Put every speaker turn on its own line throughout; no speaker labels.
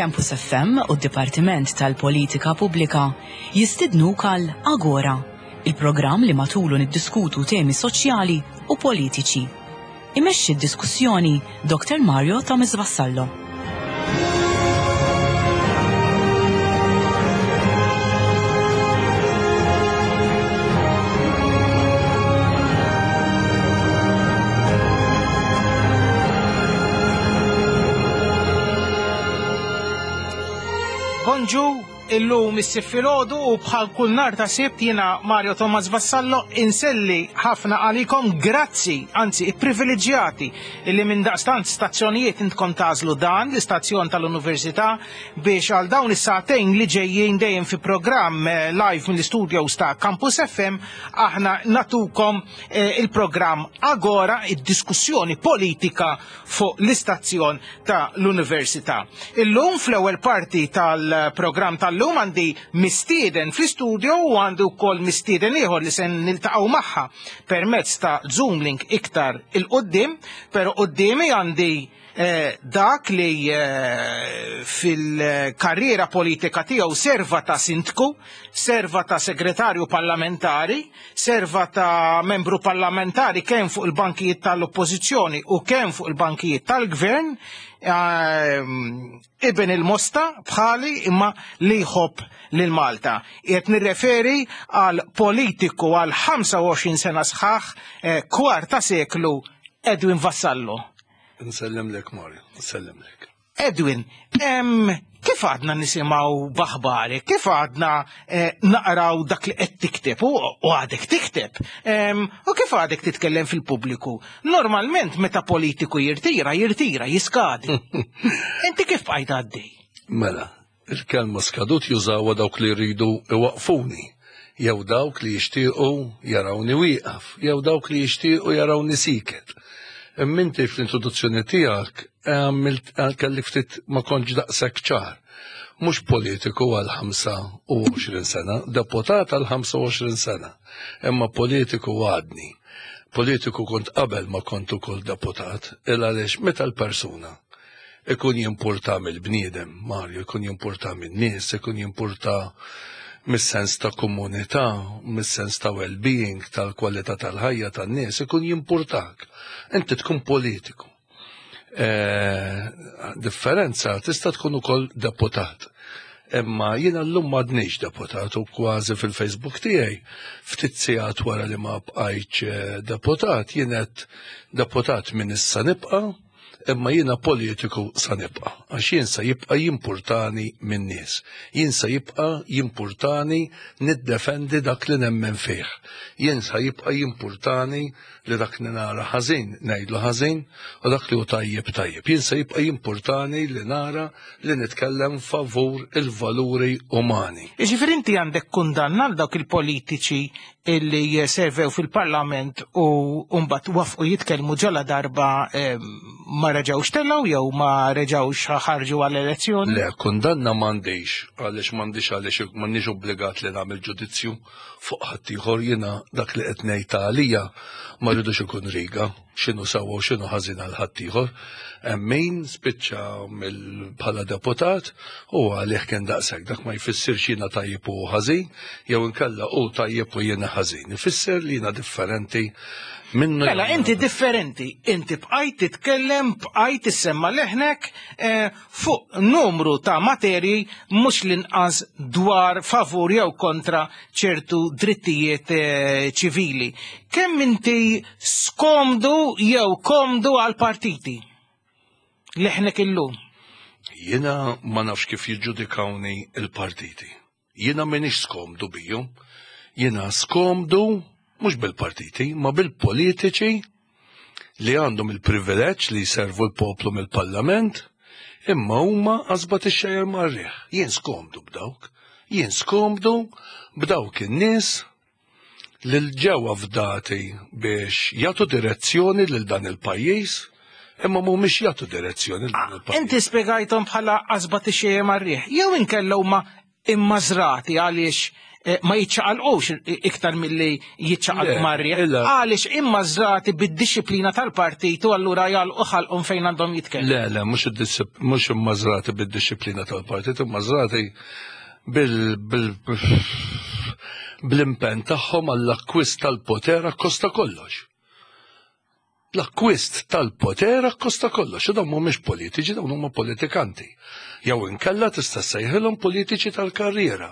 Campus FM u d-Dipartiment tal-Politika Pubblika jistidnuk għal Agora, il-programm li matulu niddiskutu temi soċjali u politiċi. Imexxi d-diskussjoni Dr. Mario Thomas Vassallo.
Bonġu, illum is-sibt filgħodu u bħal kull nhar ta' sibt jiena Mario Thomas Vassallo inselli ħafna għalikom grazzi, anzi ipprivileġġjati illi minn daqstant stazzjonijiet intkom tażlu dan l-istazzjon tal-Università biex għal dawn is-sagħtejn li ġejjin dejjem fi programm eh, live mill-istudios ta' Campus FM aħna natukom eh, il-programm Agora id-diskussjoni politika fuq l-istazzjon ta' l-Università. Illum fl-ewwel parti tal-programm tal-lum għandi mistieden fl-istudio u għandi wkoll mistieden ieħor li se niltaqgħu magħha permezz ta' Zoom link iktar il-qoddim, pero quddiemi għandi eh, dak li eh, fil-karriera politika tiegħu serva ta' sindku, serva ta' segretarju parlamentari, serva ta' membru parlamentari kemm fuq il-bankijiet tal-oppożizzjoni u kemm fuq il-bankijiet tal-gvern, eh, iben il-Mosta bħali imma li jħobb lil Malta. Qiegħed nirreferi għal politiku għal 25 sena sħaħ kwarta seklu Edwin Vassallo.
Nsellimlek Mario, nsellimlek.
Edwin, kif għadna nisimgħu b'aħbarek, kif għadna eh, naqraw dak li qed tikteb u għadek tikteb, u kif għadek titkellem fil-pubbliku? Normalment meta politiku jirtira, jirtira, jiskadi. Inti kif bqajt għaddej?
Mela, Il-kelma skadut jużawha dawk li jridu iwaqqfuni, jew dawk li jixtiequ jarawni wieqaf, jew dawk li jixtiequ jarawni sieket. Imma inti fl-introduzzjoni tiegħek għamilt kelli ftit ma kontx daqshekk ċar. Mhux politiku għal 25 sena, deputat għal 25 sena, imma politiku għadni. Politiku kont qabel ma kont ukoll deputat, il għaliex meta l-persuna ikun jimpurta mill-bniedem, Mario, ikun jimpurta min-nies, ikun jimpurta mis-sens ta' komunità, mis-sens ta' well-being, tal-kwalità tal-ħajja tan-nies, ikun jimpurtak. Inti tkun politiku. E, differenza tista' tkun ukoll deputat. Imma jiena llum m'għadniex deputat u kważi fil-Facebook tiegħi ftit sigħat wara li ma bqajtx eh, deputat jien qed deputat minn issa nibqa' Imma jiena politiku sa nibqa', għax jien sa jibqa' jimpurtani min-nies. Jien sa jibqa' jimpurtani niddefendi dak li nemmen fih. Jien sa jibqa' jimpurtani li dak li nara ħażin ngħidlu ħażin u dak li hu tajjeb tajjeb. Jien sa jibqa' jimpurtani li nara li nitkellem favur il-valuri umani.
Jiġifieri inti għandek kundanna għal dawk il-politiċi illi servew fil-parlament u mbagħad wafqu jitkellmu ġala darba eh, ma reġgħux telgħu jew ma reġgħux ħarġu għall-elezzjoni?
Le, kundanna m'għandix għaliex m'għandix għaliex m'għandix obbligat li nagħmel ġudizzju fuq ħaddieħor jiena dak li qed ngħid għalija ma rridux ikun riga x'inhu sewwa u x'inhu ħażin għal ħaddieħor. Hemm min spiċċa bħala deputat u għalih kien daqshekk dak ma jfissirx jiena tajjeb u ħażin jew inkella hu tajjeb u jiena ħażin. Ifisser li jiena differenti minnu.
Mela inti differenti, inti bqajt titkellem, bqajt issemma leħnek eh, fuq numru ta' materji mhux l-inqas dwar favur jew kontra ċertu drittijiet eh, ċivili. Kemm inti skomdu jew komdu għal partiti? Leħnek illum.
Jiena ma nafx kif jiġġudikawni il-partiti. Jiena m'iniex skomdu bijhom. Jiena skomdu mhux bil-partiti, ma bil-politiċi li għandhom il-privileġġ li jservu l-poplu mill-parlament, imma huma qasba tixxejjer mar-riħ. Jien skomdu b'dawk. Jien skomdu b'dawk in-nies li ġew afdati biex jagħtu direzzjoni lil dan il-pajjiż, imma mhumiex jagħtu direzzjoni lil dan ah, il-pajjiż.
Inti spjegajthom bħala qasba tixxejjer mar-riħ, jew inkella huma immażrati għaliex ma jiċċaqalqux iktar milli jiċċaqalqu mar-riħ. Għaliex immażrati bid-dixxiplina tal-partit u allura jagħlqu ħalqhom fejn għandhom jitkellmu.
Le, le, mhux immażrati bid-dixxiplina tal-partit, immażrati bl-impenn tagħhom għall-akkwist tal-poter akkost ta' kollox. L-akkwist tal-poter akkost ta' kollox, u dawn mhumiex politiċi, dawn huma politikanti. Jew inkella tista' ssejħilhom politiċi tal-karriera.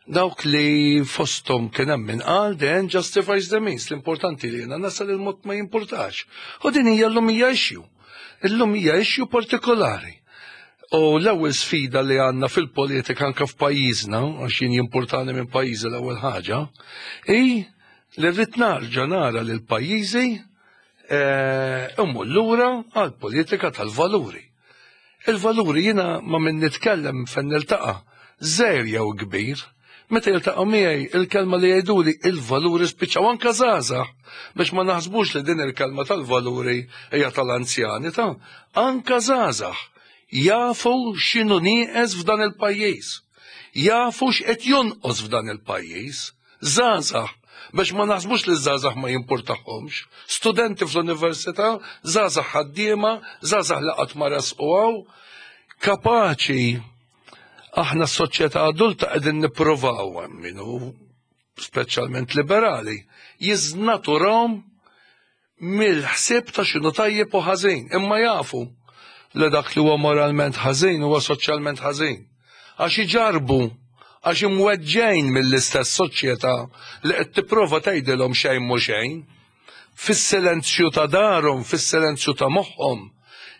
Dawk li fosthom kien hemm min qal the end justifies the means, l-importanti li jiena nasal il-mod ma jimpurtax. U din hija llum hija issue. Illum hija issue partikolari. U l-ewwel sfida li għandna fil-politika anke f'pajjiżna, għax jien jimpurtani minn pajjiżi l-ewwel ħaġa, hi li rrid narġa' nara lil pajjiżi eh, immur lura għal politika tal-valuri. Il-valuri jiena ma min nitkellem fejn niltaqa' żgħir jew kbir, meta jiltaqgħu miegħi il-kelma li jgħiduli il-valuri spiċċaw anke żgħażagħ biex ma naħsbux li din il-kelma tal-valuri hija tal-anzjani ta' anke żgħażagħ jafu x'inhu nieqes f'dan il-pajjiż. Jafu x'qed jonqos f'dan il-pajjiż. Żgħażagħ, biex ma naħsbux li ż-żgħażagħ ma jimpurtahomx, studenti fl-università, żgħażagħ ħaddiema, żgħażagħ li qatt ma resqu hawn, kapaċi aħna s-soċjetà adulta qegħdin nippruvaw hemm min hu speċjalment liberali, jiżnaturahom mill-ħsieb ta' x'inhu tajjeb u ħażin, imma jafu li dak li huwa moralment ħażin huwa soċjalment ħażin. Għax iġarrbu, għax imweġġgħin mill-istess soċjetà li qed tipprova tgħidilhom xejn mhu xejn. Fis-silenzju ta' darhom, fis-silenzju ta' moħħhom,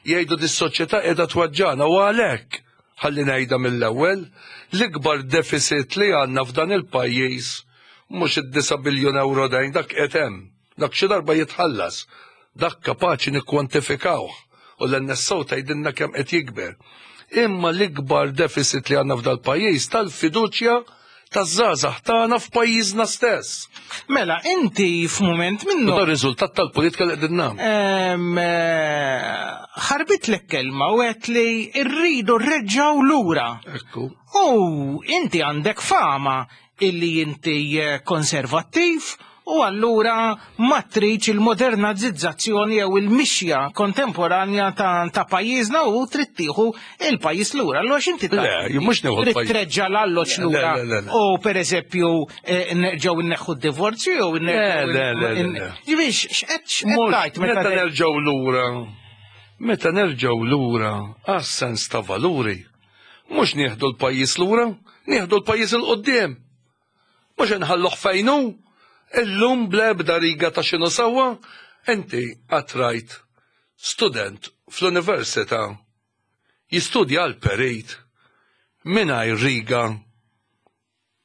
jgħidu dis-soċjetà qiegħda tweġġagħna u għalhekk, ħalli ngħidha mill-ewwel, l-ikbar deficit li għandna f'dan il-pajjiż mhux id-disa' biljun ewro dejn, dak qiegħed hemm. Dak xi darba jitħallas. Dak kapaċi nikkwantifikawh u l-NSO tgħidilna kemm qed jikber. Imma l-ikbar deficit li għandna f'dal-pajjiż tal-fiduċja taż-żgħażagħ tagħna f'pajjiżna stess.
Mela, inti f'mument minnu.
Dan riżultat tal-politika li qegħdin nagħmlu.
Eh, ħarbitlek kelma u għedt li rridu rreġgħu lura.
Ekku.
U inti għandek fama illi inti eh, konservattiv u allura ma tridx il-modernizzazzjoni jew il-mixja kontemporanja ta', ta pajjiżna u trid tieħu il-pajjiż lura. Allura x'inti
Le, jien mhux nieħu
Trid treġġa' l-alloġġ lura u pereżempju eh, nerġgħu nneħħu d-divorzju jew
Le, le, le.
Ġifieri x'qed tgħid
meta nerġgħu lura. Meta nerġgħu lura għas-sens ta' valuri Mhux nieħdu l-pajjiż lura, nieħdu l-pajjiż 'il quddiem. Mhux inħalluh fejn hu, illum bl-ebda riga ta' x'inhu sewwa, inti qatt rajt student fl-università jistudja għal perit mingħajr riga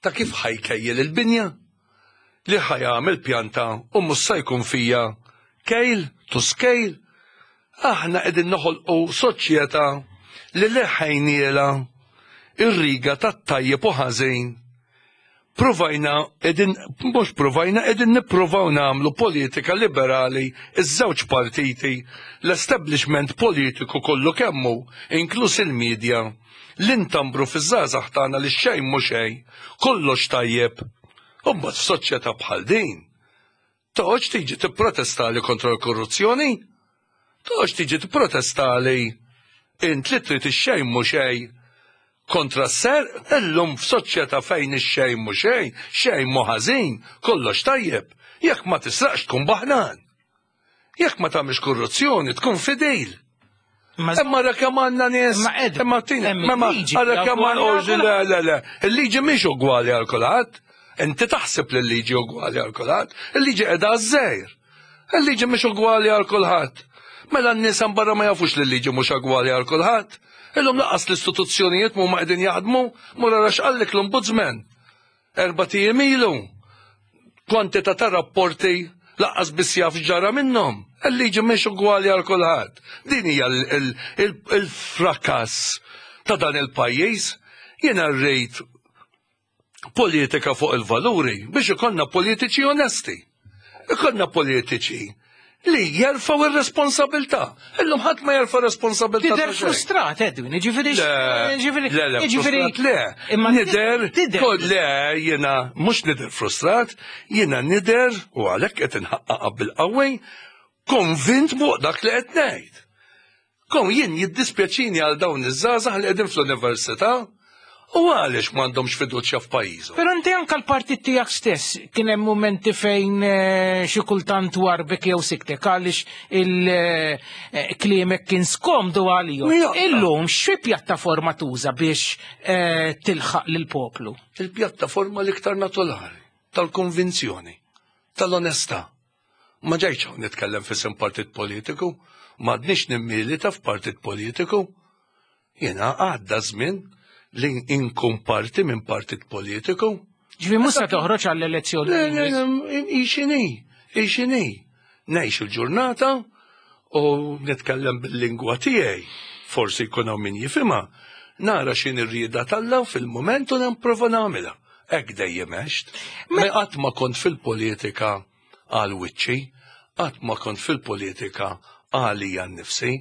ta' kif ħa jkejjel il-binja, li ħa jagħmel pjanta u mhux sa jkun fija kejl to scale. Aħna qegħdin noħolqu soċjetà li leħħejnielha ir-riga tat-tajjeb u ħażin. Pruvajna qegħdin mhux pruvajna qegħdin nippruvaw nagħmlu politika liberali iż-żewġ partiti, l-establishment politiku kollu kemm hu, inkluż il-media. Li ntambru fiż-żgħażagħ tagħna li xejn mhu xejn, kollox tajjeb. U mbagħad f'soċjetà bħal din, toqgħodx tiġi tipprotestali kontra l-korruzzjoni? Toqgħodx tiġi tipprotestali int li trid ix-xejn mhu xejn kontra s-serq? Illum f'soċjetà fejn ix-xejn mhu xejn, xejn mhu ħażin, kollox tajjeb, jekk ma tisraqx tkun baħnan. Jekk ma tagħmilx korruzzjoni tkun fidil. Imma ra kemm għandna nies. Imma tina, imma ara kemm għandna le le le. Il-liġi mhix ugwali għal kulħadd. Inti taħseb li l-liġi ugwali għal kulħadd. Il-liġi qiegħda għaż-żgħir. Il-liġi mhix ugwali għal kulħadd. Mela n-nies hemm barra ma jafux li l-liġi mhux ugwali għal kulħadd. Illum laqas l-istituzzjonijiet mhuma qegħdin jaħdmu, mur ara x'qallek l-ombudsman. Erbat ijiem ilu, kwantità ta' rapporti laqqas biss jaf x'ġara minnhom. Il-liġi mhix ugwali għal kulħadd. Din hija l-frakass ta' dan il-pajjiż. Jiena rrid politika fuq il-valuri biex ikollna politiċi onesti. Ikollna politiċi. li jerfgħu ir-responsabilità. Illum ħadd ma jerfa' responsabilità.
Tidher frustrat, Edwin, jiġifieri.
Jiġifieri. Le, le, frustrat le.
Imma
nidher. Le, jiena mhux nidher frustrat, jiena nidher u għalhekk qed inħaqqaqha bil-qawwi, konvint fuq dak li qed ngħid. Kom jien jiddispjaċini għal dawn iż-żgħażagħ li qegħdin fl-università u għaliex m'għandhomx fiduċja f'pajjiżhom.
Però inti anke l-partit tiegħek stess kien hemm mumenti fejn eh, xi kultant warbek jew siktek għaliex il-kliemek eh, kien skomdu għalihom. Illum xi pjattaforma tuża biex eh, tilħaq lill-poplu?
Il-pjattaforma l-iktar naturali tal-konvinzjoni, tal-onestà. Ma ġejtx hawn nitkellem f'isem partit politiku, m'għadniex nimmilita f'partit politiku. Jiena għadda żmien li inkun parti minn partit politiku.
Ġifi mhux se toħroġ għall-elezzjoni.
Le, le, le, ixini, ixini. Ngħix il-ġurnata u nitkellem bil-lingwa tiegħi. Forsi jkun hawn min jifhimha. Nara x'in ir-rieda t'Alla fil-mument u nipprova nagħmilha. Hekk dejjem għext. Me qatt ma kont fil-politika għal wiċċi, qatt ma kont fil-politika għalija nnifsi,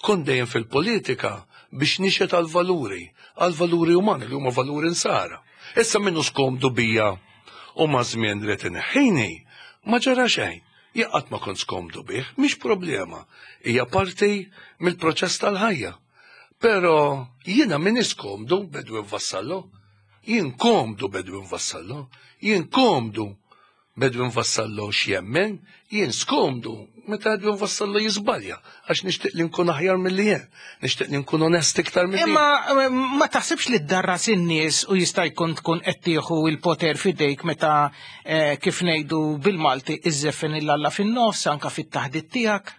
kont dejjem fil-politika biex nixhed għall-valuri, għall-valuri umani li huma valuri nsara. Issa min hu skomdu bija u maż-żmien ried ineħħini, ma ġara xejn. Jien qatt ma kont skomdu bih, mhix problema, hija parti mill-proċess tal-ħajja. Però jiena m'iniex skomdu b'Edwin Vassallo, jien komdu b'Edwin Vassallo, jien komdu B'Edwin Vassallo x'jemmen, jien skomdu meta Edwin Vassallo jiżbalja, għax nixtieq li nkun aħjar milli jien, nixtieq li nkun onest iktar milli jien.
Imma eh, ma taħsibx li ddarras in-nies u jista' jkun tkun qed tieħu l-poter f'idejk meta eh, kif ngħidu bil-Malti iżżeffen il-Alla fin-nofs anka fit-taħdit tiegħek?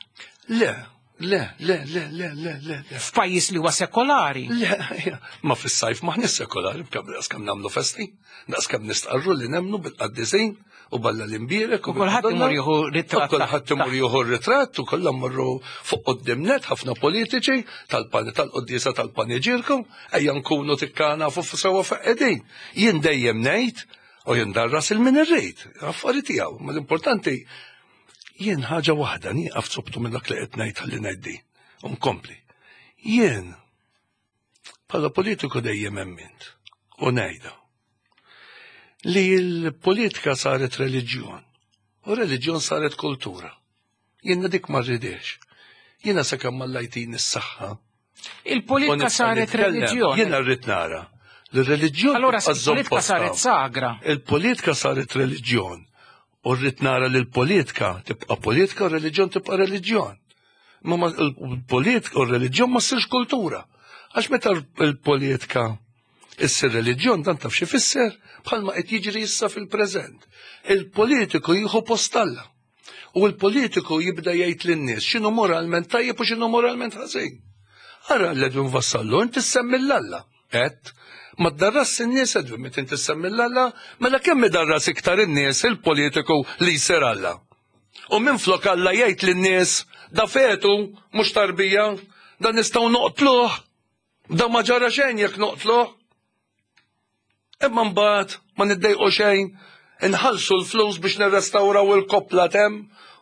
Le, Le, le, le, le, le, le.
F'pajjiż li huwa sekolari.
Le, ma fis-sajf maħniex sekolari, b'kemm daqs kemm nagħmlu festi, daqs kemm nistqarru li nemmnu bil-qaddisin u balla l-imbierek
u kulħadd imur jieħu ritratt.
Kulħadd imur jieħu ritratt u kollha mmorru fuq quddiem net ħafna politiċi tal-pani tal-quddiesa tal-paniġirku, ejja nkunu tikkana fuq sewwa fuq qegħdin. Jien dejjem ngħid u jien darras il-min irrid, affari tiegħu, ma l-importanti Jien ħaġa waħda nieqaf sobtu minn dak li qed ngħid ħalli ngħid din. U nkompli. Jien bħala politiku dejjem emmint u ngħidha li l-politika saret reliġjon u reliġjon saret kultura. Jiena dik ma rridiex. Jiena sakemm Alla jtini s-saħħa
Il-politika saret reliġjon.
Jiena rrid nara. L-reliġjon.
Allora il-politika saret sagra.
Il-politika saret reliġjon. U rrid nara li l-politika tibqa' politika u r-reliġjon tibqa' reliġjon. Ma l-politika u r-reliġjon ma ssirx kultura. Għax meta l-politika issir reliġjon dan taf xi fisser bħalma qed jiġri issa fil-preżent. Il-politiku jieħu post Alla. U l-politiku jibda jgħid lin-nies x'inhu moralment tajjeb u x'inhu moralment ħażin. Ara l-Edwin Vassallo, inti semmi l-Alla. Et, ma ddarras in-nies Edwin meta inti semmi l-Alla, mela kemm idarras iktar in-nies il-politiku li jsir Alla. U minflok Alla jgħid lin-nies da fetu mhux tarbija, da nistgħu noqtluh, da ma ġara xejn jekk noqtluh. Imma mbagħad ma niddejqu xejn, inħallsu l-flus biex nirrestawraw il-koppla t'hemm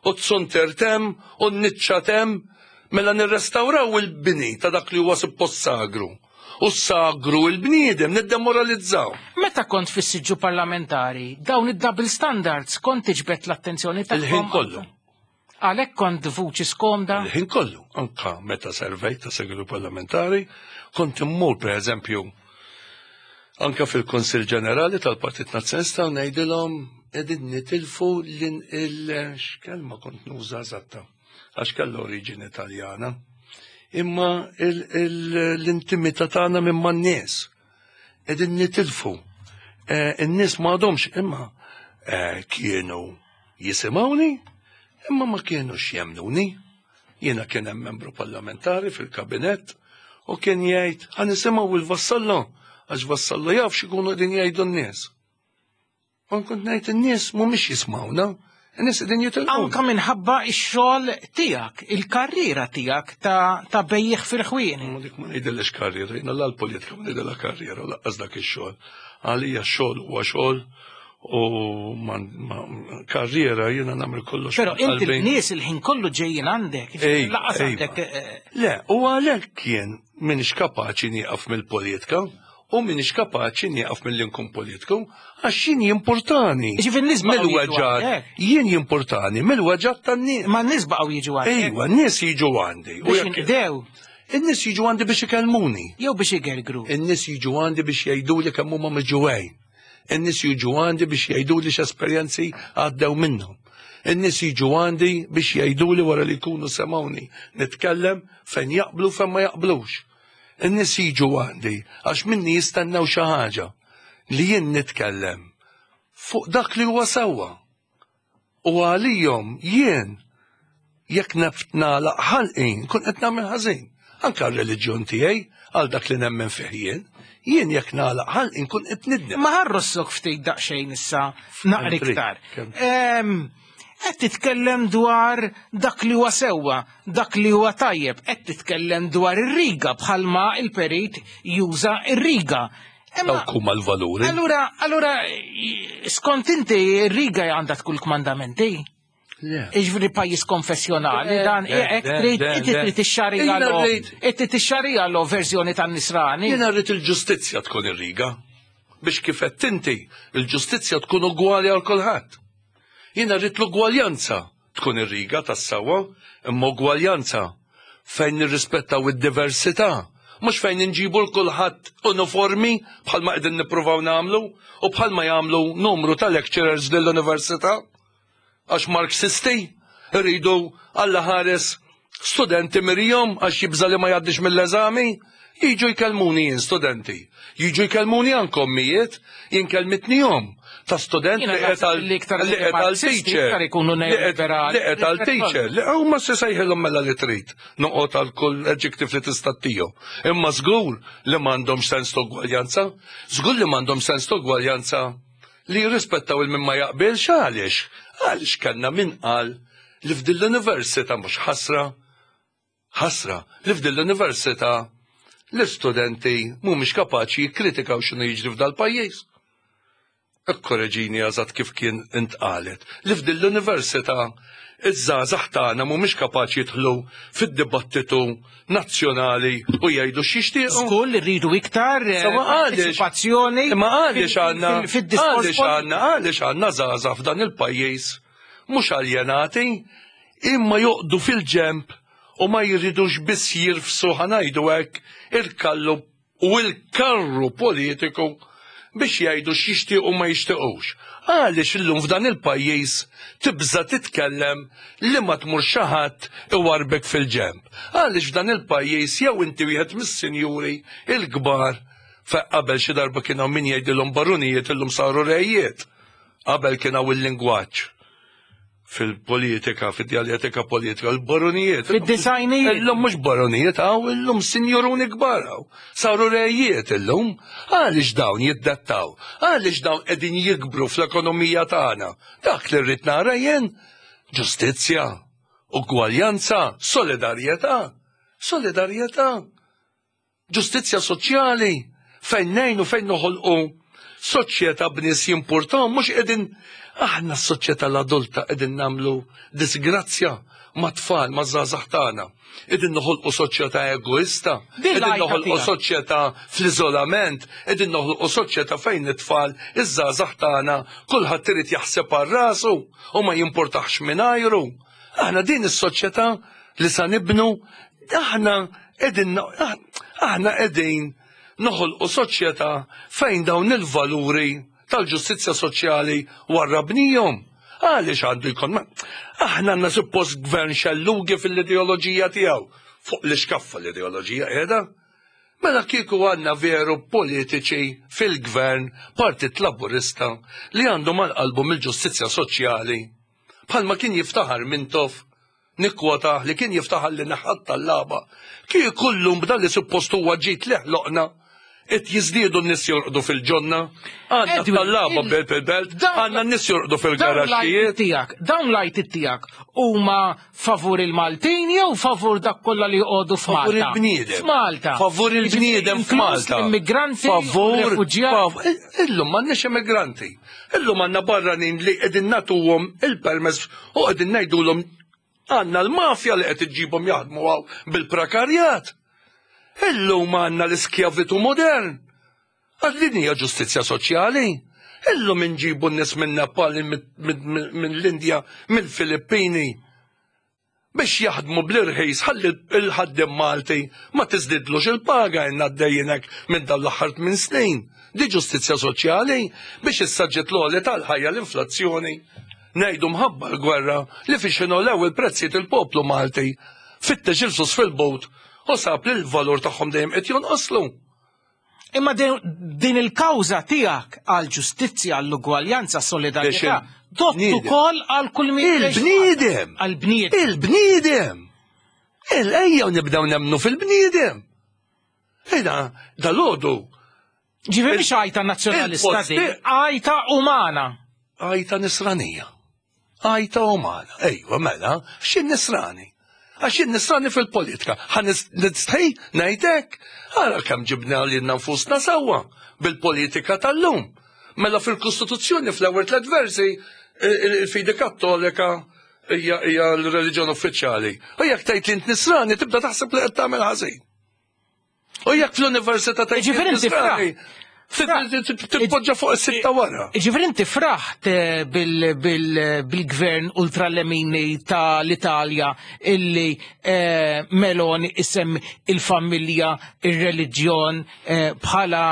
u t-suntier t'hemm u n-niċċa t'hemm, mela nirrestawraw il-bini ta' dak li huwa suppost sagru. U s-sagru il-bniedem niddemoralizzaw.
Meta kont fis-siġġu parlamentari, dawn id-double standards kont tiġbed l-attenzjoni tagħhom?
Il-ħin kollu.
Għalhekk kont vuċi skomda?
Il-ħin kollu, anka meta servejt ta' segretu parlamentari, kont immur per eżempju anka fil-Konsil Ġenerali tal-Partit Nazzjonalista u ngħidilhom qegħdin nitilfu l-x'kelma kont nuża eżatta għax kellha oriġini Taljana. Imma l-intimità tagħna minn man-nies qegħdin nitilfu. Eh, in-nies ma għadhomx imma eh, kienu Jisimgħuni, imma ma kienux jemmnuni. Jiena kien hemm membru parlamentari fil-kabinett u kien jgħid ħa nisimgħu il-Vassallo għax Vassallo jaf x'ikunu qegħdin jgħidu n-nies. U kont ngħid in-nies mhumiex jismawna, in-nies qegħdin jitilqu.
Anka minħabba x-xogħol tiegħek, il-karriera tiegħek ta', ta bejjiegħ fil-ħwienet.
Ma dik ma ngħidilx karriera, jiena la l-politika ma ngħidilha karriera u laqqas dak ix-xogħol. Għalija x-xogħol huwa xogħol. U ma karriera jiena nagħmel kollox.
Però inti l-nies il-ħin kollu ġejjin għandek, laqas għandek. Eh,
Le, u għalhekk jien minix kapaċi nieqaf mill-politika u minix kapaċi nieqaf mill nkun politiku għax jien jimportani.
Ġifieri n-nies
mill-weġġat, jien jimportani mill-weġġat tan-nies.
Ma n-nies baqgħu jiġu għandi.
Ejwa, n-nies jiġu għandi.
U jekk
In-nies jiġu għandi biex ikellmuni.
Jew biex igergru.
In-nies jiġu għandi biex jgħiduli kemm huma miġuwejn. In-nies jiġu għandi biex jgħiduli x'esperjenzi għaddew minnhom. In-nies jiġu għandi biex jgħiduli wara li jkunu semgħuni nitkellem fejn jaqblu fejn ma jaqblux. In-nies jiġu għandi għax minni jistennew xi ħaġa li jien nitkellem fuq dak li huwa sewwa. U għalihom jien jekk neft nagħlaq ħalqi nkun qed nagħmel ħażin. Anke r-reliġjon tiegħi għal dak li nemmen fih jien, jien jekk nagħlaq ħalqi nkun qed nidnem.
Ma ħarrossok ftit daqsxejn issa naqra iktar. Qed titkellem dwar dak li huwa sewwa, dak li huwa tajjeb, qed titkellem dwar ir-riga bħalma il-perit juża ir-riga.
Dawk huma l-valuri.
Allura, allura skont inti ir-riga għandha tkun kmandamenti? Iġveri pajis konfessjonali, dan hekk trid inti trid ix-xarija inti tixxarija lo verżjoni tan-nisrani.
Jiena rrid il-ġustizzja tkun ir-riga. Biex kif qed inti, il-ġustizzja tkun ugwali għal kulħadd. Jiena rrid l-ugwaljanza tkun ir-riga tas-sewwa, imma ugwaljanza fejn nirrispettaw id-diversità, mhux fejn inġibu 'l kulħadd uniformi bħalma qegħdin nippruvaw nagħmlu u bħalma jagħmlu numru ta' lecturers lill-università. Għax Marxisti rridu Alla ħares studenti mirihom għax jibża' li ma jgħaddix mill-eżami, jiġu jkellmuni jien studenti. Jiġu jkellmuni anke ommijiet, jien kellmitni omm ta' student li qed għal li qed għal teacher. Li qed għal teacher. Li huma se sejħilhom mela li trid. Noqgħod għal kull adjective li tista' tihom. Imma żgur li m'għandhomx sens ta' ugwaljanza. Żgur li m'għandhomx sens ta' ugwaljanza li jirrispettaw il min ma jaqbilx għaliex? Għaliex kellna min qal li f'din l-università mhux ħasra, ħasra li f'din l-università l-istudenti mhumiex kapaċi jikkritikaw x'inhu jiġri f'dal-pajjiż. Ikkoreġini eżatt kif kien intqalet li f'din l-università iż-żgħażagħ tagħna mhumiex kapaċi jidħlu fid-dibattitu nazzjonali u jgħidu x'jixtiequ.
Żgur li rridu iktar eh, partecipazzjoni.
Imma għaliex għandna għaliex għandna għaliex għandna żgħażagħ f'dan il-pajjiż mhux aljenati imma joqdu fil-ġemp u ma jridux biss jirfsu ħanajdu hekk il-kallu u l-karru politiku biex jgħidu x'jixtiequ u ma jixtiequx. Għaliex illum f'dan il-pajjiż tibża' titkellem li ma tmur xi ħadd iwarrbek fil-ġenb? Għaliex f'dan il-pajjiż jew inti wieħed mis-sinjuri l-kbar fejn qabel xi darba kien hawn min jgħidilhom barunijiet illum saru rejiet. Qabel kien hawn il-lingwaġġ fil-politika, fid-djaljetika politika, l-baronijiet.
Fid-disajnijiet.
Illum mhux baronijiet hawn, illum sinjuruni kbar hawn. Saru rejiet illum. Għaliex dawn jiddettaw? Għaliex dawn qegħdin jikbru fl-ekonomija tagħna? Dak li rrid nara jien ġustizzja, ugwaljanza, solidarjetà. Solidarjetà. Ġustizzja soċjali fejn ngħinu fejn noħolqu soċjetà b'nies jimpurtahom mhux qegħdin aħna s-soċjetà l-adulta qegħdin nagħmlu disgrazzja mat-tfal maż-żgħażagħ tagħna. Qegħdin noħolqu soċjetà egoista, qegħdin noħolqu soċjetà fl-iżolament, qegħdin noħolqu soċjetà fejn it-tfal iż-żgħażagħ tagħna kulħadd irid jaħseb għal rasu u ma jimpurtaħx mingħajru. Aħna din is-soċjetà li sa nibnu aħna qegħdin aħna qegħdin noħolqu soċjetà fejn dawn il-valuri tal-ġustizzja soċjali warrabnihom. Għaliex għandu jkun aħna għandna suppost gvern xellugi fil-ideoloġija tiegħu. Fuq l-iskaffa l-ideoloġija qiegħda. Mela kieku għandna veru politiċi fil-gvern Partit Laburista li għandhom għal qalbhom il-ġustizzja soċjali Bħalma kien jiftaħar Mintoff, nikkwotah li kien jiftaħar li neħħa t-tallaba. Kieku llum b'dan li suppost huwa ġid li ħloqna, Qed jiżdiedu n-nies jorqdu fil-ġonna, għandna tallaba belt il-belt, għandna n-nies jorqdu fil-garaxxijiet.
Tiegħek, dawn l-għajtiet tiegħek huma favur il-Maltin jew favur dak kollha li joqogħdu f'Malta?
Favur il-bniedem.
F'Malta.
Favur il-bniedem f'Malta.
Immigranti, favur refuġjati.
Illum m'għandniex immigranti. Illum għandna barranin li qegħdin nagħtuhom il-permess u qegħdin ngħidulhom Għandna l-mafja li qed iġġibhom jaħdmu hawn bil-prekarjat. Illum għandna l-iskjavitu modern. Għax din hija ġustizzja soċjali. Illum inġibu n-nies minn Nepal, minn l-Indja, mill-Filippini biex jaħdmu bl-irħis ħalli l-ħaddiem Malti ma tiżdidlux il-paga inna għaddejjin hekk minn dan l-aħħar tmien snin. Di ġustizzja soċjali biex issa ġiet l-għoli tal-ħajja l-inflazzjoni. Ngħidu mħabba l-gwerra li fiex ingħolew il-prezzijiet il-poplu Malti fittex il-flus fil-but u sab li l-valur tagħhom dejjem qed jonqoslu.
Imma din il-kawża tiegħek għal ġustizzja, għall-ugwaljanza, solidarjetà, dott ukoll għal kull min.
Il-bniedem!
Għall-bniedem.
Il-bniedem! Il-ejja nibdew nemmnu fil-bniedem. Ejda, dal-għodu
Ġifieri mhix għajta nazzjonalista din, għajta umana.
Għajta nisranija. Għajta umana. Ejwa, mela, x'in nisrani? Għax jien nisrani fil-politika. Ħa nistħi ngħidlek, ara kemm ġibna lilna nfusna sewwa bil-politika tal-lum. Mela fil-Kostituzzjoni fl-ewwel tliet versi il-fidi kattolika hija l-reliġjon uffiċjali. U jekk tgħid li int nisrani tibda taħseb li qed tagħmel ħażin. U jekk fl-università ta'
Ġifieri inti fraħ.
Titpoġġa fuq is-sitta wara.
Ġifieri inti fraħt eh, bil-gvern ultralemini tal-Italja illi eh, Meloni isem il-familja, ir-reliġjon eh, bħala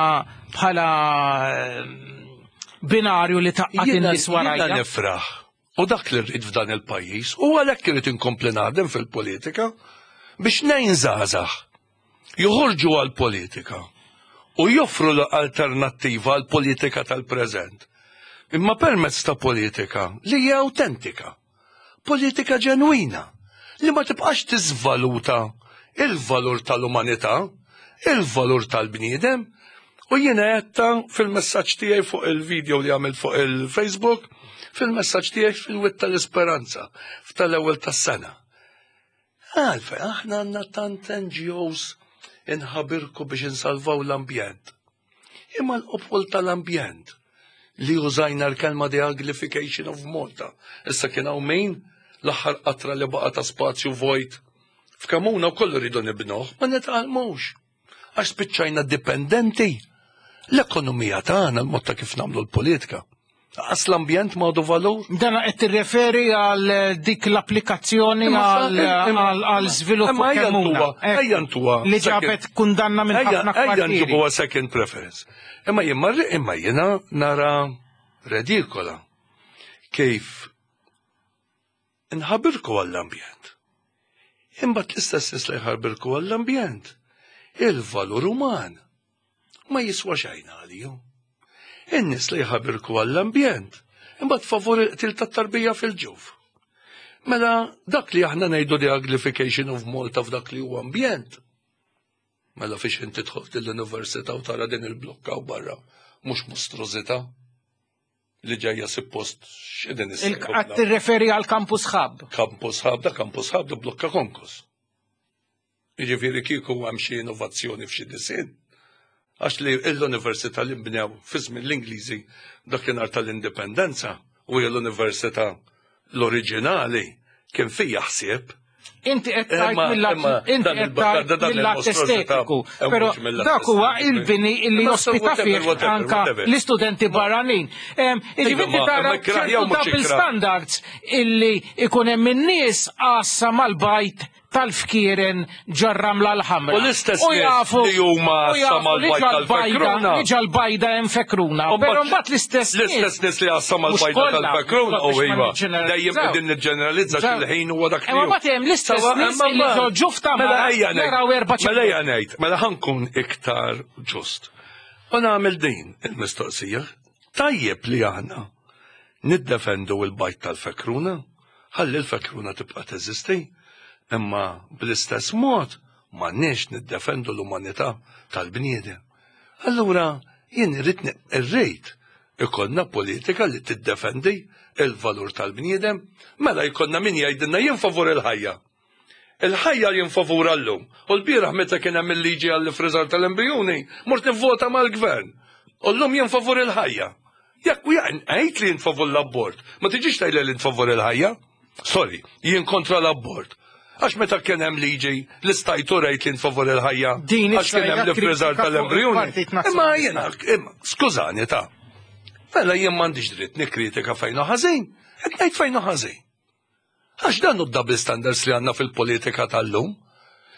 bħala binarju li taqqat in-nies warajja.
Jiena nifraħ. U dak li rrid f'dan il-pajjiż u għalhekk irid inkompli naħdem fil-politika biex ngħin żgħażagħ joħorġu għall-politika u joffru alternattiva għall-politika tal-preżent. Imma permezz ta' politika li hija awtentika, politika ġenwina, li ma tibqax tiżvaluta il-valur tal-umanità, il-valur tal-bniedem, u jiena għedtha fil-messaġġ tiegħi fuq il-video li għamilt fuq il-Facebook, fil-messaġġ tiegħi fil-Wied tal-Isperanza f'tal-ewwel tas-sena. Għalfejn aħna għandna tant NGOs inħabirku biex insalvaw l-ambjent. Imma l-qopol tal-ambjent li użajna l-kelma the uglification of Malta. Issa kien hawn min l-aħħar qatra li baqa' ta' spazju vojt f'Kamuna wkoll rridu nibnuh, ma nitgħallmux. Għax spiċċajna dipendenti. L-ekonomija tagħna, l-mod ta' kif nagħmlu l-politika. Għas l-ambjent ma għadu valur.
Dana qed tirreferi għal dik l-applikazzjoni għal żvilupp
ejja eh, ntuha.
Li ġabet kundanna minn ħafna
Ejja nġibuha second preference. Imma jien imma jiena nara redikola kif Inħabirku għall-ambjent. Imbagħad l-istess nies li jħarbirku għall-ambjent, il-valur uman ma jiswa xejn għalihom. In-nies li jħabirku għall-ambjent, imbagħad favur il-qtil tat-tarbija fil-ġuf. Mela dak li aħna ngħidu the uglification of Malta f'dak li huwa ambjent. Mela fiex inti tidħol l-università u tara din il-blokka u barra mhux mostrużità li ġejja suppost x'qegħdin
issejħu. Qed tirreferi għal Campus Hub.
Campus Hub, da Campus Hub da blokka konkos. Jiġifieri kieku hemm xi innovazzjoni f'xi disinn. Għax li l-università li nbnew fi żmien l-Ingliżi dakinhar tal-Indipendenza u hija l-università l-oriġinali kien fija ħsieb
Inti qed tgħid mill-att inti qed tgħid mill-att estetiku, però dak huwa il-bini li jospita fih anka l-istudenti barranin. Jiġifieri tara ċertu double standards illi ikun hemm in-nies għassa mal-bajt tal-fkieren ġar-ramla l-ħamra.
U l-istess nies li huma għassa mal-bajt tal-fekruna.
Li ġal-bajda hemm fekruna. Però mbagħad l-istess
nies. L-istess nies li għassa mal-bajda tal-fekruna u iva. Dejjem qegħdin niġġeneralizza xil-ħin huwa dak li.
Imma mbagħad hemm l-istess nies li ġo ġuf ta'
mela ejja ngħid. Mela ejja ngħid, mela ħankun iktar ġust. U nagħmel din il-mistoqsija. Tajjeb li aħna niddefendu l-bajt tal-fekruna, ħalli l-fekruna tibqa' teżisti, imma bl-istess mod m'għandniex niddefendu l-umanità tal-bniedem. Allura jien irrid irrid ikollna politika li tiddefendi il-valur tal-bniedem, mela jkollna min jgħidilna jien favur il-ħajja. Il-ħajja jien favur llum. U l-bieraħ meta kien hemm il-liġi għall-ifriżar tal-embrijuni, mort nivvota mal-gvern. U llum jien favur il-ħajja. Jekk u għid li jien favur l-abort, ma tiġix tgħidli li favur il-ħajja. Sorry, jien kontra l-abort. Għax meta kien hemm liġi li stajtu rejt li favur il-ħajja.
Din
għax kien hemm l-ifriżar tal-embrijuni. Imma jiena, skużani ta' Mela jien m'għandix dritt nikkritika fejn hu ħażin, qed ngħid fejn hu ħażin. Għax dan hu d-double standards li għandna fil-politika tal-lum.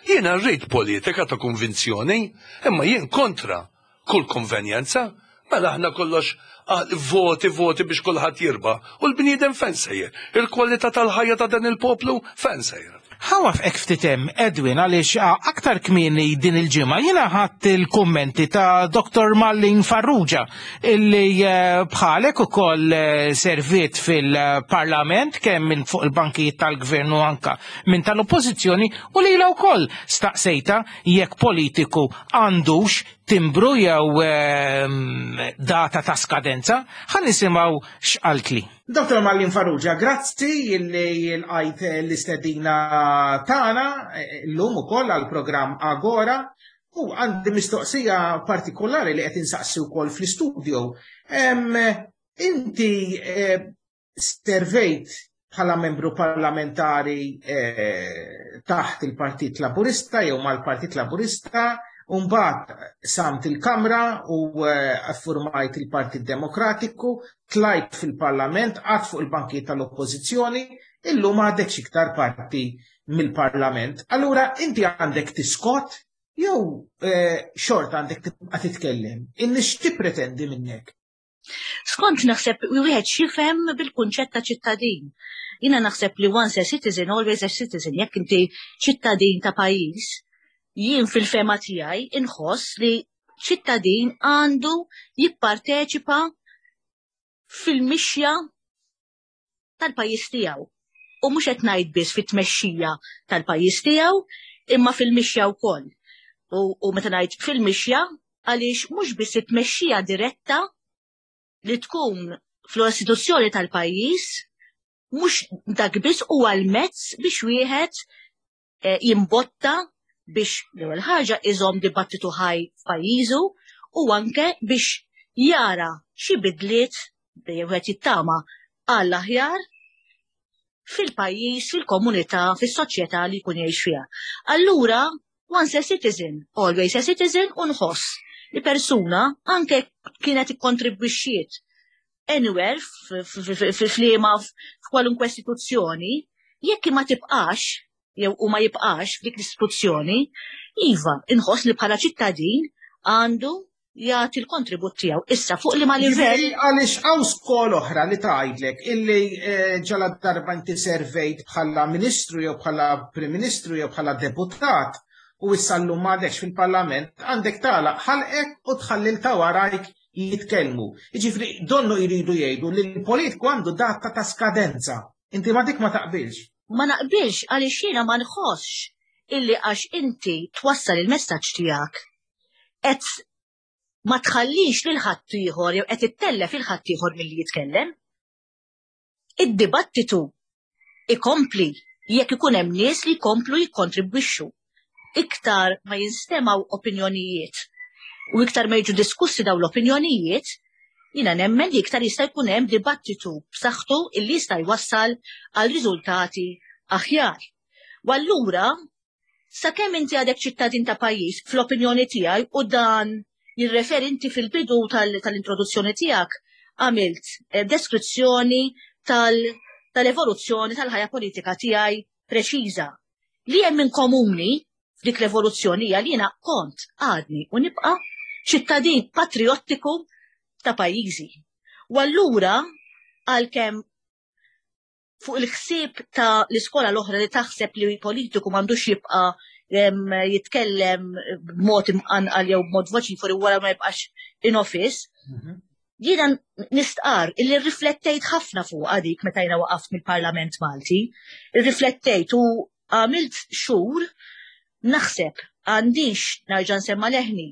Jiena rrid politika ta' konvinzjoni, imma jien kontra kull konvenjenza, mela aħna kollox ah, voti voti biex kulħadd jirba u l-bniedem fejn sejjer, il-kwalità tal-ħajja ta' dan il-poplu fejn sejjer.
Ħa nwaffqek ftit hemm, Edwin, għaliex aktar kmieni din il-ġimgħa jiena ħadt il-kummenti ta' Dr. Marlene Farrugia illi eh, bħalek ukoll eh, serviet fil-Parlament kemm minn fuq il-bankijiet tal-gvern u anka minn tal-Oppożizzjoni u lilha wkoll staqsejta jekk politiku għandux timbru jew ehm, data ta' skadenza, ħa nisimgħu x'qaltli. Dr. Marlene Farrugia, grazzi li lqajt l-istedina tagħna eh, llum ukoll għall-programm Agora u għandi mistoqsija partikolari li qed insaqsi wkoll fl-istudio. Inti eh, servejt bħala membru parlamentari eh, taħt il-Partit Laburista jew mal-Partit Laburista, u mbagħad samt il-Kamra u eh, affurmajt il-Partit Demokratiku, tlajt fil-Parlament, qgħadt fuq il-bankijiet tal-Oppożizzjoni, illum għadek iktar parti mill-Parlament. Allura inti għandek tiskot jew eh, xorta għandek tibqa' titkellem. In-nies tippretendi minnek.
Skont naħseb wieħed x'jifhem bil-kunċett ta' ċittadin. Jiena naħseb li once a citizen, always a citizen. Jekk inti ċittadin ta' pajjiż, jien fil-fehma tiegħi inħoss li ċittadin għandu jipparteċipa fil-mixja tal-pajjiż tiegħu. U mhux qed ngħid biss fit-tmexxija tal-pajjiż tiegħu, imma fil-mixja wkoll. U, u meta ngħid fil-mixja, għaliex mhux biss it-tmexxija diretta li tkun fl-istituzzjoni tal-pajjiż, mhux dak biss huwa l-mezz biex wieħed eh, jimbotta biex l-ewwel ħaġa iżomm dibattitu ħaj f'pajjiżu u anke biex jara xi bidliet dejjem wieħed jittama għall aħjar fil-pajjiż, fil-komunità, fis-soċjetà li jkun jgħix fiha. Allura, once a citizen, always a citizen, u nħoss li persuna anke kienet ikkontribwixxiet anywhere f'liema f'kwalunkwe istituzzjoni, jekk ma tibqax jew u ma jibqax f'dik l-istituzzjoni, iva, inħoss li bħala ċittadin għandu jagħti l-kontribut tiegħu. Issa fuq li ma livell.
Għaliex hawn skola oħra li tgħidlek illi eh, ġala darba inti servejt bħala ministru jew bħala Prim Ministru jew bħala deputat u issa llum m'għadekx fil-Parlament għandek tagħlaq ħalqek u tħalli ta' warajk jitkellmu. Jiġifieri donnu jridu jgħidu li l-politiku għandu data ta' skadenza. Inti ma dik ma taqbilx.
Ma naqbilx għaliex jiena ma nħossx illi għax inti twassal il-messaġġ tiegħek qed ma tħallix lil ħaddieħor jew qed ittellef il ħaddieħor milli jitkellem. Id-dibattitu ikompli jekk ikun hemm nies li jkomplu jikkontribwixxu. Iktar ma jinstemgħu opinjonijiet u iktar ma jiġu diskussi dawn l-opinjonijiet, jiena nemmen li iktar jista' jkun hemm dibattitu b'saħħtu illi jista' jwassal għal riżultati aħjar. U allura sakemm inti għadek ċittadin ta' pajjiż, fl-opinjoni tiegħi u dan jirreferi inti fil-bidu tal-introduzzjoni tiegħek għamilt eh, deskrizzjoni tal-evoluzzjoni tal-ħajja politika tiegħi preċiża. Li hemm in komuni f'dik l-evoluzzjoni hija li jiena kont għadni u nibqa' ċittadin patriottiku ta' pajjiżi. U allura għalkemm fuq il-ħsieb ta' l-iskola l-oħra li taħseb li politiku m'għandux jibqa' jitkellem b'mod imqanqal jew b'mod voċifori wara ma jibqax in office. Mhm. Jiena nistqar illi rriflettejt ħafna fuq dik meta jiena waqaft mill-Parlament Malti, rriflettejt u għamilt xhur naħseb għandix narġa' nsemma leħni.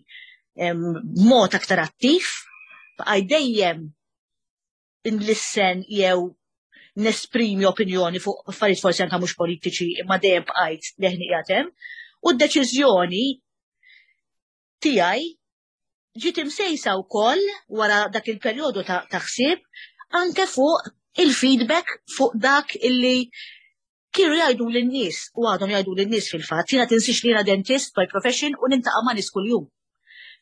b'mod aktar attiv, bqajt dejjem nlissen jew nesprimi opinjoni fuq affarijiet forsi anke mhux politiċi imma dejjem bqajt leħni qiegħed hemm. U d-deċiżjoni tiegħi ġiet imsejsa wkoll wara dak il-perjodu ta' ħsieb anke fuq il-feedback fuq dak illi kienu jgħidu lin-nies u għadhom jgħidu lin-nies fil-fatt. Jiena tinsiex li jiena dentist by profession u nintaqa' ma' nies kuljum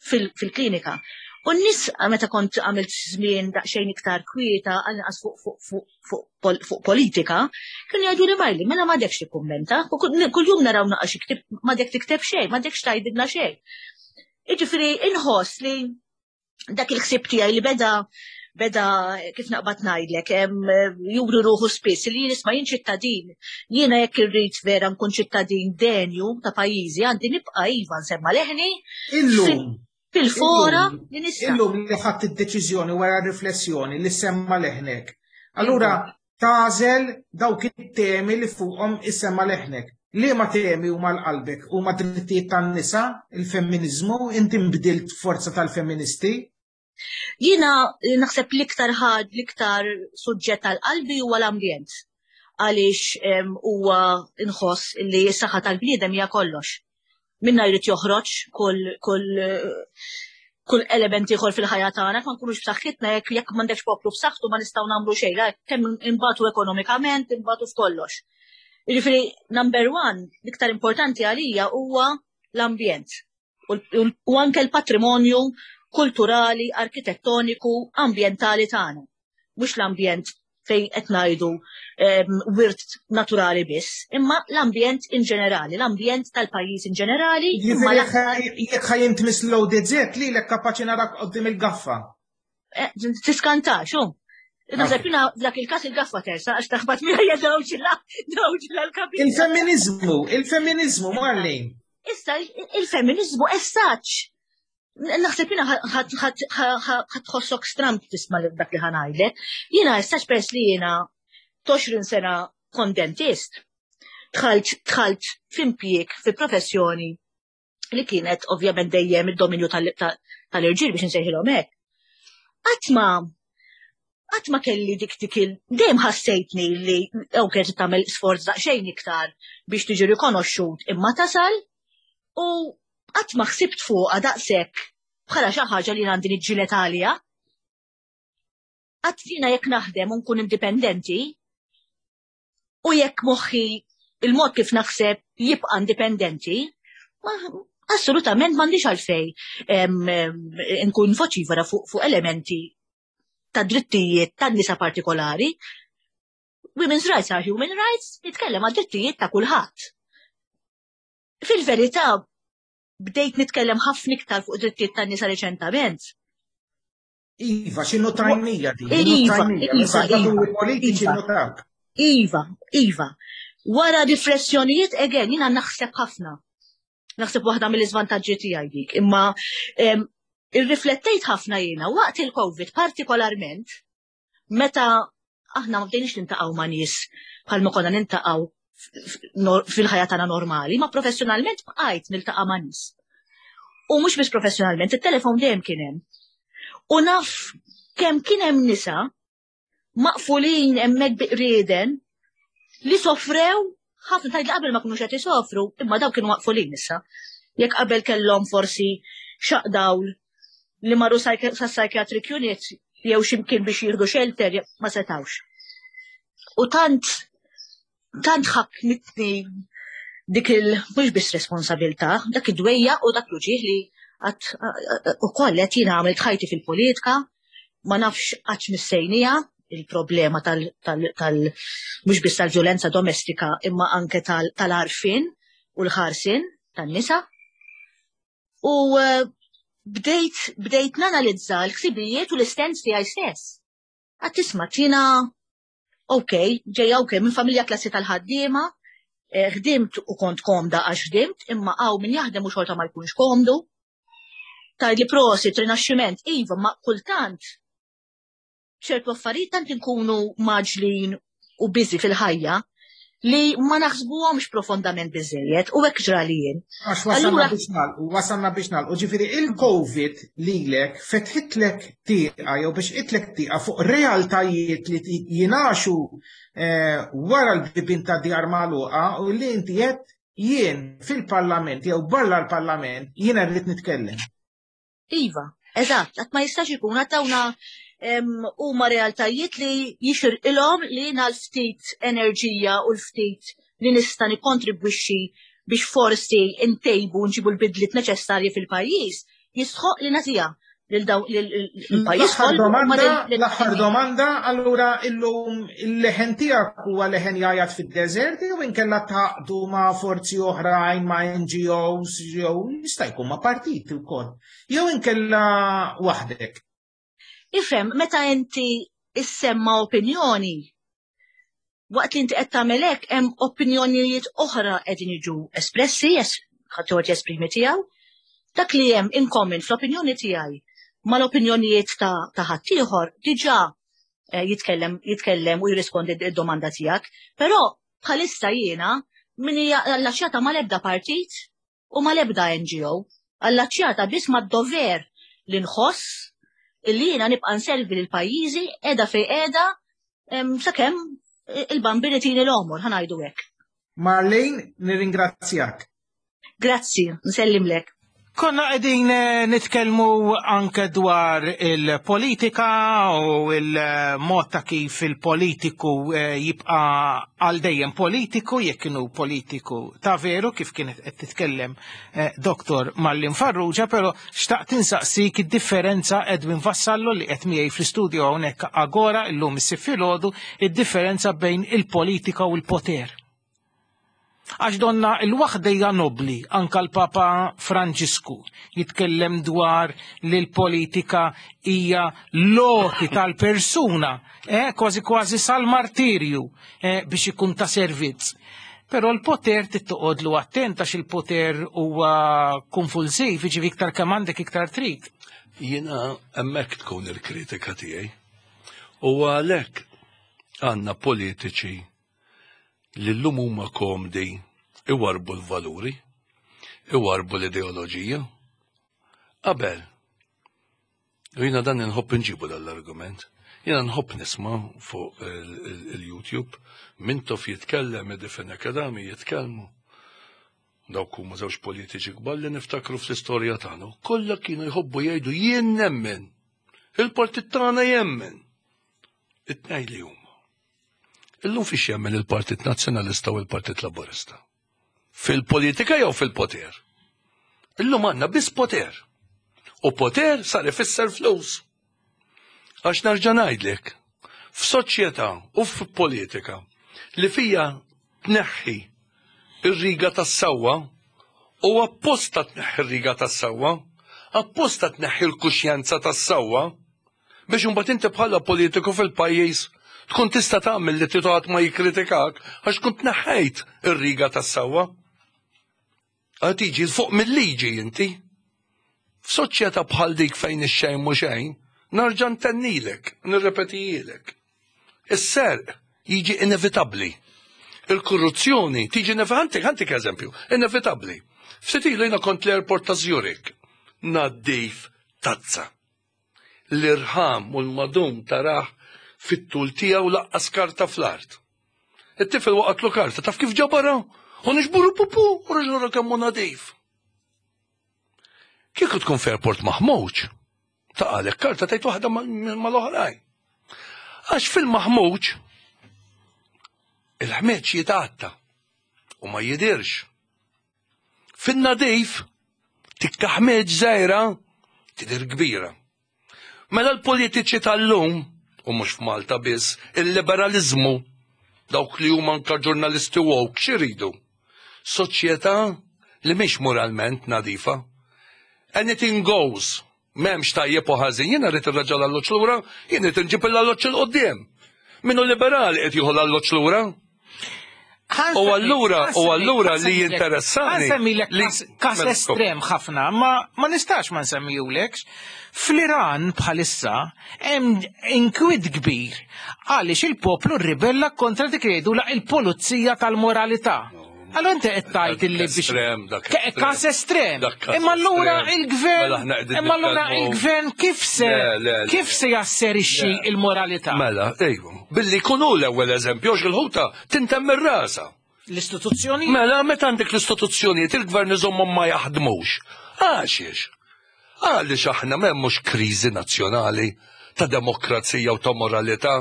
fil-klinika. U n-nies meta kont għamilt żmien daqsxejn iktar kwieta għal-inqas fuq politika, kienu jgħidu li Marli, mela m'għadekx tikkummenta, u kuljum naraw naqa' xi ktib, m'għadek tikteb xejn, m'għadekx tgħidilna xejn. Jiġifieri inħoss li dak il-ħsieb tiegħi li beda beda kif naqbad ngħidlek, juru ruħu spiss li nisma' jien ċittadin, jiena jekk irrid vera nkun ċittadin denju ta' pajjiżi għandi nibqa' iva nsemma leħni.
Illum.
Fil-fora li nista'.
Illum li ħadd id-deċiżjoni wara riflessjoni li semma leħnek. Allura tagħżel dawk it-temi li fuqhom issemma leħnek. Liema temi huma l-qalbek? Huma drittijiet tan-nisa, il-femminiżmu, inti nbdilt forza tal-femministi?
Jiena naħseb l-iktar ħad, l-iktar suġġett tal-qalbi huwa l-ambjent. Għaliex huwa nħoss li s-saħħa tal-bniedem hija kollox. Minna jrid joħroġ kull kull kull element ieħor fil-ħajja tagħna, ma nkunux b'saħħitna jekk jekk m'għandekx poplu b'saħħtu ma nistgħu nagħmlu xejn, kemm imbatu ekonomikament, imbatu f'kollox. Jiġifieri number one, l-iktar importanti għalija huwa l-ambjent u anke l-patrimonju kulturali, arkitettoniku, ambjentali tagħna. Mhux l-ambjent fejn qed ngħidu wirt naturali biss, imma l-ambjent in ġenerali, l-ambjent tal-pajjiż in ġenerali.
Jekk ħa jintmiss l-ODZ lilek kapaċi narak qoddim il-gaffa.
Eh, tiskantax, hu. Naħseb jina dak il-kas il-gaffa tersa għax taħbat miegħi dawġla, dawġla l-kapit.
Il-femminizmu, il-femminizmu, Marlene.
Issa, il-femminizmu essaċ. Naħseb jina ħatħossok stramp tisma dak li ħanajlek. Jina essaċ pers li jina 20 sena kont dentist. Dħalt, dħalt f'impjieg, fi professjoni li kienet ovvjament dejjem id-dominju tal-irġiel biex nsejħilhom hekk. Qatt ma qatt ma kelli dik dik il dejjem ħassejtni li ok trid tagħmel sforz daqsxejn iktar biex tiġi rikonoxxut imma tasal u qatt ma ħsibt fuqha daqshekk bħala xi ħaġa li għandi niġġieled għaliha. Qatt jiena jekk naħdem u nkun indipendenti u jekk moħħi il-mod kif naħseb jibqa' indipendenti, assolutament m'għandix għalfej nkun voċifera fuq fu elementi ta' drittijiet tan nisa partikolari. Women's rights are human rights, nitkellem għal drittijiet ta' kulħadd. Fil-verità, bdejt nitkellem ħafna iktar fuq drittijiet tan-nisa reċentament.
Iva, x'inhu tajnija
din? Iva, iva, iva,
politiċi notak.
Iva, iva. Wara riflessjonijiet, again, jina naħseb ħafna. Naħseb waħda mill-iżvantaġġi tiegħi dik, imma irriflettejt ħafna jiena waqt il-COVID partikolarment meta aħna ma bdejniex nintaqgħu ma' nies bħalma konna nintaqgħu fil-ħajja tagħna normali, ma professjonalment bqajt niltaqa' ma' nies. U mhux biss professjonalment, it-telefon dejjem kien hemm. U naf kemm kien hemm nisa maqfulin hemmhekk biqrieden li sofrew ħafna tgħid li qabel ma kinux qed isofru, imma dawk kienu maqfulin issa. Jekk qabel kellhom forsi xaq dawl li marru sa psychiatric unit jew x'imkien biex jieħdu shelter ma setawx. U tant tant ħakmitni dik il mhux biss responsabilità, dak id-dwejja u dak l-uġieħ li għat u koll qed jiena għamilt ħajti fil-politika, ma nafx qatt missejnija il-problema tal, tal, tal mhux biss tal-vjolenza domestika imma anke tal-għarfien u l-ħarsien tan-nisa. U eh, bdejt bdejt nanalizza l-ħsibijiet u l-istens tiegħi stess. Għad tisma' tina ok, ġejja ok, minn familja klassi tal-ħaddiema, eh, ħdimt u kont komda għax ħdimt, imma għaw min jaħdem u xorta ma jkunx komdu. Tajd li prosit, rinaxximent, iva, ma kultant ċertu affarijiet tant inkunu maġlin u biżi fil-ħajja. li ma naħsbuhomx profondament biżejjed u hekk ġrali jien.
Għax wasalna biex nagħlqu, wasalna biex nagħlqu. Ġifieri il-COVID lilek fetħitlek tieqa jew biex itlek tieqa fuq realtajiet li jingħaxu eh, wara l-bibien ta' djar magħluqa u li inti qed jien fil-parlament jew barra l-parlament jiena rrid nitkellem.
Iva, eżatt, għat ma jistax ikun għat dawna huma realtajiet li jixirqilhom li jiena l-ftit enerġija u l-ftit li nista' nikkontribwixxi biex forsi ntejbu nġibu l-bidliet neċessarji fil-pajjiż, jistħoq li nagħtiha lil daw il-pajjiż
kollu. L-aħħar domanda, allura illum il-leħen tiegħek huwa leħen jgħajjat fid-deżert jew inkella taqdu ma' forzi oħrajn ma' NGOs jew jista' jkun ma' partiti wkoll. Jew inkella waħdek.
Ifhem, meta inti issemma opinjoni, waqt li inti qed tagħmel hekk hemm opinjonijiet oħra qegħdin jiġu espressi, ħadd jesprimi tiegħu. Dak li hemm in common fl-opinjoni tiegħi mal-opinjonijiet ta' ħaddieħor diġà eh, jitkellem jitkellem u jirrispondi d-domanda tiegħek, però bħalissa jiena min hija allaċjata mal-ebda partit u mal-ebda NGO, allaċjata biss mad-dover li nħoss illi jiena nibqa' nservi lil pajjiżi qiegħda fejn qiegħda sakemm il-bambini tini l-għomor, ħa ngħidu hekk.
Marlene, nirringrazzjak.
Grazzi, nsellimlek.
Konna qegħdin eh, nitkellmu anke dwar il-politika u il-mod ta' kif il-politiku eh, jibqa' għal dejjem politiku jekk inhu politiku ta' veru kif kienet qed titkellem eh, Dr. Marlin Farrugia, però xtaqt insaqsik id-differenza Edwin Vassallo li qed miegħi fl-istudio hawnhekk Agora illum is-sibt filgħodu, id-differenza bejn il-politika u l-poter. Għax donna il-waħda hija nobbli, anka l-Papa Franġisku jitkellem dwar li l-politika hija l-għoti tal-persuna, eh, kważi kważi sal-martirju eh, biex ikun ta' servizz. Però l-poter trid toqgħodlu attent għax il-poter huwa konfulsiv, jiġifieri iktar kemm għandek iktar trid.
Jiena hemmhekk tkun il-kritika tiegħi. U għalhekk għandna politiċi li llum huma komdi iwarrbu l-valuri, iwarrbu l-ideoloġija. Qabel, u jiena dan inħobb inġibu dan l-argument, jiena nħobb nisma' fuq il-YouTube, Mintoff jitkellem, Eddie Fenech Adami jitkellmu. Dawk huma żewġ politiċi kbar li niftakru fl-istorja tagħna. Kollha kienu jħobbu jgħidu jien nemmen. Il-partit tagħna jemmen. It-tnejn li huma. Illum fiex jemmen il-Partit Nazzjonalista u l-Partit Laburista? Fil-politika jew fil-poter? Illum għandna biss poter. U poter sar ifisser flus. Għax nerġa' ngħidlek, f'soċjetà u f'politika li fija tneħħi ir-riga tas-sewwa u apposta tneħħi r-riga tas-sewwa, apposta tneħħi l-kuxjenza tas-sewwa, Biex imbagħad inti bħala politiku fil-pajjiż tkun tista' tagħmel li trid ħadd ma jikkritikak għax tkun tneħħejt ir-riga tas-sewwa. Għad tiġi fuq mill-liġi inti. F'soċjetà bħal dik fejn ix-xejn mhu xejn, narġa' ntennilek, nirrepetijilek. Is-serq jiġi inevitabbli. Il-korruzzjoni tiġi ħantik ħantik eżempju, inevitabbli. Ftit ilu jiena kont l-airport ta' Zurich, naddif tazza. L-irħam u l-madum tarah fit-tul tiegħu laqqas karta fl-art. It-tifel waqatlu karta, taf kif ġabarha? U nixburu pupu u reġa' kemm hu nadif. Kieku tkun f'airport maħmuġ, taqalek karta tgħid waħda mal-oħrajn. Għax fil-maħmuġ il-ħmeġ jitgħatta u ma jidirx. Fin-nadif, tikka ħmieġ żgħira tidher kbira. Mela l-politiċi tal-lum, u mhux f'Malta biss, il-liberaliżmu, dawk li huma anka ġurnalisti woke x'iridu? Soċjetà li mhix moralment nadifa. Anything goes. M'hemmx tajjeb u ħażin, jiena rrid irraġa' l-alloġġ lura, jien rrid inġib l-alloġġ 'il quddiem. Min hu liberali qed jieħu l-alloġġ lura. U allura, u allura li jinteressani.
Nsemmilek kas
mela,
estrem ħafna, ma ma nistax ma nsemmijulekx. Fl-Iran bħalissa hemm inkwiet kbir għaliex il-poplu rribella kontra dik li jgħidu la il-pulizija tal-moralità. Allora inti qed tgħid illi biex
Estrem, dak estrem.
Kas estrem.
Dak kas
Imma allura
estrem.
il-gvern
Mela aħna qegħdin
imma allura
nitkellmu-
il-gvern kif se
Le, le, le.
kif se jasserixxi il-moralità?
Mela, ejju, billi jkunu l-ewwel eżempju, għax il-ħuta tintemm ir-rasa.
L-istituzzjoni
Mela, meta għandek l-istituzzjonijiet il-gvern iżommhom ma jaħdmux. Għaxiex? Għaliex aħna m'hemmux kriżi nazzjonali ta' demokrazija u ta' moralità,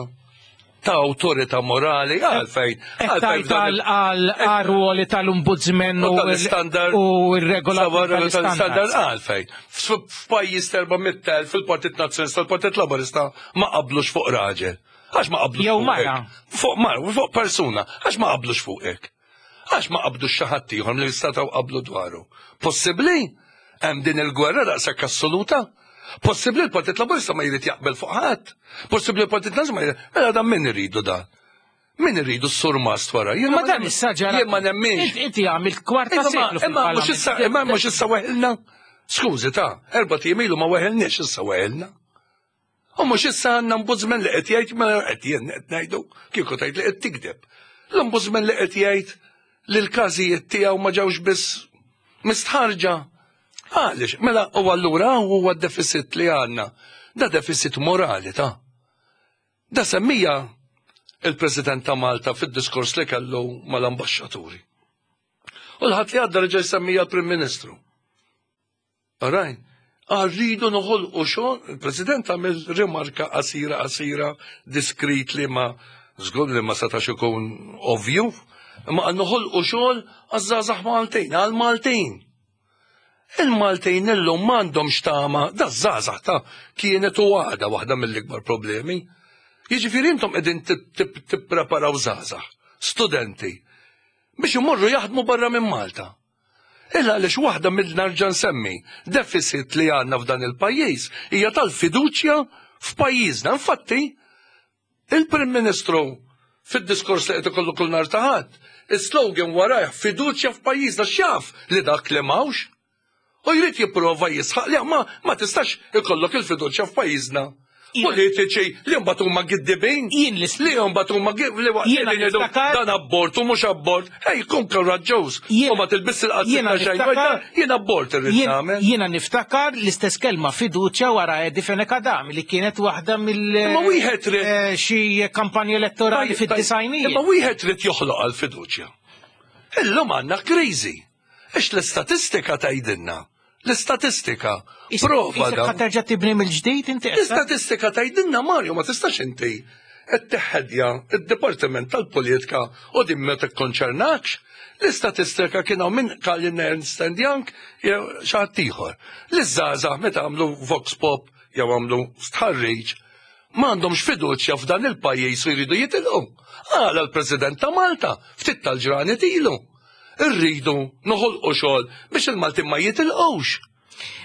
ta' awtorità morali, għalfejn.
Qed
għalfejn
tgħid
f'dan
għal għal għar-ruoli tal-ombudsman
U
u
tal-istandard.
u r-regola
tal-istandard għalfejn. F'pajjiż 400,000 fil-Partit Nazzjonalista l-Partit Laburista ma qablux fuq raġel. Għax ma qablux
Jew
fuq
mara.
hekk. Fuq mara, fuq persuna. Għax ma qablux fuq hekk. Għax ma qabdux xi ħadd ieħor li jistgħu qablu dwaru. Possibbli? Hemm din il-gwerra daqshekk assoluta? Possibbli l-Partit Laburista ma jrid jaqbel fuq ħadd? Possibbli l-Partit Nazzjonalista ma jrid. Mela dan min iridu dan? Min iridu s-surmast wara? Jiena
Ma dan
nemmen-
issa ġara.
Jien ma nemminx.
Inti- Inti għamilt kwarta
Imma
seklu
imma mhux issa imma mhux issa weħilna. Skużi ta' erba' tim ilu ma weħilniex issa weħilna. U mhux issa għandna ombudsman li qed jgħid mela qed jien qed ngħidu kieku tgħid li qed tikdeb. L-ombudsman li qed jgħid li l-każijiet tiegħu ma ġewx biss mistħarġa. Għaliex, mela u allura huwa d-deficit li għandna. Da deficit morali ta' Da semmija il-President ta' Malta fid-diskors li kellu mal-ambaxxaturi. U l-ħadd li għadda reġa' jsemmija l-Prim Ministru. Rajn, rridu noħolqu xogħol, il-President għamel rimarka qasira qasira diskrit li ma żgur li ma setax ikun ovvju, imma qal noħolqu xogħol għaż-żgħażagħ Maltin, għal-Maltin. Il-Maltin illum m'għandhomx tama, da żgħażagħ ta' kienet u għada waħda mill-ikbar problemi. Jiġifieri intom qegħdin tippreparaw żgħażagħ, studenti, biex imorru jaħdmu barra minn Malta. Illa għaliex waħda mill-narġa nsemmi deficit li għandna f'dan il-pajjiż hija tal-fiduċja f'pajjiżna. Infatti, il-Prim Ministru fid-diskors li qed ikollu kull nhar ta' Ħadd, is-slogan warajh fiduċja f'pajjiżna x'jaf li dak li m'hawnx. U jrid jipprova jisħaq li ma ma tistax ikollok il-fiduċja f'pajjiżna. Politiċi li mbagħad huma giddibin.
Jien li
li mbagħad huma li waqt
Jiena
li jgħidu
niftakar-
dan abort u mhux abort. Ej, kun koraġġuż.
Jiena-
U ma tilbis il-qazzi
jiena
ta' xejn.
niftakar-
Jien abort irrid
Jien-
nagħmel.
Jiena niftakar l-istess kelma fiduċja wara Eddie Fenech Adami li kienet waħda mill
Imma wieħed trid-
eh, xi kampanja elettorali
Tajjeb, tajjeb.
fid-disajnijiet.
Imma wieħed trid joħloq għal fiduċja. Illum għandna kriżi. Ix l-istatistika tgħidilna. L-istatistika. Prova
Isek
dan.
ħa terġa' tibni mill-ġdid inti qed
L-istatistika tgħidilna Mario ma tistax inti qed teħedja id-Dipartiment tal-Politika u din ma tikkonċernakx. L-istatistika kien hawn minn Kalin Ernst and Young jew xi ħadd ieħor. L-żgħażagħ meta għamlu Vox Pop jew għamlu stħarriġ m'għandhomx fiduċja f'dan il-pajjiż u jridu jitilqu. Għala l-President ta' Malta ftit tal-ġranet ilu. Irridu noħolqu xogħol biex il-Maltin ma jitilqux.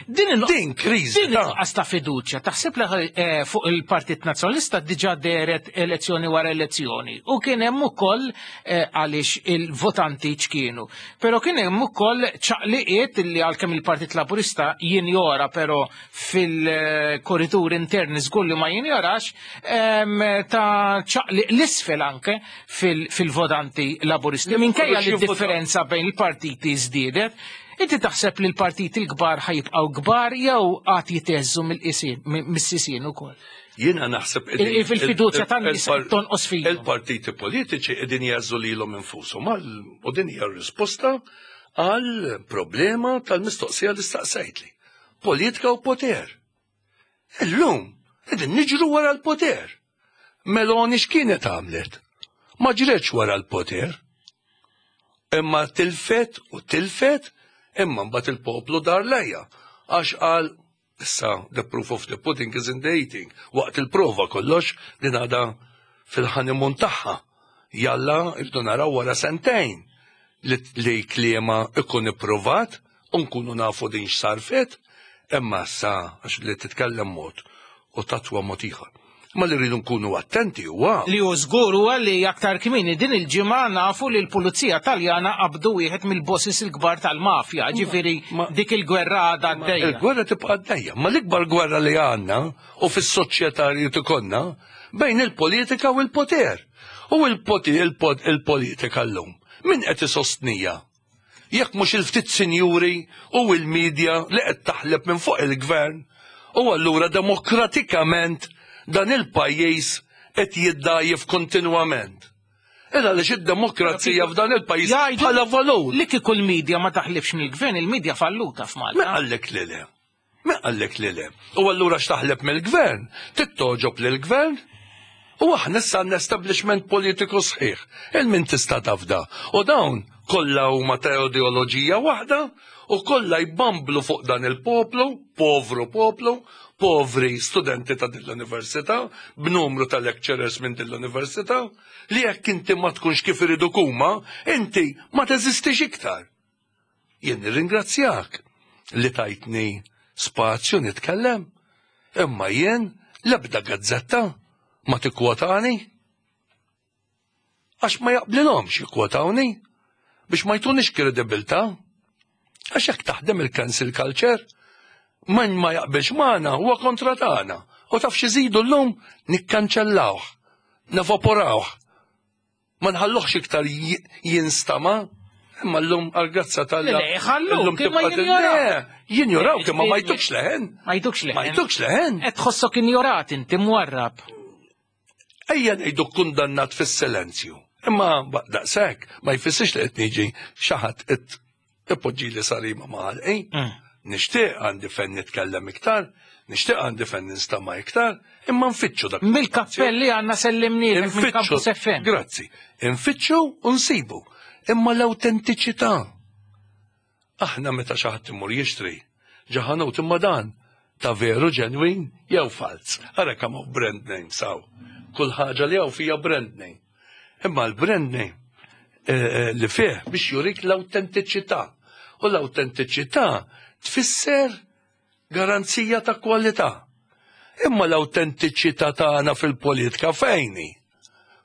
Din il-
Din kriżi
Din
ta'
il-nuqqas ta' fiduċja taħseb li eh, fuq il-Partit Nazzjonalista diġà deret elezzjoni wara elezzjoni u kien hemm ukoll eh, għaliex il-votanti ċkienu. Però kien hemm ukoll ċaqliqiet li għalkemm il-Partit Laburista jinjora però fil-korritur interni żgur li ma jinjorax em, ta' ċaqliq l-isfel anke fil- fil-votanti Laburisti.
Li
Minkejja li
kollox jivvota.
differenza bejn il-partiti żdiedet, Inti taħseb li l-partiti l-kbar ħajibqgħu kbar jew għad jiteżżu mill-qisien mis-sisien ukoll.
Jiena naħseb
Il- il-fiduċja tan-nies tonqos fihom.
Il-partiti politiċi qegħdin jażżu lilhom infushom għal u din hija r-risposta għal problema tal-mistoqsija li staqsejtli. Politika u poter. Illum qegħdin niġru wara l-poter. Meloni x'kienet għamlet? Ma ġretx wara l-poter. Imma tilfet u tilfet, imma mbagħad il-poplu dar lejja. Għax qal issa the proof of the pudding is in the eating. Waqt il-prova kollox din għadha fil-honeymoon tagħha. Jalla irdu naraw wara sentejn li, li kliema ikun ipprovat u nkunu nafu din x'sarfet, imma sa għax li titkellem mod u tatwa mod ieħor. Ma li rridu nkunu attenti huwa.
Li hu żgur huwa li aktar kmieni din il-ġimgħa nafu li l-Pulizija Taljana qabdu wieħed mill-bosses il-kbar tal-mafja, ġifieri dik il-gwerra għadha għaddejja.
Il-gwerra tibqa' għaddejja, ma l-ikbar gwerra li għandna u fis-soċjetà li ikollna bejn il-politika u l-poter. U il-politika llum min qed isostnija? Jekk mhux il-ftit sinjuri u l-media li qed taħleb minn fuq il-gvern u allura demokratikament dan il-pajjiż qed jiddgħajjef kontinwament. Illa għaliex id-demokrazija f'dan il-pajjiż bħala valur.
Li kieku l-media ma taħlibx mill-gvern, il-media falluta f'Malta.
Min qallek li le? Min qallek li le? U allura x'taħleb mill-gvern? Trid togħġob lill-gvern? U aħna issa għandna establishment politiku sħiħ. Il min tista' tafda. U dawn kollha huma ta' ideoloġija waħda u kollha jbamblu fuq dan il-poplu, povru poplu, povri studenti ta' din l-università, b'numru ta' lecturers minn din l-università, li jekk inti ma tkunx kif iriduk huma, inti ma teżistix iktar. Jien nirringrazzjak li tajtni spazju nitkellem, imma jien l-ebda gazzetta ma tikkwotani. Għax ma jaqblilhomx jikkwotawni biex ma jtunix kredibilità. Għax hekk taħdem il-cancel culture, min ma jaqbilx magħna huwa kontra tagħna. U taf x'iżidu llum? Nikkanċellawh, nevaporawh. Ma nħalluhx iktar jinstama', imma llum għall-grazzja t'Alla.
Le, ħalluk, imma jinjoraw.
Jinjoraw imma ma jtukx leħen.
Ma jtukx leħen.
Ma jtukx leħen.
Qed tħossok injorat inti mwarrab.
Ejja ngħidu kundannat fis-silenzju. Imma daqshekk ma jfissirx li qed niġi xi ħadd qed ipoġġili sarima ma' ħalqi. Nixtieq għandi fejn nitkellem iktar, nixtieq għandi fejn ninstama' iktar, imma nfittxu dak.
Mill-kappell li għandna sellimnielek minn Campus FM.
Grazzi. Infittxu u nsibu. Imma l-awtentiċità. Aħna meta xi ħadd imur jixtri ġo ħanut imma dan ta' veru ġenwin jew falz. Ara kemm hawn brand names hawn. Kull ħaġa li hawn fija brand name. Imma l-brand name eh, eh, li fih biex jurik l-awtentiċità. U l-awtentiċità tfisser garanzija ta' kwalità. Imma l-awtentiċità tagħna fil-politika fejni?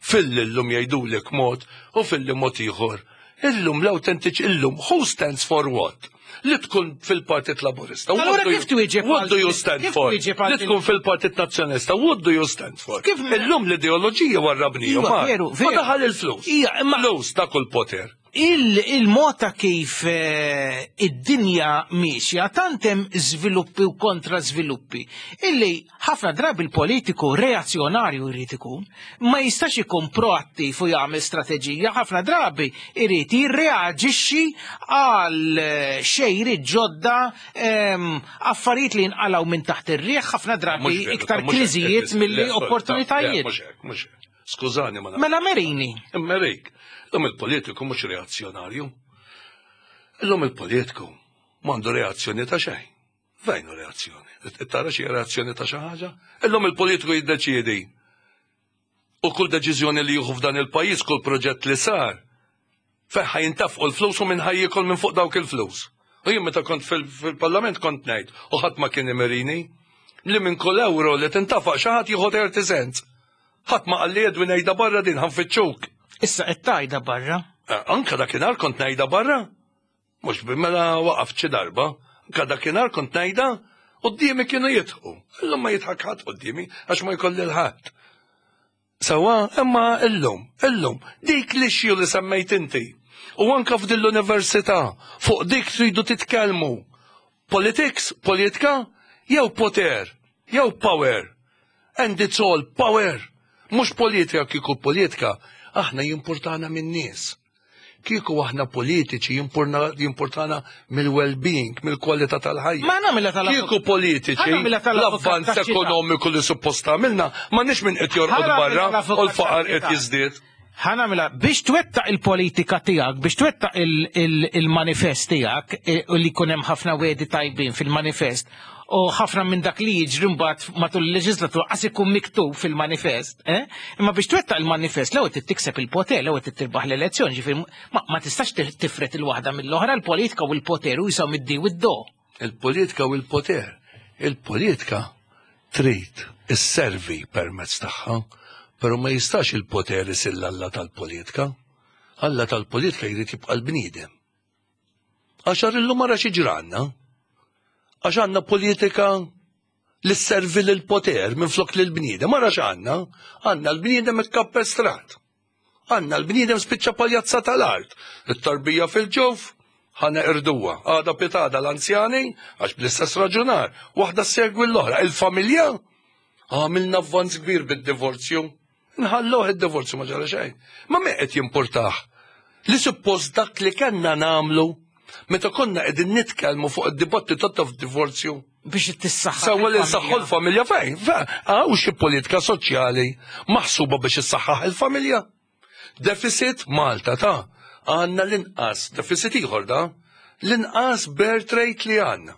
Filli llum jgħidulek mod u filli mod ieħor. Illum l-awtentiċ illum who stands for what? Li tkun fil-Partit Laburista.
Allura kif twieġeb
What do you stand for? Li tkun fil-Partit Nazzjonalista, what do you stand for? Kif illum l-ideoloġija warrabnija.
Iva, veru,
veru. Ma daħal il-flus.
Ija, imma
flus dak il-poter.
Il-mod ta' kif eh, id-dinja miexja tant hemm żviluppi u kontra żviluppi illi ħafna drabi l-politiku reazzjonarju jrid ikun, ma jistax ikun proattiv u jagħmel strateġija, ħafna drabi jrid jirreaġixxi għal eh, xejri ġodda ehm, affarijiet li jinqalgħu minn taħt ir-riħ, ħafna drabi iktar kriżijiet milli opportunitajiet.
Mhux hekk, mhux hekk. Skużani ma
Mela merini.
Merik. Illum il-politiku mhux reazzjonarju. Illum il-politiku m'għandu reazzjoni ta' xejn. Fejn hu reazzjoni? Tara xi reazzjoni ta' xi ħaġa? Illum il-politiku jiddeċiedi. U kull deċiżjoni li jieħu f'dan il-pajjiż, kull proġett li sar, Fejn ħa jintefqu l-flus u min ħa jiekol minn fuq dawk il-flus. U jien meta kont fil-Parlament kont ngħid, u ħadd ma kien imerini, li minn kull ewro li tintafaq xi ħadd jieħu 30 cents. Ħadd ma qalli Edwin għidha barra din ħa nfittxuk.
Issa qed tgħidha barra.
Eh, anka dakinhar kont ngħidha barra. Mhux mela waqaft xi darba. Anka dakinhar kont ngħidha quddiemi kienu jidħqu. Illum ma jidħak ħadd quddiemi għax ma jkolli l-ħadd. Sewwa, imma illum, illum, dik l-issue li semmejt inti, u anka f'din l-università, fuq dik tridu titkellmu. Politics, politika, jew poter, jew power. And it's all power. Mhux politika kieku politika, aħna jimpurtana min-nies. Kieku aħna politiċi jimpurtana mill-well-being, mill-kwalità tal-ħajja.
Ma nagħmilha tal
Kieku politiċi l-avvanz ekonomiku li suppost għamilna, ma nix minn qed jorqod barra u l-faqar qed jiżdied.
Ħa nagħmilha biex twettaq il-politika tiegħek, biex twettaq il-manifest tiegħek e, u li jkun hemm ħafna wedi tajbin fil-manifest u ħafna minn dak li jiġri mbagħad matul il-leġislatura qas ikun miktub fil-manifest. Eh? Imma biex twettaq il-manifest l-ewwel trid tikseb il-poter, l-ewwel trid tirbaħ l-elezzjoni, ġifieri ma tistax tifret il-waħda mill-oħra, l-politika u l-poter u jisaw mid-di u d-do.
Il-politika u l-poter. Il-politika. Trid isservi permezz tagħha, però ma jistax il-poter isir l-alla tal-politika. Alla tal-politika jrid jibqa' l-bniedem. Għax illum ara xi ġranna. Għax għandna politika li sservi lill-poter minflok lill-bniedem. Ara x'għandna? Għandna l-bniedem ikkappestrat. Għandna l-bniedem spiċċa paljazza tal-art. It-tarbija fil-ġuf, ħa neqirduha. Għada pitada l-anzjani, għax bl-istess raġunar, waħda segwi l-oħra. Il-familja, għamilna avvanz kbir bid-divorzju. Nħalluh id-divorzju ma ġara xejn. Ma me qed jimpurtah li suppost dak li kellna nagħmlu meta konna qegħdin nitkellmu fuq id-dibattitu ta' divorzju
biex tissaħħa.
Sewwa li nsaħħu l-familja fejn? Hawn xi politika soċjali maħsuba biex issaħħaħ il-familja. Deficit Malta ta' għandna l-inqas, deficit ieħor da, l-inqas birth rate li għandna.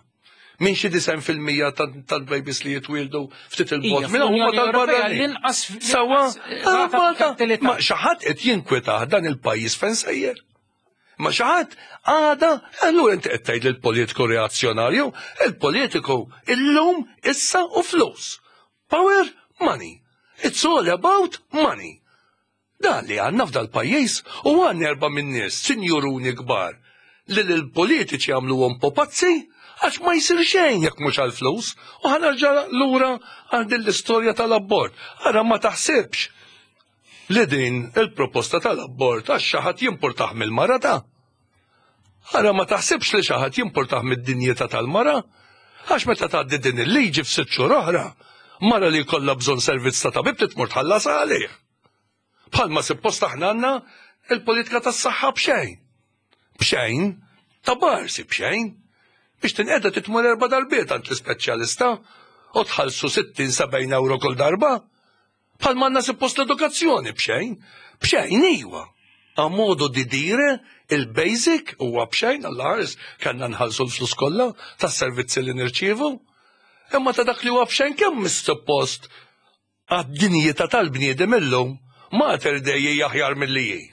Minn xi 90% tal-babies li jitwildu ftit il-bogħod minn huma tal-barranin. Sewwa, ma xi ħadd qed jinkwetah dan il-pajjiż fejn sejjer. Ma xi ħadd għada, allura inti qed tgħid lill-politiku reazzjonarju, il-politiku illum issa u flus. Power, money. It's all about money. Dan li għandna f'dal pajjiż u għandna erba' minn nies, sinjuruni kbar, li l-politiċi għamluhom popazzi għax ma jsir xejn jekk mhux għall-flus u ħa nerġa' lura għal din l-istorja tal-abort. Ara ma taħsibx li din il-proposta tal-abort għax xi ħadd jimpurtah mill-mara ta' Ara ma taħsibx li xi ħadd jimpurtah mid-dinjità tal-mara għax meta tgħaddi din il-liġi f'sitt xhur oħra, mara li jkollha bżonn servizz ta' tabib titmur tħallas għalih. Bħalma suppost aħna għandna il-politika tas-saħħa b'xejn. B'xejn, ta' barsi b'xejn. Biex tinqeda titmur erba' darbiet għand l-ispeċjalista u tħallsu 60-70 euro kull darba. Bħalma għandna suppost l-edukazzjoni b'xejn. B'xejn iwa. A modo di dire, il-basic huwa b'xejn għall ħares kellna nħallsu l-flus kollha tas-servizzi li nirċievu. Imma ta' dak li huwa b'xejn kemm suppost għad-dinjità tal-bniedem illum Mater Dei aħjar milli hi.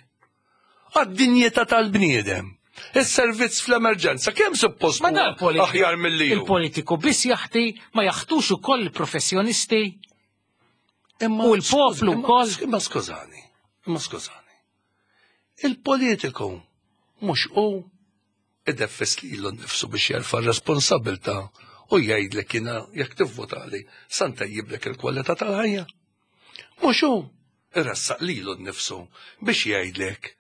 Għad-dinjità tal-bniedem. Is-servizz fl-emerġenza kemm suppost aħjar milli hu.
Il-politiku biss jaħti ma jaħtux ukoll il-professjonisti. U l-poplu wkoll.
Imma skużani, imma skużani. Il-politiku mhux hu ideffes lilu nnifsu biex jerfa' r-responsabilità u jgħidlek jiena jekk tivvotali sa ntejjiblek il-kwalità tal-ħajja. Mhux hu iressaq lilu nnifsu biex jgħidlek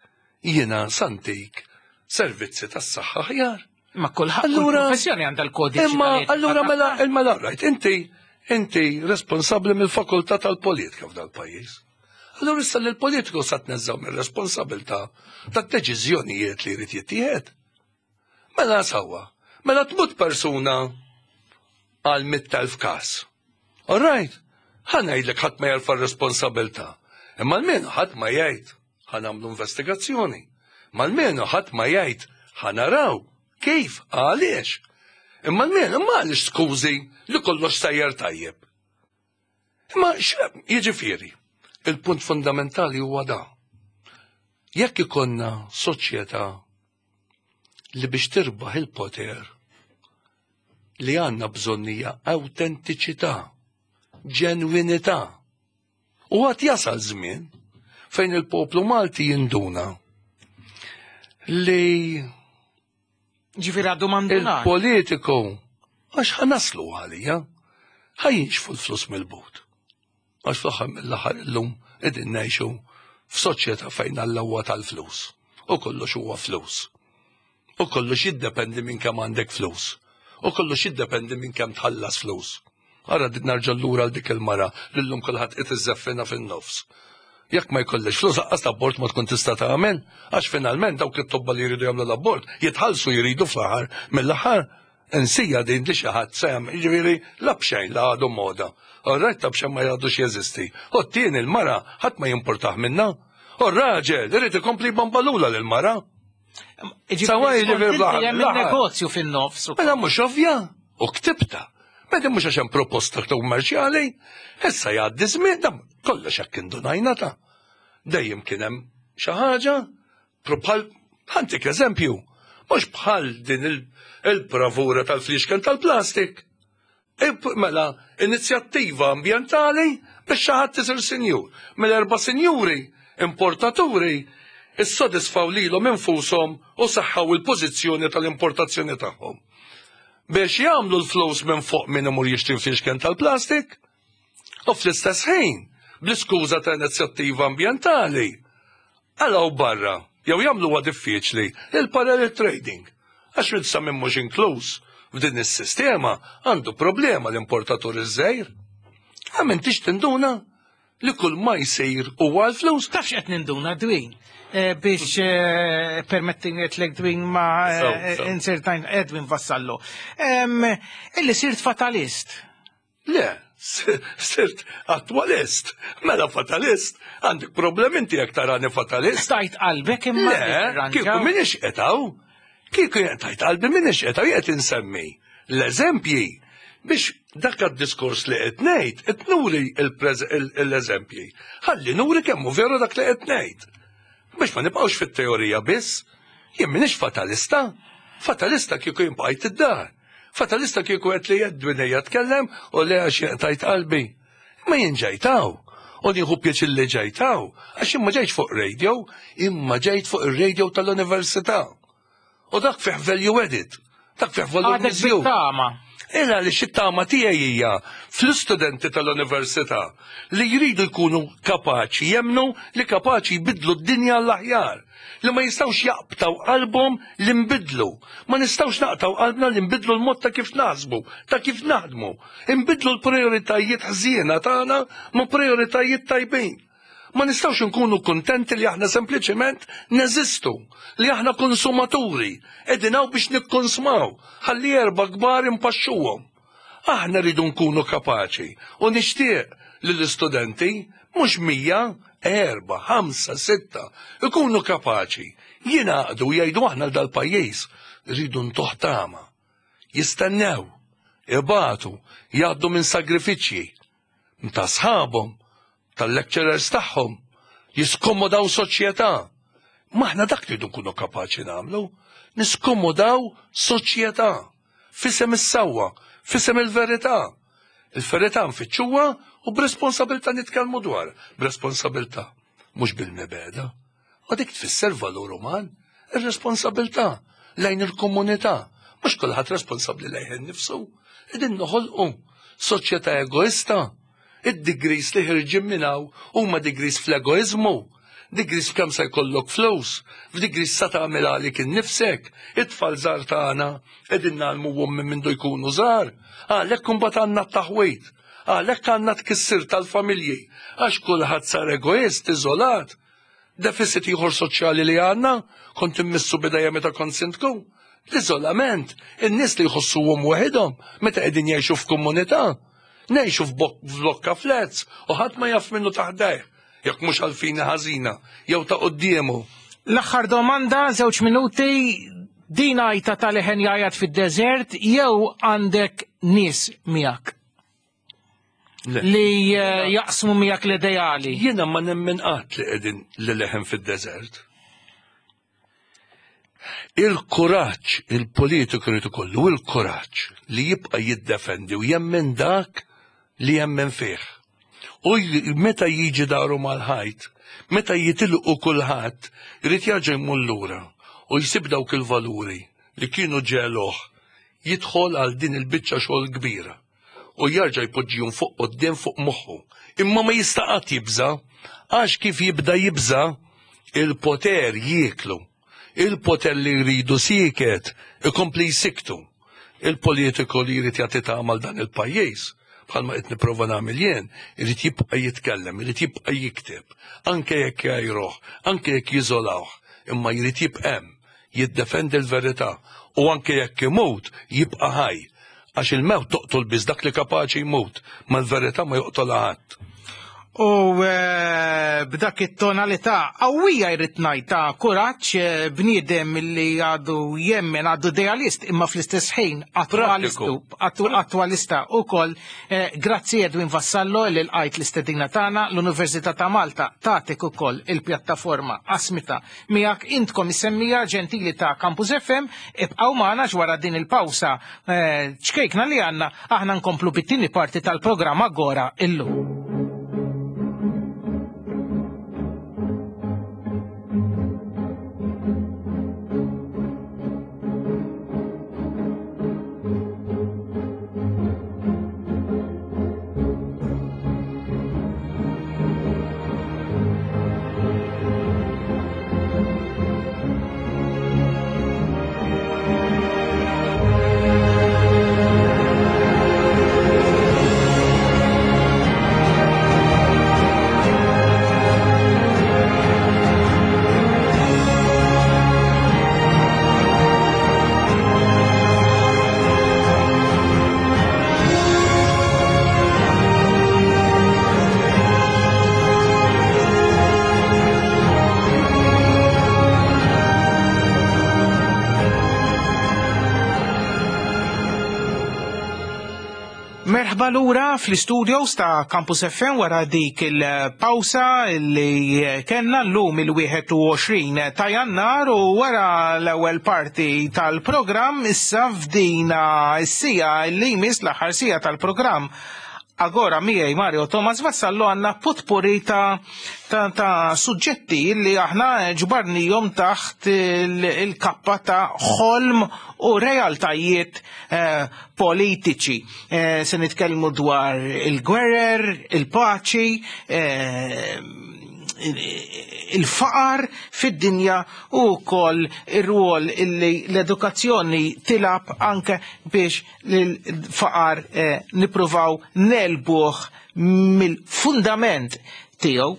jiena sa ntik servizzi tas-saħħa aħjar.
Ma kulħadd allura professjoni għandha l-kodiċi.
Imma allura mela mela rajt inti inti responsabbli mill-fakultà tal-politika f'dal-pajjiż. Allura issa li l-politiku sa tneżżaw mir-responsabilità tad-deċiżjonijiet li jrid jittieħed. Mela sewwa, mela tmut persuna għal 100,000 każ. All right, ħa ngħidlek ħadd ma jerfa' r-responsabilità. Imma almenu ħadd ma jgħid ħa nagħmlu investigazzjoni. Ma almenu ħadd ma jgħid ħa naraw kif, għaliex. Imma almenu ma għaliex skużi li kollox sejjer tajjeb. Imma jiġifieri, il-punt fundamentali huwa da. Jekk ikollna soċjetà li biex tirbaħ il-poter li għandna bżonn hija awtentiċità, ġenwinità. U għad jasal żmien fejn il-poplu Malti jinduna li
Ġifieri għadu manduna.
Il-politiku għax ħa naslu għalija, ħa jinxfu l-flus mill-but. Għax fl-aħħar mill-aħħar illum qegħdin ngħixu f'soċjetà fejn Alla huwa tal-flus. U kollox huwa flus. U kollox jiddependi minn kemm għandek flus. U kollox jiddependi minn kemm tħallas flus. Ara nerġa' lura għal dik il-mara li llum kulħadd qed iżeffina fin-nofs. Jekk ma jkollix flus aqqas l-abort ma tkun tista' tagħmel, għax finalment dawk it-tobba li jridu jagħmlu l-abort jitħallsu jridu fl-aħħar mill-aħħar. Insija din li xi ħadd se jagħmel, jiġifieri la b'xejn la għadu moda. Orrajt ta' b'xejn ma jgħadux jeżisti. U t-tieni l-mara ħadd ma jimpurtah minnha. U r-raġel irid ikompli jbambalula lill-mara.
Sawa jiġifieri negozju fin-nofs.
Mela mhux ovvja, u ktibta. Mela mhux għax hemm proposta kummerċjali, issa jgħaddi żmien dam kollox hekk indunajna ta' dejjem kien hemm xi ħaġa bħal ħantik eżempju, mhux bħal din il-bravura tal-fliexken tal-plastik. Mela, inizjattiva ambjentali biex xi ħadd isir sinjur. Mela erba' sinjuri importaturi issodisfaw lilhom infushom u saħħaw il-pożizzjoni tal-importazzjoni tagħhom. Biex jagħmlu l-flus minn fuq min imur jixtri fliexken tal-plastik u fl-istess ħin bl-iskuża ta' inizjattiva ambjentali Qalgħu barra, jew jagħmluha diffiċli, il-parallel trading. Għax issa min mhux inkluż f'din is-sistema għandu problema l-importatur iż-żgħir. Ha m'intix tinduna li kull ma jsir huwa għall-flus?
Taf x'qed ninduna Dwin? Eh, biex eh, permettini qedlek Dwin ma eh, insertajn Edwin Vassallo. Illi sirt fatalist.
Le, sirt attwalist. Mela fatalist, għandek problem inti jekk tarani fatalist.
Stajt qalbek imma.
Le, kieku minix qetaw. Kieku tajt qalbi minix qetaw qed insemmi l-eżempji biex dak għad-diskors li qed ngħid qed nuri l-eżempji. Ħalli nuri kemm hu veru dak li qed ngħid. Biex ma nibqgħux fit-teorija biss, jien minix fatalista. Fatalista kieku jien bqajt id-dar. Fatalista kieku qed li Edwin ejja tkellem u le għax jaqtajt qalbi. Imma jien ġejt hawn. U nieħu pjaċir li ġejt hawn, għax jien ma ġejtx fuq radio, imma ġejt fuq ir-radio tal-università. U dak fih value added, dak fih valur miżjud. Illa li it-tama tiegħi hija fl-istudenti tal-università li jridu jkunu kapaċi jemmnu li kapaċi jbiddlu d-dinja għall-aħjar. li ma jistgħux jaqbtaw qalbhom li nbiddlu. Ma nistgħux naqtgħu qalbna li nbiddlu l-mod ta' kif naħsbu, ta' kif naħdmu. Inbiddlu l-prijoritajiet ħżiena tagħna ma' prijoritajiet tajbin. Ma nistgħux inkunu kuntenti li aħna sempliċement neżistu, li aħna konsumaturi, qegħdin hawn biex nikkonsmaw, ħalli erba' kbar inpaxxuhom. Aħna rridu nkunu kapaċi u nixtieq li l-istudenti, mhux 100, erba', ħamsa, sitta, ikunu kapaċi jingħaqdu u jgħidu aħna l dal-pajjiż rridu ntuh tama. Jistennew, ibatu, jgħaddu minn sagrifiċċji ta' sħabhom, tal-lecturers tagħhom, jiskomodaw soċjetà. Ma aħna dak li nkunu kapaċi nagħmlu, niskomodaw soċjetà fisem is-sewwa, fisem il-verità. Il-verità nfittxuha u b'responsabilità nitkellmu dwar, b'responsabilità, mhux bil-mibegħda. U dik tfisser valur uman, ir-responsabilità lejn il-komunità. Mhux kulħadd responsabbli lejh innifsu. Qegħdin noħolqu soċjetà egoista. Id-degrees li ħirġin minn hawn huma degrees fl-egoiżmu, degrees f'kemm se jkollok flus, f'degrees sa tagħmel għalik innifsek. It-tfal żgħar tagħna qegħdin ngħallmuhom minn mindu jkunu żgħar. Għalhekk imbagħad għandna t-taħwid. Għalhekk għandna tkissir tal-familji għax kulħadd sar egoist, iżolat. Deficit ieħor soċjali li għandna, kont immissu bidejja meta kont sindku, l-iżolament, in-nies li jħossuhom waħidhom meta qegħdin jgħixu f'komunità. Ngħixu f'blokka flats u ħadd ma jaf minnu taħdejh, jekk mhux għalfini ħażina jew ta' quddiemu.
L-aħħar domanda, żewġ minuti, din għajta ta' leħen jgħajjat fid-deżert jew għandek nies miegħek? Li eh, jaqsmu miegħek l-ideali.
Jiena ma nemmen qatt li qegħdin li leħen fid-deżert. Il-kuraġġ, il-politiku jrid ikollu il-kuraġġ li jibqa' jiddefendi u jemmen dak li jemmen fih. U meta jiġi daru mal-ħajt, meta jitilqu kulħadd, irid jerġa' jmur lura u jsib dawk il-valuri li kienu ġegħluh jidħol għal din il-biċċa xogħol kbira. u jerġa' jpoġġihom fuq quddiem fuq moħħu. Imma ma jista' qatt jibża' għax kif jibda jibża' il-poter jieklu. Il-poter li jridu sieket ikompli jsikktu. Il-politiku li jrid jagħti tama għal dan il-pajjiż, bħalma qed nipprova nagħmel jien, irid jibqa' jitkellem, irid jibqa' jikteb, anke jekk jgħajruh, anke jekk jiżolawh, imma jrid jibqa' hemm jiddefendi l-verità u anke jekk imut jibqa' ħaj. Għax il-mewt toqtol biss dak li kapaċi jmut, ma l-verità ma joqtolha ħadd.
U eh, b'dak it-tonalità qawwija jrid ngħid ta' kuraġġ eh, bniedem li għadu jemmen għadu idealist imma fl-istess ħin attwalistu attwalista ukoll. Eh, grazzi Edwin Vassallo li lqajt l-istedina tagħna l-Università ta' Malta tagħtik ukoll il-pjattaforma qasmita miegħek intkom is-semmija ġentili ta' Campus FM ibqgħu magħna wara din il-pawsa eh, ċkejkna li għandna aħna nkomplu bit-tieni parti tal-programm Agora illum. Merħba lura fl-istudios ta' Campus FM wara dik il-pawsa li kellna llum il-21 ta' Jannar u wara l-ewwel parti tal-programm issa f'dina s-sija li jmiss l-aħħar sija tal-programm Agora miegħi Mario Thomas Vassallo għandna putpuri ta' ta', ta suġġetti li aħna ġbarnijom taħt il-kappa ta' ħolm u realtajiet eh, politiċi. Eh, se nitkellmu dwar il-gwerer, il-paċi, eh, il-faqar fid-dinja u wkoll ir-rwol illi l-edukazzjoni tilab anke biex l-faqar eh, nippruvaw nelbuh mill-fundament tiegħu.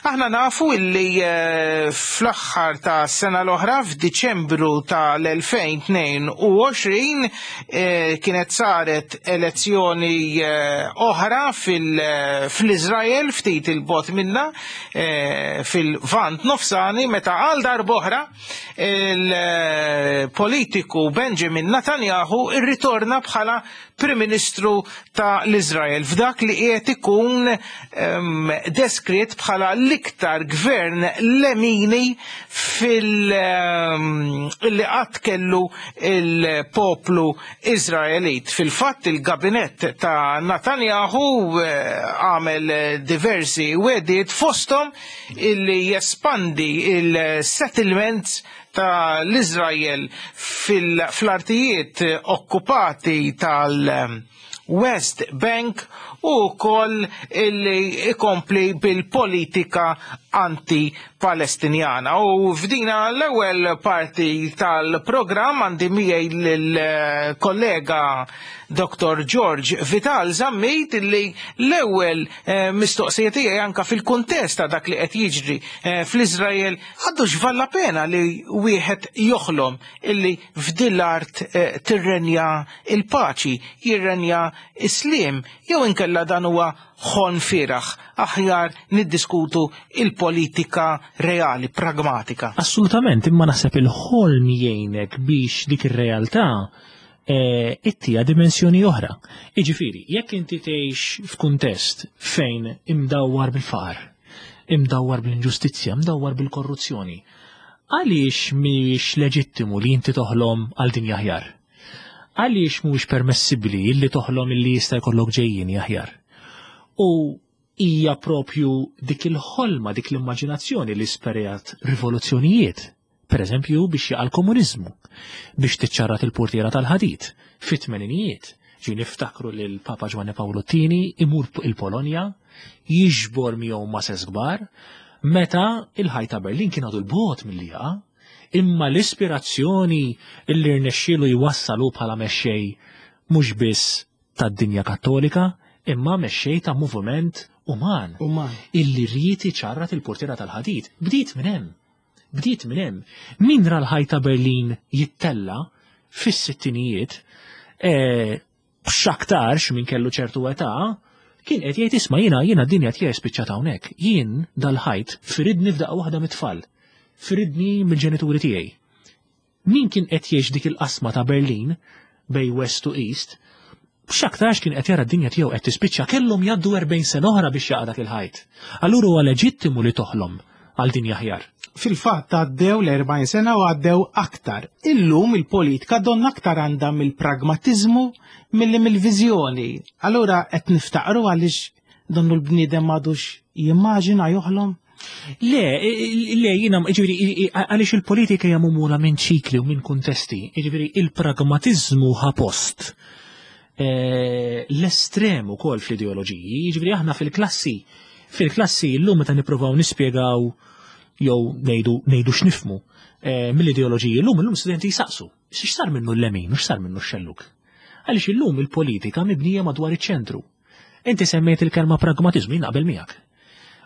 Aħna nafu illi eh, fl-aħħar ta' sena l-oħra f'Diċembru tal-2022 eh, kienet saret elezzjoni eh, oħra fl-Iżrael ftit il-bot minna fil-Vant Nofsani meta għal darb'oħra il-politiku Benjamin Netanyahu irritorna bħala Prim Ministru ta' l-Iżrael f'dak li qiegħed ikun ehm, deskritt bħala l-iktar gvern lemini fil ehm, li qatt kellu il-poplu Iżraelit. Fil-fatt il-gabinett ta' Netanyahu eh, għamel diversi wedid fosthom illi jespandi il-settlements ta' l-Izrael fl-artijiet okkupati tal-West Bank u wkoll illi ikompli bil-politika anti-Palestinjana. U f'dina l-ewwel parti tal-programm għandi miegħi lill-kollega Dr. George Vital Zammit illi l-ewwel eh, mistoqsija tiegħi anka fil-kuntest ta' dak li qed jiġri eh, fl-Iżrael Għadux valla pena li wieħed joħlom illi f'din l-art eh, tirrenja il-paċi, jirrenja is-sliem, jew inkella dan huwa ħon firaħ, aħjar niddiskutu il-politika reali, pragmatika.
Assolutament, imma naħseb il-ħolm jgħinek biex dik ir-realtà eh, ittija dimensjoni oħra. Iġifieri, jekk inti tgħix f'kuntest fejn imdawwar bil-faqar, imdawwar bl-inġustizzja, imdawwar bil-korruzzjoni, għaliex mhijiex leġittimu li inti toħlom għal dinja aħjar? Għaliex mhuwiex permessibbli li toħlom illi jista' jkollok ġejjieni aħjar? U hija propju dik il-ħolma, dik l-immaġinazzjoni li sperjat rivoluzzjonijiet Per eżempju, biex jaqa' l-komuniżmu, biex tiċċarrat il-purtiera tal-ħadid, fit-tmeninijiet, ġi niftakru li l-Papa Ġwanni Pawlu t-Tieni imur il-Polonja, jiġbor miegħu mases kbar, meta il-ħajt ta' Berlin kien għadu l-bogħod milli jaqa', imma l-ispirazzjoni li rnexxielu jwassal hu bħala mexxej mhux biss tad-dinja Kattolika imma mexxej ta' moviment uman, uman. illi ried iċarrat il-purtiera tal-ħadid. Bdiet minn hemm. Bdiet minn hemm. Min ra l-ħajt ta' Berlin jittella' fis-sittinijiet, eh, x'aktarx min kellu ċertu età, Kien qed jgħid isma' jiena jiena d-dinja tiegħi spiċċat hawnhekk. Jien dal-ħajt firidni f'daqqa waħda mit-tfal. Firidni mill-ġenituri tiegħi. Min kien qed jgħix dik il-qasma ta' Berlin bej West to East, x'aktarx kien qed jara d-dinja tiegħu qed tispiċċa kellhom jgħaddu 40 sena oħra biex jaqa' dak il-ħajt. Allura huwa leġittimu li toħlom għal dinja aħjar.
Fil-fatt għaddew l-40 sena u għaddew aktar. Illum il-politika donna aktar għandha mill-pragmatiżmu milli mill-viżjoni. Allura qed niftaqru għaliex donnu l-bniedem m'għadux jimmaġina joħlom?
Le, le, jina, ġiviri, għaliex il-politika hija mumula minn ċikli u minn kuntesti, ġiviri, il-pragmatizmu ħa post eh, l-estrem ukoll fl-ideoloġiji, ġiviri, aħna fil-klassi, fil-klassi l-lum meta nippruvaw nispjegaw jew ngħidu ngħidu x'nifmu eh, mill-ideoloġiji l-lum illum studenti jsaqsu, x'sar minnu l-lemin u x'sar minnu x-xelluk. Għaliex illum il-politika mibnija madwar iċ-ċentru. Inti semmejt il-kelma pragmatiżmu, jien naqbel miegħek.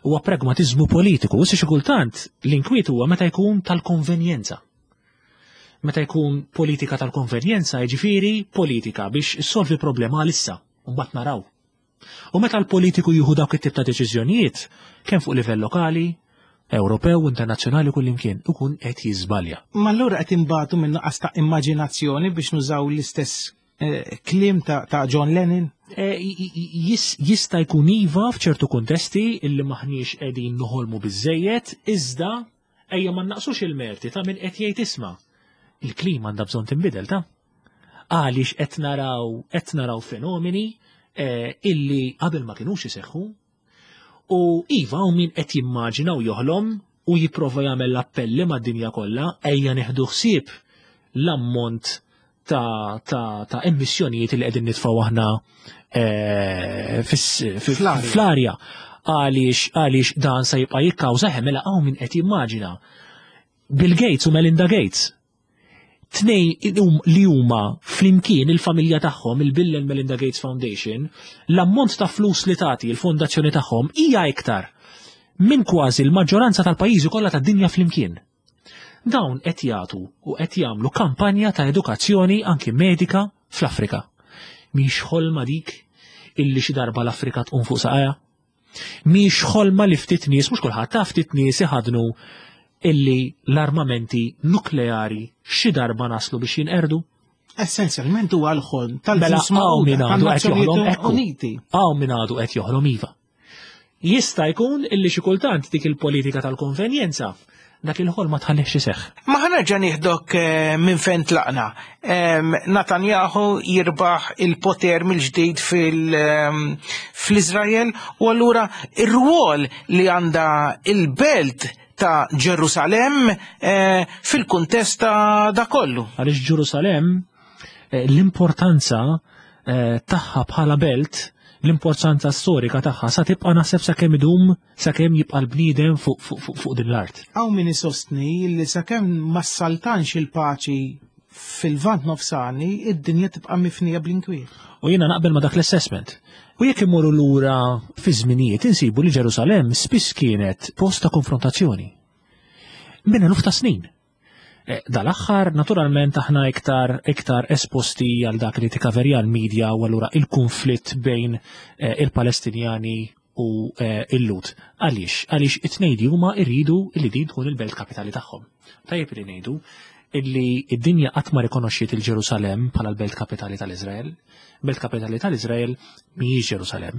Huwa pragmatiżmu politiku, issa xi kultant l-inkwiet huwa meta jkun tal-konvenjenza. Meta jkun politika tal-konvenjenza, jiġifieri politika biex issolvi problema għalissa, u mbagħad naraw. U meta l-politiku jieħu dawk it-tip ta' deċiżjonijiet, kemm fuq livell lokali, Ewropew, internazzjonali kullimkien, ikun qed jiżbalja.
Ma allura qed inbatu minn nuqqas ta' immaġinazzjoni biex nużaw l-istess eh, kliem ta' John Lennon?
Eh, jista' jkun iva f'ċertu kuntesti illi maħniex qegħdin noħolmu biżejjed, iżda ejja ma naqsux il-merti ta' min qed jgħid isma' il-klima għandha bżonn tinbidel ta' għaliex qed naraw qed naraw fenomeni eh, illi qabel ma kinux iseħħu u iva u min qed jimmaġina u joħlom u jipprova jagħmel l-appelli mad-dinja kollha ejja neħdu ħsieb l-ammont ta', ta, ta emissjonijiet li qegħdin nitfgħu aħna eh, fl-arja għaliex għaliex dan se jibqa' jikkawża mela hawn min qed jimmaġina. Bill Gates u Melinda Gates tnej li huma flimkien il-familja tagħhom, il-Bill and Melinda Gates Foundation, l-ammont ta' flus li tagħti l-fondazzjoni tagħhom hija iktar minn kważi l-maġġoranza tal-pajjiżi kollha tad-dinja flimkien. Dawn qed jagħtu u qed jagħmlu kampanja ta' edukazzjoni anki medika fl-Afrika. Mhix ħolma dik illi xi darba l-Afrika tqum fuq saqajha? Mhix ħolma li ftit nies, mhux kulħadd ta' ftit nies iħadnu illi l-armamenti nukleari xi darba naslu biex jinqerdu?
Essenzjalment huwa l-ħolm
Mela
tal-ġnus
hawn min
Magħquda
għadu qed joħlom
tan-Nazzjonijiet
ekku.
Uniti.
Hawn min għadu qed joħlom iva. Jista' jkun illi xi kultant dik il-politika tal-konvenjenza dak il-ħolm ma tħallihx iseħħ.
Ma ħanerġa' nieħdok eh, minn fejn tlaqna. Netanyahu jirbaħ il-poter mill-ġdid fil-Iżrael u allura ir-rwol li għandha il-belt ta' Ġerusalemm eh, fil-kuntest ta' da kollu.
Għaliex Ġerusalemm eh, l-importanza eh, tagħha bħala belt, l-importanza storika tagħha sa tibqa' naħseb sakemm idum sakemm jibqa' l-bniedem fuq fuq fuq fuq din l-art.
Hawn min isostni li sakemm ma ssaltanx il-paċi fil-Lvant Nofsani, id-dinja tibqa' mifnija bl-inkwiet.
U jiena naqbel ma dak l-assessment. U jekk immorru lura fi żminijiet insibu li Ġerusalemm spiss kienet post ta' konfrontazzjoni. Minn eluf ta' snin. Eh, Dal-aħħar, naturalment, aħna iktar iktar esposti għal dak li tikaverja l-medja u allura il-konflitt bejn eh, il-Palestinjani u eh, il-Lut. Għaliex? Għaliex it-tnejn li huma irridu li din tkun il-belt kapitali tagħhom. Tajjeb li ngħidu illi id-dinja qatt ma rikonoxxiet il-Ġerusalemm bħala l-belt kapitali tal-Iżrael. Belt kapitali tal-Iżrael mhijiex Ġerusalemm.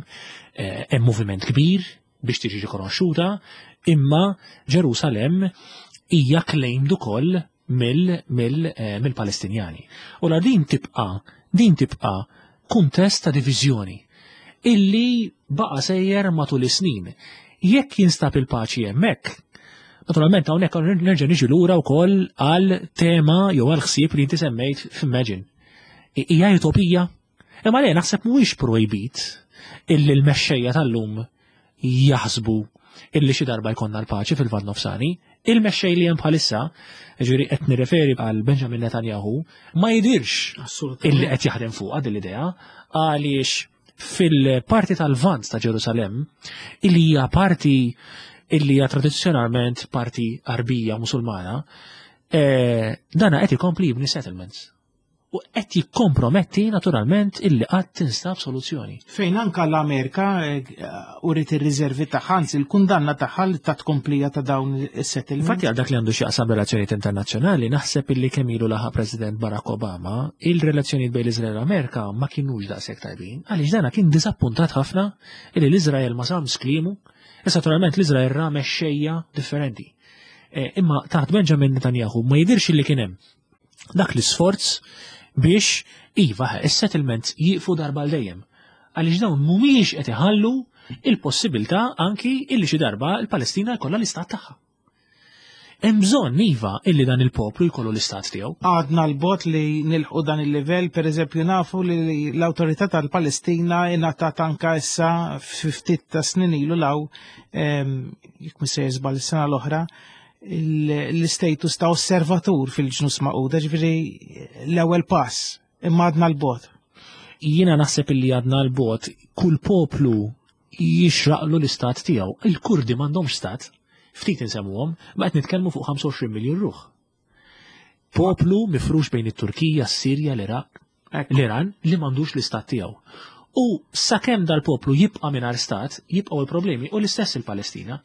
Eh, Hemm moviment kbir biex tiġi rikonoxxuta, imma Ġerusalemm hija claimed ukoll mill-Palestinjani. U la din tibqa' din tibqa' kuntest ta' diviżjoni illi baqa' sejjer matul is-snin. Jekk jinstab il-paċi hemmhekk, naturalment hawnhekk nerġa' niġi lura wkoll għal tema jew għal ħsieb li inti semmejt f'Imagine. Hija utopija? Imma le naħseb mhuwiex projbit illi l-mexxejja tal-lum jaħsbu illi xi darba jkollna l-paċi fil-Lvant Nofsani. Il-mexxej li hemm bħalissa, ġifieri qed nirreferi għal Benjamin Netanyahu, ma jidirx illi qed jaħdem fuqha din l-idea għaliex fil-parti tal-Lvant ta' Ġerusalemm, illi hija parti illi hija tradizzjonalment parti Arbija Musulmana, eh, dana qed ikompli jibni settlements. U qed jikkomprometti naturalment illi qatt tinstab soluzzjoni.
Fejn anka l-Amerika eh, uriet ir-riservi tagħha, anzi l-kundanna tagħha li ta' tkomplija ta' dawn is-settlement.
Infatti għal dak li għandu x'jaqsam relazzjonijiet internazzjonali, naħseb illi kemm ilu laħaq President Barack Obama, il-relazzjonijiet bejn l-Iżrael u l-Amerika ma kinux daqshekk tajbin, għaliex dana kien diżappuntat ħafna illi l-Iżrael ma żammx kliemu. Issa naturalment l-Iżrael ra mexxejja differenti. Eh, imma taħt Benjamin Netanyahu ma jidirx li kien hemm dak l-isforz biex iva is-settlements jieqfu darba għal dejjem. Għaliex dawn mhumiex qed iħallu il-possibilità anki illi xi darba l-Palestina jkollha l-istat tagħha. Hemm bżonn iva illi dan il-poplu jkollu l-istat tiegħu.
Għadna l-bot li nilħu dan il-livell, per eżempju nafu li l-awtorità tal-Palestina ingħatat anka issa ftit ta' snin ilu law jekk mhux se jiżbal is-sena l-oħra, l-istatus ta' osservatur fil-ġnus maquda, ġifieri l-ewwel pass, imma għadna l-bot.
Jiena naħseb illi għadna l-bot, kull poplu jixraqlu l-istat tiegħu. Il-Kurdi m'għandhomx stat, ftit insemmuhom, ma qed nitkellmu fuq 25 miljun ruħ. Poplu mifrux bejn it-Turkija, s-Sirja, l-Iraq, l-Iran li m'għandux l-istat tiegħu. U sakemm dal-poplu jibqa' mingħajr stat, jibqgħu l-problemi u l-istess il-Palestina.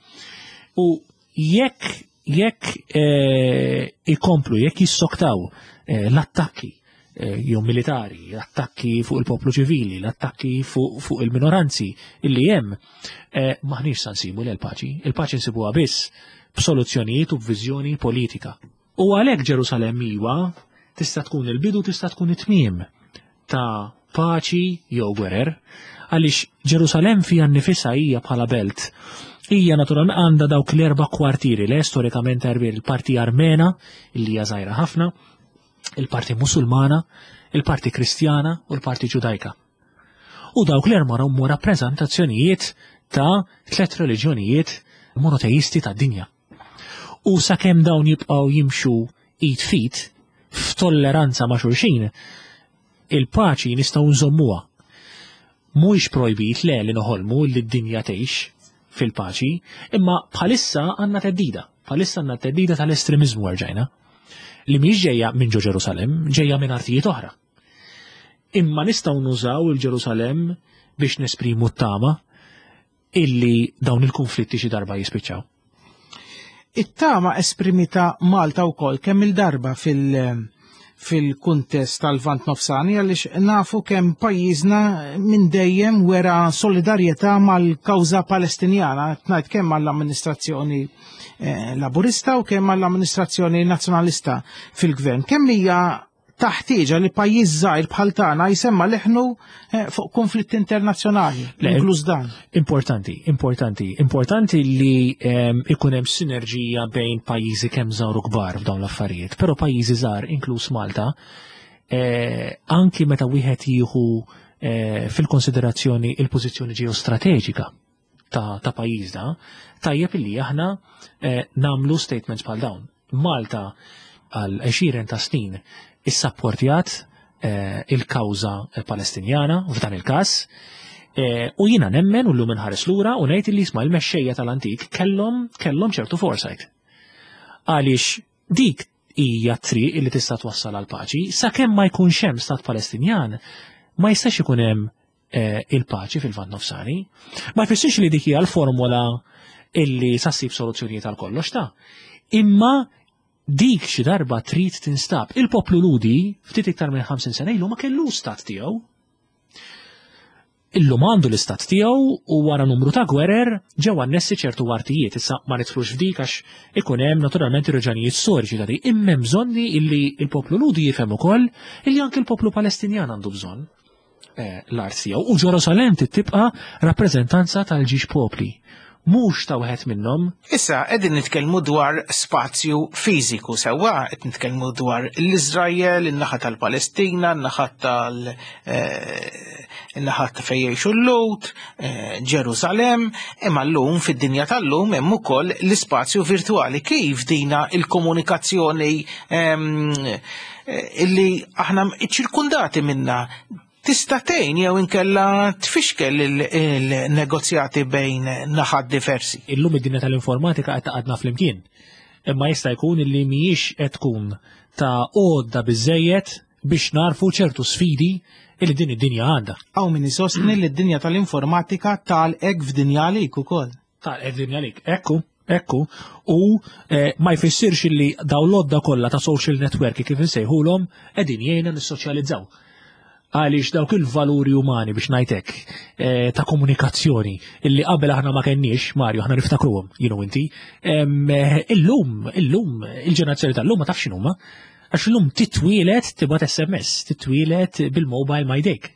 U jekk jekk eh, ikomplu, jekk jissoktaw eh, l-attakki eh, jew militari, l-attakki fuq il-poplu ċivili, l-attakki fuq fu il-minoranzi illi hemm, maħniex sa nsibu l-paċi. Il-paċi nsibuha biss b'soluzzjonijiet u b'viżjoni politika. U għalhekk Ġerusalemm iwa tista' tkun il-bidu tista' tkun it-tmiem ta' paċi jew gwerer, għaliex Ġerusalemm fiha nnifisha hija bħala belt. Hija naturalment għandha dawk l-erba' kwartieri le storikament il-parti Armena li hija żgħira ħafna, il-parti Musulmana, il-parti Kristjana u l-parti Ġudajka. U dawk l-erba' huma rappreżentazzjonijiet ta' tliet reliġjonijiet monoteisti tad-dinja. U sakemm dawn jibqgħu jimxu id fit f'tolleranza ma' xulxin, il-paċi nistgħu nżommuha. Mhuwiex projbit le li noħolmu li d-dinja tgħix fil-paċi, imma bħalissa għandna teddida. Bħalissa għandna teddida tal-estremiżmu erġajna li mhix ġejja minn ġo Ġerusalemm, ġejja minn artijiet oħra. Imma nistgħu nużaw il-Ġerusalemm biex nesprimu t-tama illi dawn il-konflitti xi darba jispiċċaw.
It-tama esprimita Malta wkoll kemm il-darba fil- fil-kuntest tal-Vant Nofsani għaliex nafu kemm pajjiżna minn dejjem wera solidarjetà mal-kawża Palestinjana, ngħid kemm mal-amministrazzjoni eh, Laburista u kemm mal-amministrazzjoni Nazzjonalista fil-gvern. Kemm hija taħtieġa li pajjiż żgħir bħal tagħna jsemma leħnu eh, fuq konflitt internazzjonali, inkluż dan.
Importanti, importanti, importanti li ehm, ikun hemm sinerġija bejn pajjiżi kemm żgħar u kbar f'dawn l-affarijiet, però pajjiżi żgħar inkluż Malta, eh, anki meta wieħed jieħu eh, fil-konsiderazzjoni il-pożizzjoni ġeostrateġika ta', ta pajjiżna, tajjeb illi aħna eh, namlu statements bħal dawn. Malta għal 20 ta' snin issapportjat eh, il-kawża Palestinjana f'dan il-każ. Eh, u jiena nemmen u llum inħares lura u ngħid li jisma' l-mexxejja tal-antik kellhom kellhom ċertu foresight. Għaliex dik hija triq li tista' twassal għal paċi, sakemm ma jkunx hemm stat Palestinjan, ma jistax ikun hemm eh, il-paċi fil-Lvant Nofsani. Ma jfissirx li dik hija l-formola illi sa ssib soluzzjonijiet għal kollox ta' imma dik xi darba trid tinstab. Il-poplu Ludi ftit iktar minn 50 sena ilu ma kellu stat tiegħu. Illum għandu l-istat tiegħu u wara numru ta' gwerer ġew annessi ċertu artijiet. Issa ma nidħlux f'dik għax ikun hemm naturalment ir-raġunijiet storiċi ta' dik. Imma hemm bżonni illi l-poplu Ludi jifhem ukoll illi anke l-poplu Palestinjan għandu bżonn. Eh, l-art tiegħu u Ġerusalem tibqa' rappreżentanza tal-ġiex popli mhux ta' wieħed minnhom.
Issa qegħdin nitkellmu dwar spazju fiżiku sewwa qed nitkellmu dwar l-Iżrael, in-naħa tal-Palestina, in-naħa tal eh, in-naħa ta' fejn jgħixu l-Lut, eh, Ġerusalem, imma llum fid-dinja tal-lum hemm ukoll l-ispazju virtwali. Kif dina il-komunikazzjoni ehm, Eh, illi aħna ċirkundati minna tista' tgħin jew inkella tfixkel il-negozjati bejn naħat diversi.
Illum id-dinja tal-informatika qed taqadna flimkien. Imma jista' jkun illi mhijiex qed tkun ta' għodda biżejjed biex narfu ċertu sfidi li din id-dinja għandha.
Hawn min isostni li d-dinja tal-informatika tgħalqek f'dinja għalik ukoll.
Tgħalqek f'dinja għalik, ekku, ekku. U eh, ma jfissirx li dawn l-għodda kollha ta' social network kif insejħulhom qegħdin jgħinna nissoċjalizzaw. Għaliex dawk il-valuri umani biex ngħidlek eh, ta' komunikazzjoni illi qabel aħna ma kenniex, Mario, aħna niftakruhom, jienu inti, eh, illum, illum, il-ġenerazzjoni tal-lum ma tafx x'inhuma. Għax illum titwielet tibgħat SMS, titwielet bil-mobile ma jdejk.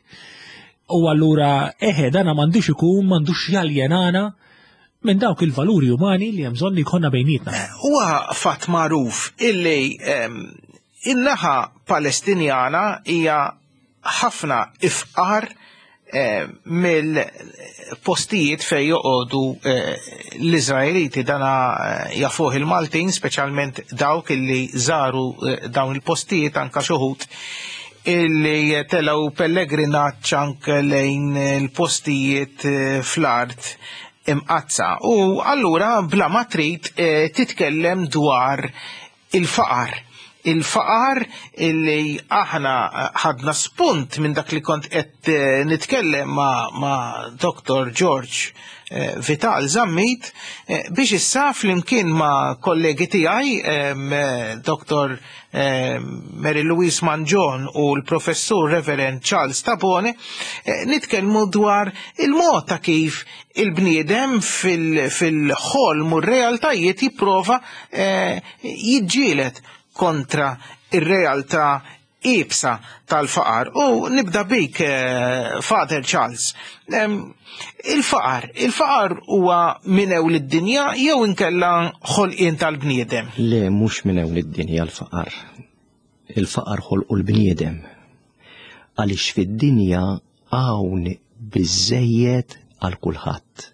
U allura eħe dana m'għandux ikun, m'għandux jaljenana minn dawk il-valuri umani li hemm bżonn li jkollna bejnietna.
Huwa fatt magħruf illi in-naħa Palestinjana hija ħafna ifqar eh, mill-postijiet fej joqogħdu eh, l-Iżraeliti dana eh, jafuh il-Maltin, speċjalment dawk illi żaru dawn il-postijiet anka xuħut illi telgħu pellegrinaġġ anke lejn il-postijiet fl-art imqazza. U allura bla ma trid titkellem dwar il-faqar. Il-faqar illi aħna ħadna spunt minn dak li kont qed eh, nitkellem ma', ma Dr. George eh, Vital Zammit eh, biex issa flimkien ma' kollegi tiegħi Dr. Mary Louise Mangion u l-Professur Reverend Charles Tabone nitkellmu dwar il-mod ta' kif il-bniedem fil-ħolm u r-realtajiet jipprova eh, jiġġieled kontra ir-realtà ibsa tal-faqar. U nibda bik, eh, Father Charles. Il-faqar, il-faqar huwa minn ewl id-dinja jew inkella ħolqien tal-bniedem?
Le, mhux minn ewl id-dinja l-faqar. Il-faqar ħolqu l-bniedem. Għaliex fid-dinja hawn biżejjed għal kulħadd.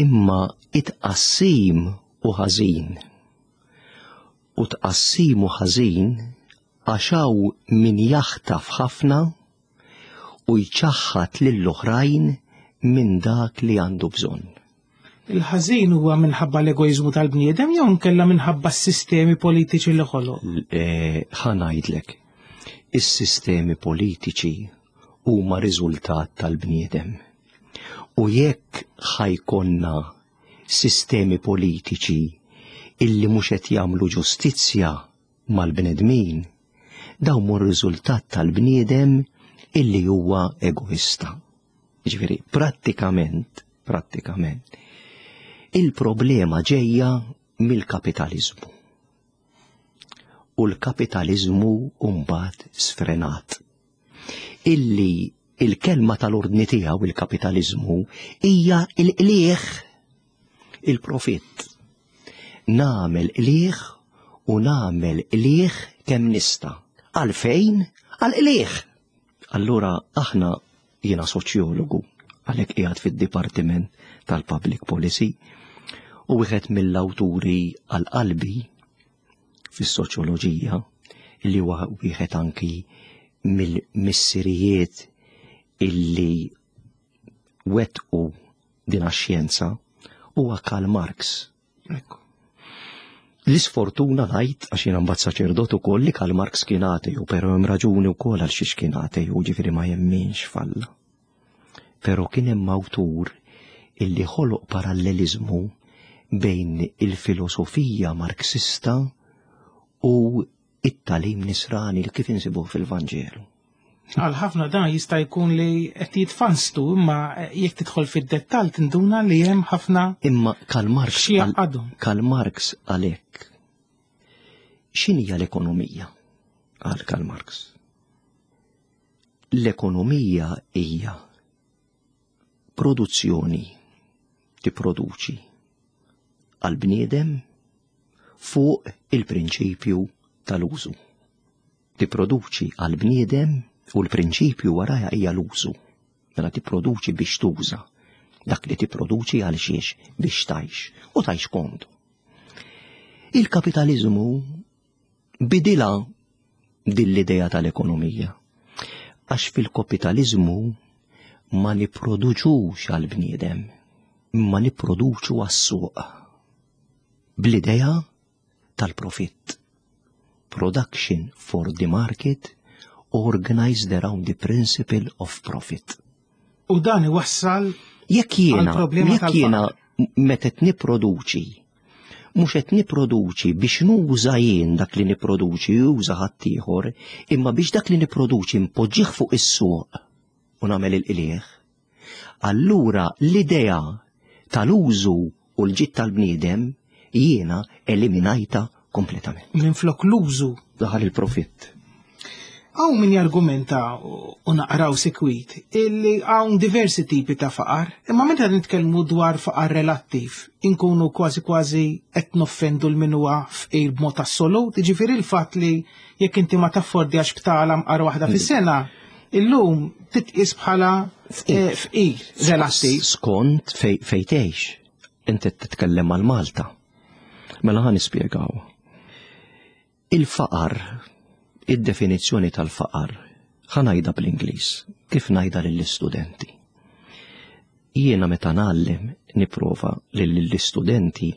Imma it-tqassim u ħażin. U tqassim u ħażin għax hawn min jaħtaf ħafna u jċaħħad lill-oħrajn minn dak li għandu bżonn.
Il-ħażin huwa minħabba l-egoiżmu tal-bniedem jew nkella minħabba s-sistemi politiċi li ħoloq?
Eh, ħa ngħidlek, is-sistemi politiċi huma riżultat tal-bniedem. U jekk ħajkonna sistemi politiċi illi mhux qed jagħmlu ġustizzja mal-bnedmin, dawn mhu riżultat tal-bniedem illi huwa egoista. Ġifieri, prattikament, prattikament, il-problema ġejja mill-kapitaliżmu. U l-kapitaliżmu mbagħad sfrenat. Illi il-kelma tal-ordni tiegħu il-kapitaliżmu hija il-qliegħ il-profitt. Nagħmel qliegħ u nagħmel qliegħ kemm nista'. Għalfejn? Għal qliegħ. Allura aħna jiena soċjologu għalhekk qiegħed fid-Dipartiment tal-Public Policy u wieħed mill-awturi għal qalbi fis-soċjoloġija li huwa wieħed anki mill-missirijiet illi wettqu din għax-xjenza huwa Karl Marx.
Ekku.
L-isfortuna ngħid għax jiena mbagħad saċerdot ukoll li Karl Marx kien ateju, però hemm raġuni wkoll għal xiex kien ateju, ġifieri ma jemminx falla. Però kien hemm awtur illi ħoloq paralleliżmu bejn il-filosofija Marxista u it-tagħlim nisrani li kif insibuh fil-Vanġelu.
Għal ħafna dan jista' jkun li qed jitfanstu imma jekk tidħol fid-dettall tinduna li hemm ħafna
Imma Karl Marx
xi jgħaqqadhom.
Karl Marx għalhekk x'inhija l-ekonomija? Għal Karl Marx. L-ekonomija hija produzzjoni tipproduċi għal bniedem fuq il-prinċipju tal-użu. Tipproduċi għal bniedem u l-prinċipju warajha hija l-użu. Mela tipproduċi biex tuża. Dak li tipproduċi għal xiex biex tgħix u tgħix komdu. Il-kapitaliżmu bidilha din l-idea tal-ekonomija. Għax fil-kapitaliżmu ma nipproduċux għal bniedem, imma nipproduċu għas-suq. Bl-idea tal-profitt. Production for the market organized around the principle of profit.
U dan iwassal
jekk jiena jekk jiena meta qed nipproduċi mhux qed nipproduċi biex nuża jien dak li nipproduċi juża ħaddieħor, imma biex dak li nipproduċi npoġġih fuq is-suq u nagħmel il-qliegħ. Allura l-idea tal-użu u l-ġid tal-bniedem jiena eliminajta kompletament.
Minflok l-użu.
Daħal il-profitt.
Hawn min jargumenta u naqraw sikwit illi hawn diversi tipi ta' faqar, imma meta nitkellmu dwar faqar relattiv, inkunu kważi kważi qed noffendu l min huwa fqir b'mod assolut, jiġifieri l-fatt li jekk inti ma taffordjax btala mqar waħda fis-sena, illum titqis bħala eh, fqir relattiv.
Skont fejn tgħix, inti titkellem għal Malta. Mela ħa nispjegaw. Il-faqar, id-definizzjoni tal-faqar, ħa ngħidha bl-Ingliż, kif ngħidha lill-istudenti. Jiena meta ngħallem nipprova li lill-istudenti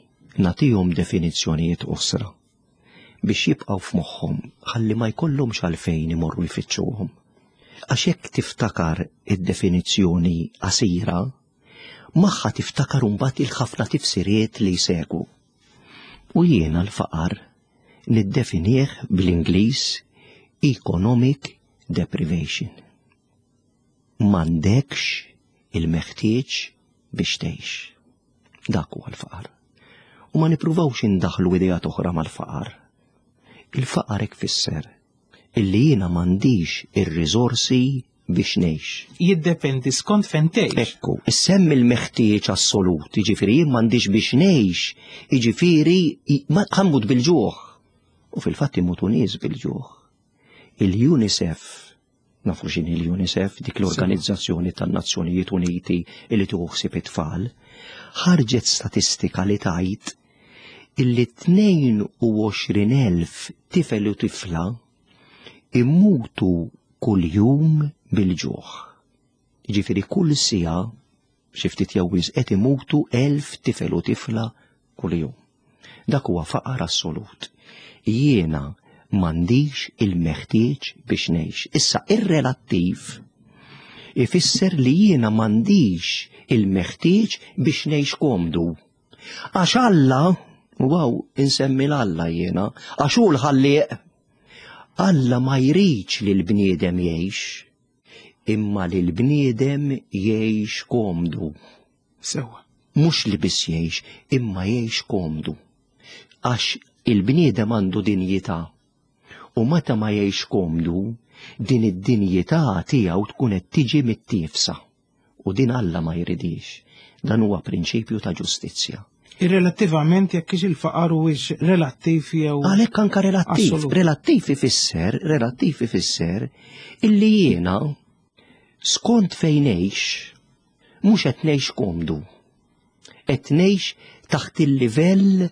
nagħtihom definizzjonijiet qosra biex jibqgħu f'moħħhom ħalli ma jkollhomx għalfejn imorru jfittxuhom. Għax jekk tiftakar id-definizzjoni qasira, magħha tiftakar imbagħad il-ħafna tifsiriet li jsegwu. U jiena l-faqar niddefinih bl-Ingliż economic deprivation. M'għandekx il-meħtieġ biex tgħix. Dak huwa l-faqar. U ma nippruvawx indaħlu ideat oħra mal-faqar. Il-faqar hekk fisser illi jiena m'għandix ir-riżorsi biex ngħix.
Jiddependi skont fejn tgħix.
Ekku, issemmi l-meħtieġ assolut, jiġifieri jien m'għandix biex ngħix, jiġifieri ħammut bil-ġuħ. U fil-fatt imutu nies bil-ġuħ. Il-UNICEF, nafu x'inhi l-UNICEF, dik l-Organizzazzjoni tan-Nazzjonijiet Uniti li tieħu ħsieb it-tfal, ħarġet statistika li tgħid illi 22,000 tifel u tifla imutu kuljum bil-ġuħ. Jiġifieri kull siegħa xi ftit jew wisq qed imutu 1000 tifel u tifla kuljum. Dak huwa faqar assolut. Jiena m'għandix il-meħtieġ biex ngħix. Issa ir-relattiv ifisser li jiena m'għandix il-meħtieġ biex ngħix komdu. Għax Alla, u għaw insemmi l-Alla jiena, għax hu l-ħallieq. Alla ma jridx li l-bniedem jgħix, imma li l-bniedem jgħix komdu.
Sewa.
Mhux li biss jgħix, imma jgħix komdu. Għax il-bniedem għandu dinjità. U meta ma jgħix komdu, din id-dinjità tiegħu tkun qed tiġi mittiefsa. U din Alla ma jridhiex. Dan huwa prinċipju ta' ġustizzja.
Irrelattivament jekk hix il-faqar huwiex relattiv jew
Għalhekk anka relattiv. Relattiv ifisser, relattiv ifisser illi jiena skont fejn ngħix mhux qed ngħix komdu. Qed ngħix taħt il-livell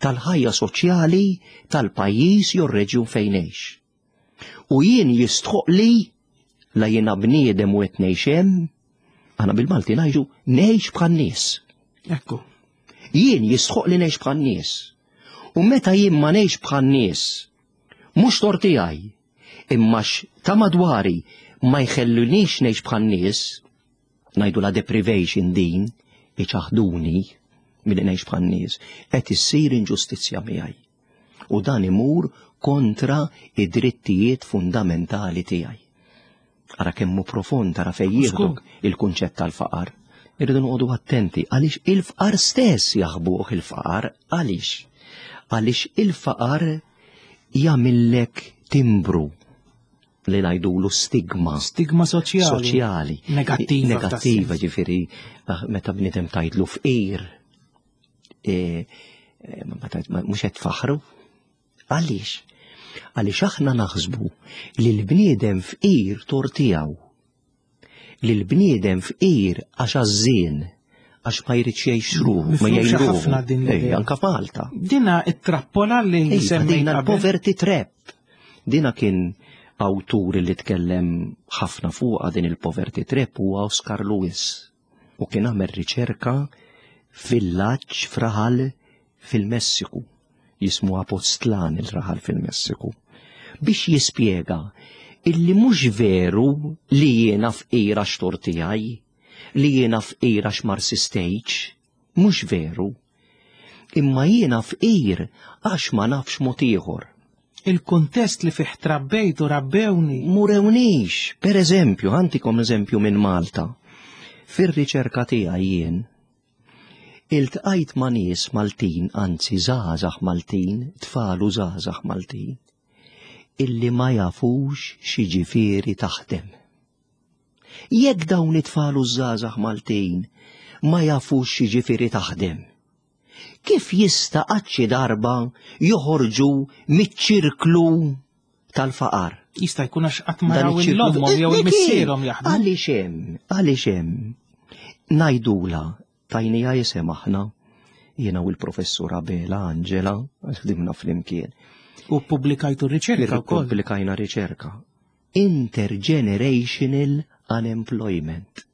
tal-ħajja soċjali tal-pajjiż jew reġjun fejn ngħix. U jien jistħoqli la jiena bniedem u qed ngħix hemm, aħna bil-Malti ngħidu ngħix bħan-nies.
Ekku.
Jien jistħoqli ngħix bħan-nies. U meta jien ma ngħix bħan-nies, mhux tort tiegħi, imma ta' madwari ma jħellunix ngħix bħan-nies, ngħidu la deprivation din, iċaħduni milli ngħix bħan-nies, qed issir inġustizzja miegħi. U dan imur kontra id-drittijiet fundamentali tiegħi. Ara kemm hu profond, ara fejn jieħdok il-kunċett tal-faqar. Irridu noqogħdu attenti għaliex il-faqar stess jaħbuh il-faqar għaliex. Għaliex il-faqar jagħmillek timbru li ngħidulu stigma.
Stigma soċjali.
Soċjali.
Negattiva.
Negattiva, ġifieri ah, meta bniedem tgħidlu fqir E, e, mhux qed tfaħru. Għaliex? Għaliex aħna naħsbu li l-bniedem fqir tor tiegħu. Li l-bniedem fqir għax għażżien għax ma jridx jgħix ruħu, ma jgħix
ħafna din
anka Malta.
Dina it-trappola li
semmejna l-poverty trap. Dina kien awtur li tkellem ħafna fuqha din il-poverty trap huwa Oscar Lewis. u kien għamel riċerka f'villaġġ f'raħal fil-Messiku, jismu Apostlan il-raħal fil-Messiku, biex jispjega Illi mhux veru li jiena fqir għax tort tiegħi, li jiena fqir għax ma rsistejtx, mhux veru. Imma jiena fqir għax ma nafx mod ieħor.
Il-kuntest li fih trabbejt u rabbewni.
Murewnix, per eżempju, għantikom eżempju minn Malta. Fir-riċerka tiegħi jien, iltqajt ma' nies Maltin, anzi żgħażagħ Maltin, tfal u żgħażagħ Maltin, illi ma jafux x'jiġifieri taħdem. Jekk dawn it-tfal u żgħażagħ Maltin ma jafux x'jiġifieri taħdem, kif jista' qatt xi darba joħorġu miċ-ċirklu tal-faqar?
Jista' jkun għax qatt ma raw il-ommhom jew il-missierhom jaħdmu.
Għaliex hemm, għaliex hemm. Ngħidula tajnija isem aħna, jiena u l-professur Abela Angela, għax ħdimna flimkien.
U ppubblikajtu riċerka
wkoll. Pubblikajna riċerka. Intergenerational unemployment.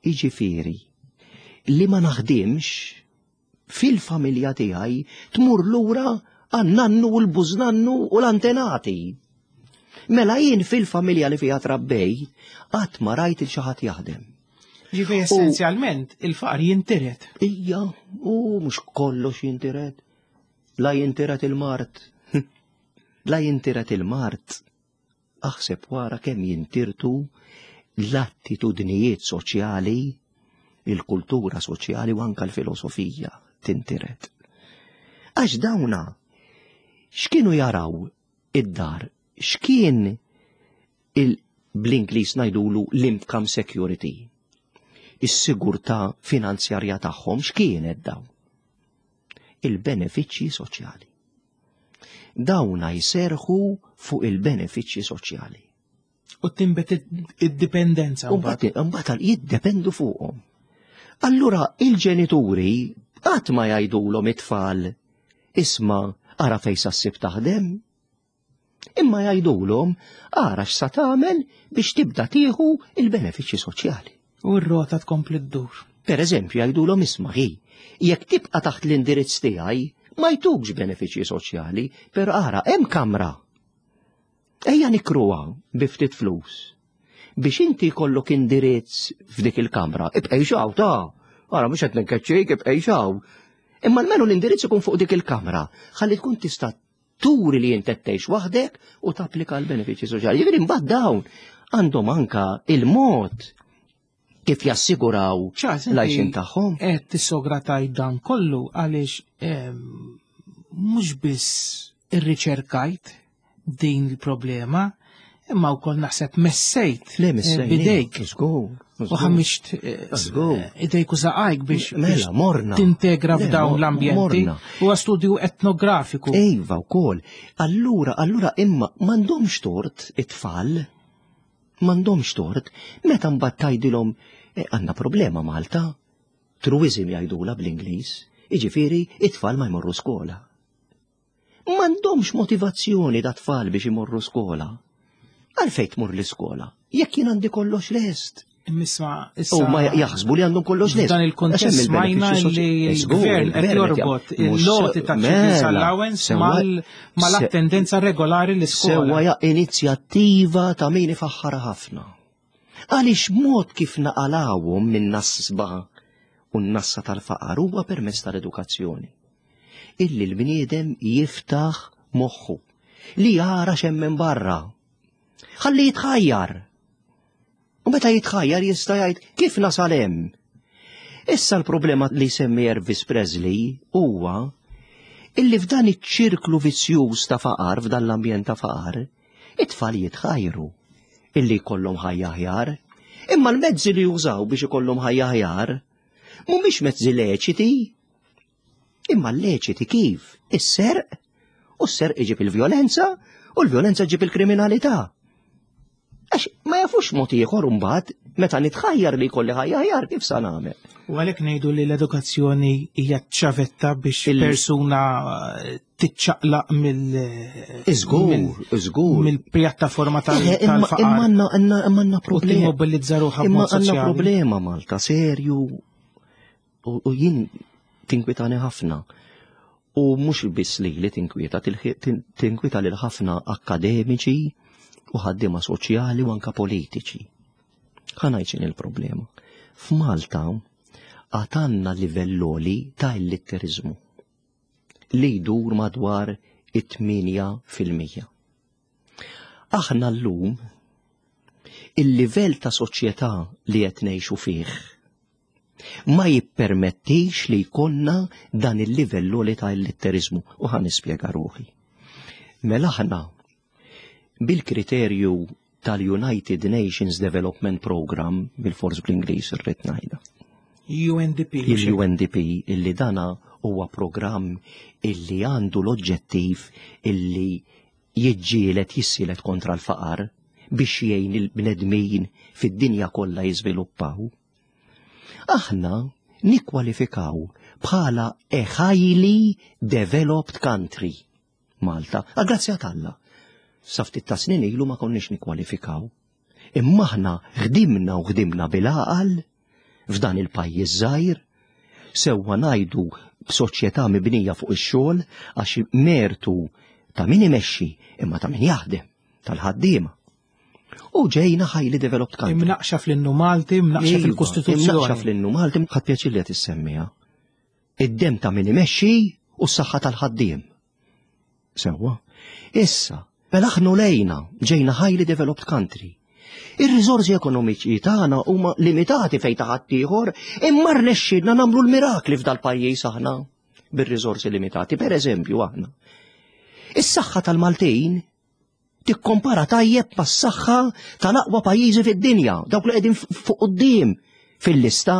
Iġifieri, li ma naħdimx fil-familja tiegħi tmur lura għan-nannu u l-bużnannu u l-antenati. Mela jien fil-familja li fiha trabbej qatt ma rajt il xi ħadd jaħdem.
Ġifieri essenzjalment il-faqar jintiret.
Ija, u mhux kollox jintiret. La jintiret il-mart. La jintiret il-mart. Aħseb wara kemm jintirtu l-attitudnijiet soċjali, il-kultura soċjali u anka l-filosofija tintiret. Għax dawna x'kienu jaraw id-dar, x'kien il bl-Ingliż ngħidulu l-income security. Is-sigurtà finanzjarja tagħhom x'kienet dawn? Il-benefiċċji soċjali. Dawna jserħu fuq il-benefiċċji soċjali.
U timbet id-dipendenza.
Mbagħad jiddependu fuqhom. Allura il-ġenituri qatt ma jgħidulhom it-tfal isma' ara fejn sa ssib taħdem. Imma jgħidulhom ara x'sa tagħmel biex tibda tieħu il-benefiċċji soċjali.
U r-rota tkompli ddur.
Per eżempju jgħidulhom isma' hi, jekk tibqa' taħt l-indirizz tiegħi ma jtukx benefiċċji soċjali, però ara hemm kamra. Ejja nikruha bi ftit flus. Biex inti jkollok indirizz f'dik il-kamra, ibqej xaw ta' ara mhux qed nkeċċik ibqej xaw. Imma almenu l-indirizz ikun fuq dik il-kamra, ħalli tkun tista' turi li inti tgħix waħdek u tapplika l-benefiċċji soċjali. Jiġifieri mbagħad dawn għandhom anka il-mod kif jassiguraw l-għajxin tagħhom.
Qed tissogra tajt dan kollu għaliex ehm, mhux biss irriċerkajt din il-problema, imma wkoll naħseb messejt
Le, messejt,
eh, bidejk.
Żgur.
U ħammiġt eh, idejk u saqajk biex
mela, morna.
tintegra f'dawn l-ambjenti. Huwa studju etnografiku.
Iva wkoll. Allura, allura imma m'għandhomx tort it-tfal. M'għandhomx tort meta mbagħad tgħidilhom eh, għandna problema Malta. Truism jgħidula bl-Ingliż, jiġifieri it-tfal ma jmorru skola. M'għandhomx motivazzjoni da tfal biex imorru skola. Għalfejn tmur l-iskola? Jekk jien għandi kollox lest.
Imma issa.
U ma jaħsbu li għandhom kollox lest.
Dan il-kontest smajna li l-gvern qed jorbot il-loti ta' children's mela, allowance mal-attendenza regolari l-iskola.
Sewwa ja inizjattiva ta' min ifaħħara ħafna. Għaliex mod kif naqalawhom minn nasba u n-nassa tal-faqar huwa permezz tal-edukazzjoni. Illi l-bniedem jiftaħ moħħu li jara x'hemm minn barra. Ħalli jitħajjar. U meta jitħajjar jista' jgħid kif nasal hemm. Issa l-problema li semmi Elvis Presley huwa illi f'dan iċ-ċirklu vizzjuż ta' faqar, f'dan l-ambjent ta' faqar, It-tfal jitħajru illi jkollhom ħajja aħjar, imma l-mezzi li jużaw biex ikollhom ħajja aħjar mhumiex mezzi leċiti. Imma leċiti kif? Is-serq, u s-serq iġib il-vjolenza, u l-vjolenza ġib il-kriminalità. Għax ma jafux mod ieħor imbagħad meta nitħajjar li jkolli ħajja aħjar kif sa nagħmel.
U għalhekk ngħidu li l-edukazzjoni hija ċavetta biex persuna eh, tiċċaqlaq mill
Iżgur, iżgur.
Mill-pjattaforma tal-faqar.
Imma għandna problema.
U timmobilizza ruħha
Imma għandna problema Malta serju u jien tinkwitani ħafna. U mhux biss li li tinkwieta, tinkwieta lil ħafna akademiċi. u ħaddiema soċjali u anka politiċi. Ħa ngħid x'inhi l-problema. F'Malta għad għandna livell għoli ta' illitteriżmu li jdur madwar it-8%. Aħna llum il-livell ta' soċjetà li qed ngħixu fih ma jippermettix li jkollna dan il-livell għoli ta' illitteriżmu u ħa nispjega ruħi. Mela aħna bil-kriterju tal-United Nations Development Program, bil-fors bl-Ingliż irrid ngħidha.
UNDP.
Il-UNDP illi dana huwa programm illi għandu l-oġġettiv illi jiġġieled jissielet kontra l-faqar biex jgħin il-bnedmin fid-dinja kollha jiżviluppaw. Aħna nikkwalifikaw bħala a highly developed country. Malta, għal-grazzja t'Alla. Sa ftit ta' snin ilu ma konniex nikkwalifikaw. Imma aħna ħdimna u ħdimna bil-għaqal f'dan il-pajjiż żgħir, sewwa ngħidu b'soċjetà mibnija fuq ix-xogħol għax mertu ta' min imexxi imma ta' min jaħdem, tal-ħaddiema. U ġejna highly developed country.
Imnaqxa fl-innu Malti, imnaqxa
Iva,
fil-Kostituzzjoni.
Imnaqxa fl-innu Malti, ħadd pjaċir li qed issemmiha. Id-demm ta' min imexxi u s-saħħa tal-ħaddiem. Sewwa. Issa, mela aħna lejna ġejna highly developed country. Ir-riżorsi ekonomiċi tagħna huma limitati fejn ta' ħaddieħor, imma rnexxielna nagħmlu l-mirakli f'dal-pajjiż aħna bir-riżorsi limitati. Per eżempju aħna. Is-saħħa tal-Maltin tikkompara tajjeb mas-saħħa tal-aqwa pajjiżi fid-dinja, dawk li qegħdin fuq quddiem fil-lista.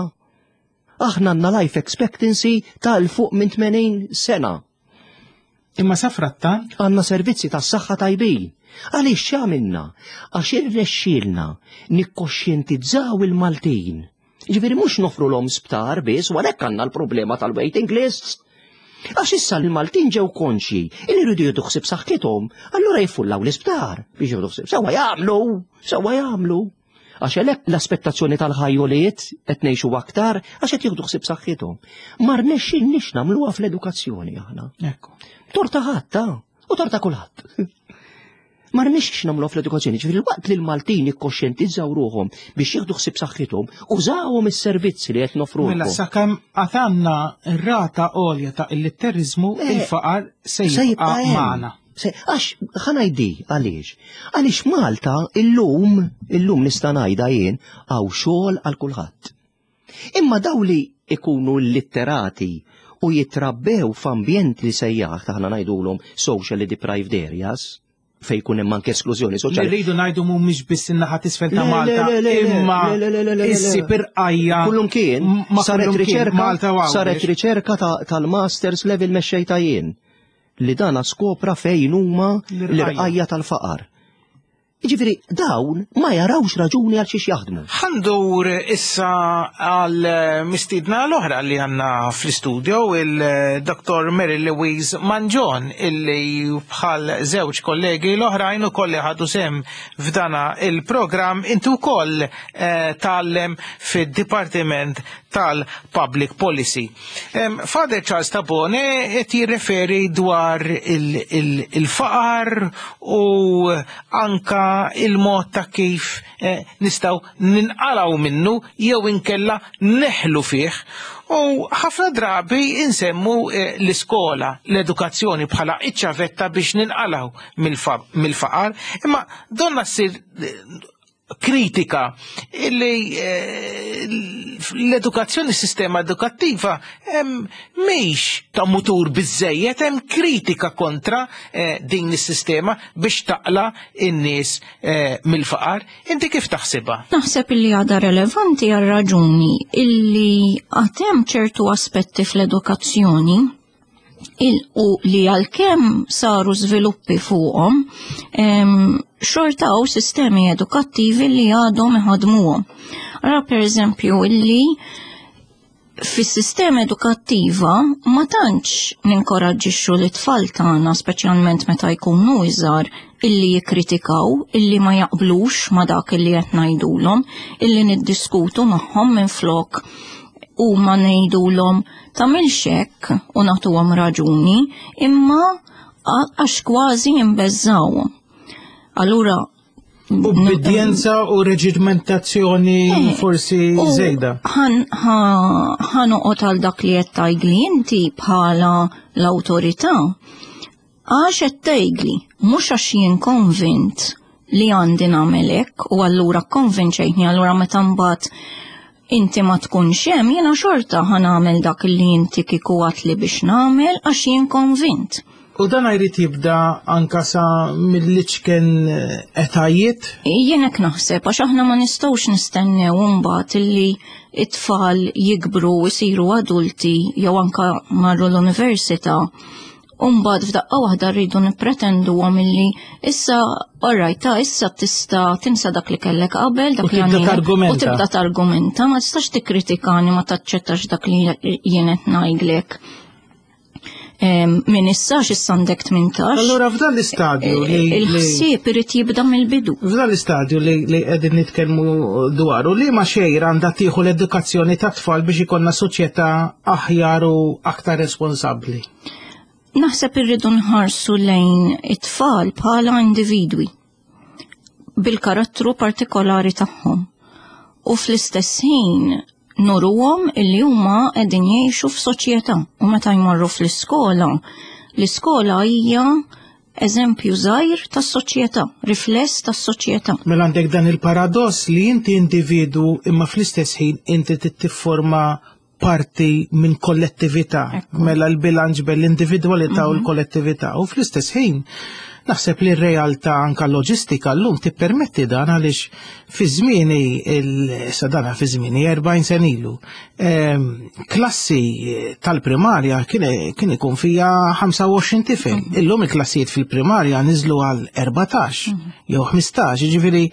Aħna għandna life expectancy ta' 'l fuq minn 80 sena.
Imma sa frattant
għandna servizzi tas-saħħa tajbin. Għaliex x'għamilna? Għax irnexxielna nikkoxjentizzaw il-Maltin. Ġifieri mhux nofrulhom sptar biss, u għalhekk għandna l-problema tal-waiting lists. Għax issa l-Maltin ġew konxji li jridu jieħdu ħsieb saħħithom, allura jiffullaw l-isptar biex jieħdu ħsieb. Sewwa jagħmlu, sewwa jagħmlu. Għax għalhekk l-aspettazzjoni tal-ħajjoliet qed ngħixu aktar għax qed jieħdu ħsieb saħħithom. Ma rnexxilniex nagħmluha fl-edukazzjoni aħna.
Ekku.
Torta ħadd, ta' u torta kulħadd. Ma rnexxix nagħmluha fl-edukazzjoni, ġifieri waqt li l-Maltin ikkoxjentizzaw ruħhom biex jieħdu ħsieb saħħithom, użawhom is-servizzi li qed nofrulhom.
Mela sakemm għad għandna rata għolja ta' illitteriżmu, il-faqar se jibqa' magħna.
Għax ħa ngħidi għaliex. Għaliex Malta illum, illum nista' ngħidha jien hawn xogħol għal kulħadd. Imma daw li ikunu litterati u jitrabbew f'ambjent li sejjaħ taħna ngħidulhom socially deprived areas, fejn jkun hemm anke esklużjoni
Li
soċjali.
rridu ngħidu mhumiex biss in-naħa t'isfel ta'
Le, le,
Malta,
le, le, le,
imma
le, le, le, le, le, le.
issib irqajja.
Kullum kien,
ma
saret
kullum kien,
riċerka,
Malta u Għawdex.
saret riċerka tal-masters level mexxejta jien li dana skopra fejn huma
L-irqajja.
l-irqajja tal-faqar. Jiġifieri dawn ma jarawx raġuni għal xiex jaħdmu.
Ħa ndur issa għal mistiedna l-oħra li għandna fl-istudio, il-Dr. Mary Louise Mangion, illi bħal żewġ kollegi l-oħrajn ukoll li ħadu sehem f'dana il-programm, inti wkoll tgħallem fid-Dipartiment tal-Public Policy. Father Charles Tabone qed jirreferi dwar il-faqar u anka il-mod ta' kif nistgħu ninqalgħu minnu jew inkella neħlu fih. U ħafna drabi insemmu l-iskola, l-edukazzjoni bħala iċ-ċavetta biex ninqalgħu mill-faqar, imma donna ssir kritika illi l-edukazzjoni, s-sistema edukattiva mhix ta' mutur biżejjed, hemm kritika kontra din is-sistema biex taqla n-nies mill-faqar. Inti kif taħsibha?
Naħseb illi għadha relevanti għal raġuni illi għad hemm ċertu aspetti fl-edukazzjoni u li għalkemm saru żviluppi fuqhom, xorta hawn sistemi edukattivi li għadhom iħadmuhom. Ara per eżempju illi fis-sistema edukattiva ma tantx ninkoraġġixxu l-tfal tagħna, speċjalment meta jkunu iżgħar, illi jikkritikaw, illi ma jaqblux ma dak illi qed ngħidulhom, illi niddiskutu magħhom minflok u ma ngħidulhom tagħmilx hekk u nagħtuhom raġuni, imma għax kważi jimbeżżawhom. Allura
Ubbidjenza u reġimentazzjoni eh, forsi żejda.
Ħa noqgħod għal dak li qed tgħidli inti bħala l-awtorità. Għax qed tgħidli, mhux għax jien konvint li għandi nagħmel hekk u allura konvinċejtni allura meta mbagħad inti ma tkunx hemm jiena xorta ħa nagħmel dak li inti kieku li biex nagħmel għax jien konvint.
U dan jrid jibda anka sa mill-iċken eh, etajiet?
Jien hekk naħseb għax aħna ma nistgħux nistennew imbagħad illi it-tfal jikbru u jsiru adulti jew anka marru l-università U mbagħad f'daqqa waħda rridu nippretenduhom illi issa alright ta' issa tista' tinsa dak li kellek qabel, dak
li
għandi. U tibda targumenta, ma tistax tikkritikani ma taċċettax dak li jien qed ngħidlek. Min issa x'issa għandek 18.
Allura f'dan l-istadju li.
Il-ħsieb irid jibda mill-bidu.
F'dan l-istadju li qegħdin nitkellmu dwaru li ma xejra għandha tieħu l-edukazzjoni tat-tfal biex ikollna soċjetà aħjar u aktar responsabbli.
Naħseb irridu nħarsu lejn it-tfal bħala individwi bil-karattru partikolari tagħhom. U fl-istess ħin nuruhom illi huma qegħdin jgħixu f'soċjetà u meta jmorru fl-iskola, l-iskola hija eżempju żgħir tas-soċjetà, rifless tas-soċjetà.
Mela għandek dan il-paradoss li inti individu imma fl-istess ħin inti tifforma parti minn kollettività, mela l-bilanċ bejn l-individwalità u mhm. l-kollettività. U fl-istess ħin, naħseb li r-realtà anka loġistika llum tippermetti dan għaliex fi żmieni sadana fi żmieni 40 sen ilu. Ehm, klassi tal-primarja kien ikun fija 25 tifel. Mhm. Illum il-klassijiet fil-primarja niżlu għal 14 mhm. jew 15, jiġifieri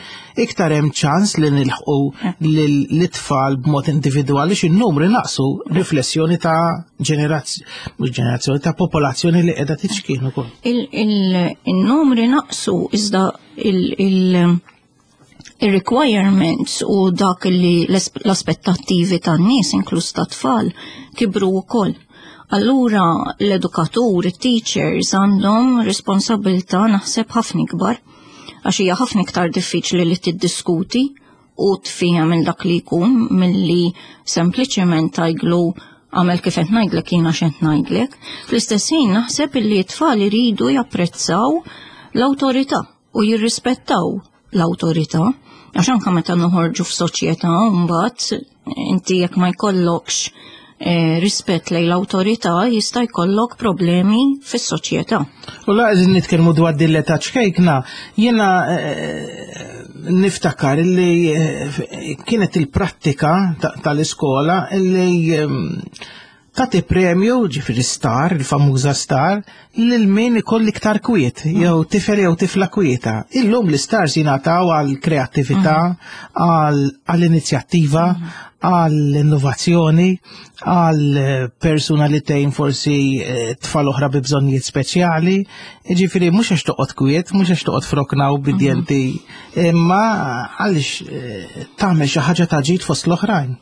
iktar hemm ċans li nilħqu l-itfal b'mod individwali xi numri naqsu riflessjoni ta' ġenerazzjoni, mhux ġenerazzjoni ta' popolazzjoni li qiegħda tiċkien ukoll.
Il-numri naqsu iżda il-requirements u dak li l-aspettattivi tan-nies inkluż ta' tfal kibru wkoll. Allura l-edukatur, it-teachers għandhom responsabilità naħseb ħafna ikbar għax hija ħafna iktar diffiċli li tiddiskuti u tfiehem minn dak li jkun milli sempliċement tgħidlu għamel kif qed ngħidlek jiena x'qed ngħidlek. Fl-istess ħin naħseb illi t-tfal iridu japprezzaw l-awtorità u jirrispettaw l-awtorità għax anke meta noħorġu f'soċjetà mbagħad inti jekk ma jkollokx eh, rispett lejn l-awtorità jista' jkollok problemi fis-soċjetà.
U la qegħdin nitkellmu dwar din l-età ċkejkna, jiena eh, niftakar li eh, kienet il-prattika tal-iskola li ehm, tagħti premju, ġifieri star, il-famuża star, lil min ikolli iktar kwiet, jew tifel jew tifla kwieta. Illum l-istars jingħataw għal kreattività, għall inizjattiva, għall innovazzjoni, għal persuna li tgħin forsi eh, tfal oħra bi bżonnijiet speċjali. Ġifieri mhux għax toqgħod kwiet, mhux għax toqgħod frokna u bidjenti, imma għaliex eh, tagħmel xi ħaġa ta' ġid fost l-oħrajn.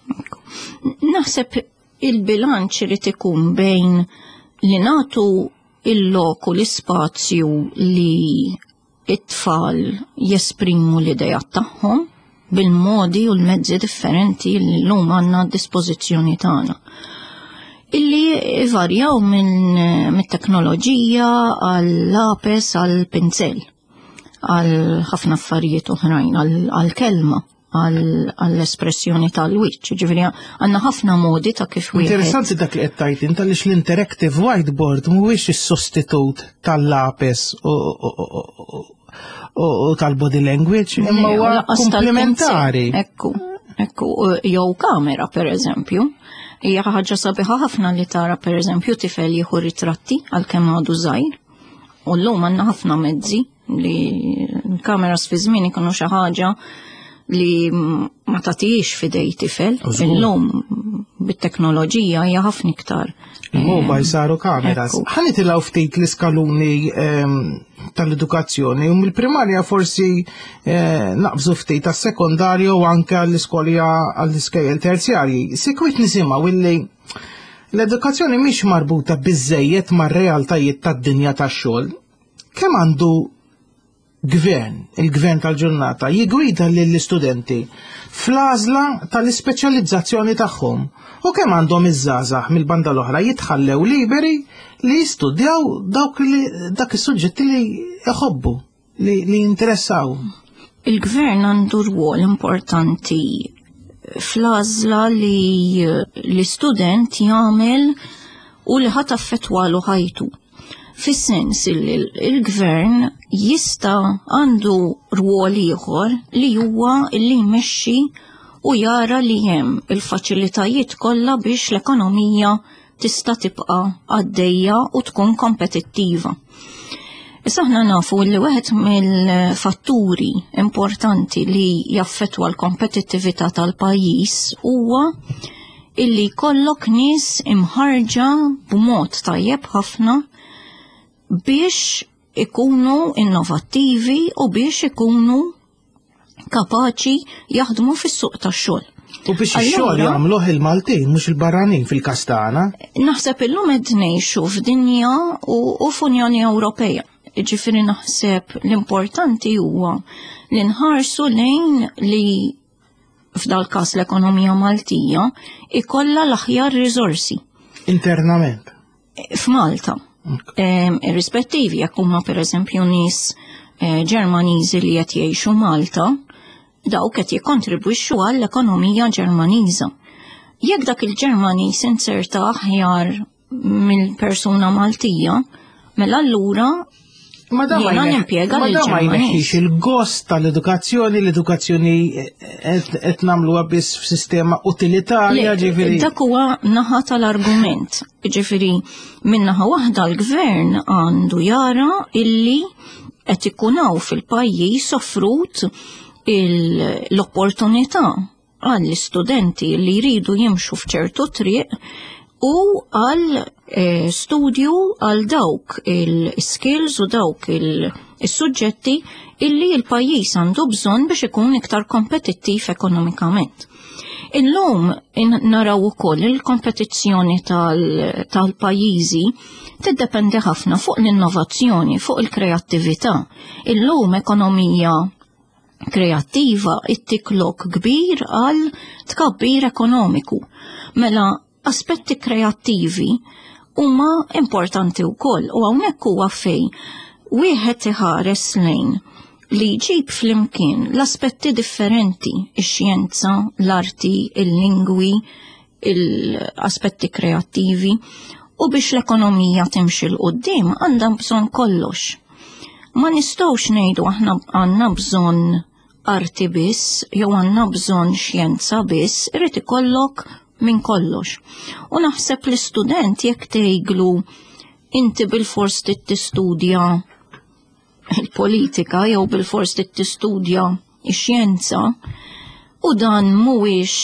Naħseb il-bilanċ irid ikun bejn li nagħtu il-lok u l-ispazju li it-tfal jesprimu l-idejat tagħhom bil-modi u l-mezzi differenti li llum għandna d-dispożizzjoni tagħna. Illi varjaw minn mit-teknoloġija għall-lapes għall-pinzel għal ħafna affarijiet oħrajn, għall-kelma għall-espressjoni tal-wiċċ. Ġifieri għandna ħafna modi ta' kif
wieħed. Interessanti dak li qed tgħid int għaliex l-interactive whiteboard mhuwiex is-sostitut tal-lapes u tal-body language, imma huwa komplementari.
Ekku, ekku, jew kamera per eżempju. Hija ħaġa sabiħa ħafna li tara per eżempju tifel jieħu ritratti għalkemm għadu żgħir. U llum għandna ħafna mezzi li l-kameras fi żmien ikunu xi ħaġa li ma tagħtix fidej tifel. Illum bit-teknoloġija hija ħafna iktar.
Il-mobile saru kameras. Ħa nitilgħu ftit l-iskaluni ehm, tal-edukazzjoni u mill-primarja forsi eh, naqbżu ftit tas-sekondarju u anke għall-iskolja għall-iskejjel terzjarji. Sikwit nisimgħu illi l-edukazzjoni mhix marbuta biżejjed mar-realtajiet tad-dinja tax-xogħol. Kemm għandu gvern, il-gvern tal-ġurnata, jigwida lill-istudenti fl-għażla tal-ispeċjalizzazzjoni tagħhom u kemm għandhom iż-żgħażagħ mill-banda l-oħra jitħallew liberi li jistudjaw dawk li dak is-suġġetti li jħobbu, li, li jinteressaw.
Il-gvern għandu rwol importanti fl-għażla li l-istudent jagħmel u li ħat affettwalu ħajtu. Fis-sens li l-gvern jista' għandu rwol ieħor li huwa li jmexxi u jara li hemm il-faċilitajiet kollha biex l-ekonomija tista' tibqa' għaddejja u tkun kompetittiva. Issa aħna nafu li wieħed mill-fatturi importanti li jaffettwa l-kompetittività tal-pajjiż huwa illi jkollok nies imħarġa b'mod tajjeb ħafna biex ikunu innovattivi u biex ikunu kapaċi jaħdmu fis-suq tax-xogħol.
U biex ix-xogħol jagħmluh il-Maltin mhux il-barranin fil-każ tagħna.
Naħseb illum qed ngħixu f'dinja u f'Unjoni Ewropea. Ġifieri naħseb l-importanti huwa li nħarsu lejn li f'dal każ l-ekonomija Maltija ikollha l-aħjar riżorsi.
Internament.
F'Malta. Irrispettivi jekk huma pereżempju nies eh, Ġermaniżi li qed jgħixu Malta, dawk qed jikkontribwixxu għall-ekonomija Ġermaniża. Jekk dak il-Ġermaniż inserta aħjar mill-persuna Maltija, mela allura
Ma da ma
nimpjega
ma da ma jneħħix il-gost tal-edukazzjoni, l-edukazzjoni qed nagħmluha biss f'sistema utilitarja, ġifieri.
Dak huwa naħa tal-argument. Ġifieri minn naħa waħda l-gvern għandu jara illi qed ikun hawn fil-pajjiż offrut l-opportunità għall-istudenti li jridu jimxu f'ċertu triq u għal eh, studju għal dawk il-skills u dawk il-suġġetti illi il-pajjiż għandu bżonn biex ikun iktar kompetittiv ekonomikament. Illum naraw ukoll il-kompetizzjoni tal-pajjiżi tiddependi ħafna fuq l-innovazzjoni, fuq il-kreattività. Illum ekonomija kreattiva ittik lok kbir għal tkabbir ekonomiku. Mela aspetti kreattivi huma importanti wkoll u hawnhekk huwa fejn wieħed iħares lejn li jġib flimkien l-aspetti differenti, ix-xjenza, l-arti, il-lingwi, l-aspetti kreattivi u biex l-ekonomija timxi 'l quddiem għandha bżonn kollox. Ma nistgħux ngħidu aħna għandna bżonn arti biss jew għandna bżonn xjenza biss, irid ikollok minn kollox. U naħseb l-istudent jekk tgħidlu inti bilfors trid tistudja il-politika jew bilfors trid tistudja x-xjenza u dan mhuwiex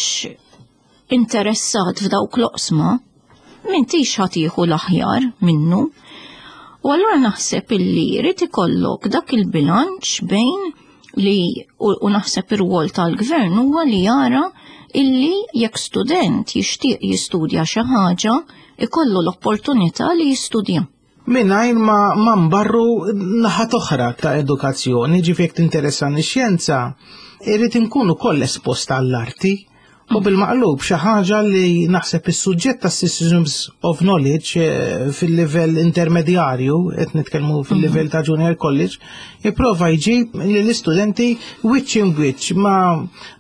interessat f'dawk l-oqsma, m'intix ħa tieħu l-aħjar minnu. U allura naħseb illi jrid ikollok dak il-bilanċ bejn li u naħseb ir-rwol tal-gvern huwa li jara illi jekk student jixtieq jistudja xi ħaġa, ikollu l-opportunità li jistudja.
Mingħajr ma, ma nbarru naħat oħra ta' edukazzjoni, ġifieri jekk tinteressani x-xjenza, irrid inkun ukoll esposta għall-arti u bil-maqlub xi ħaġa li naħseb is-suġġett ta' Systems of Knowledge eh, fil-livell intermedjarju, qed nitkellmu fil-livell ta' Junior College, jipprova jġib lill-istudenti wiċċ in wiċċ ma,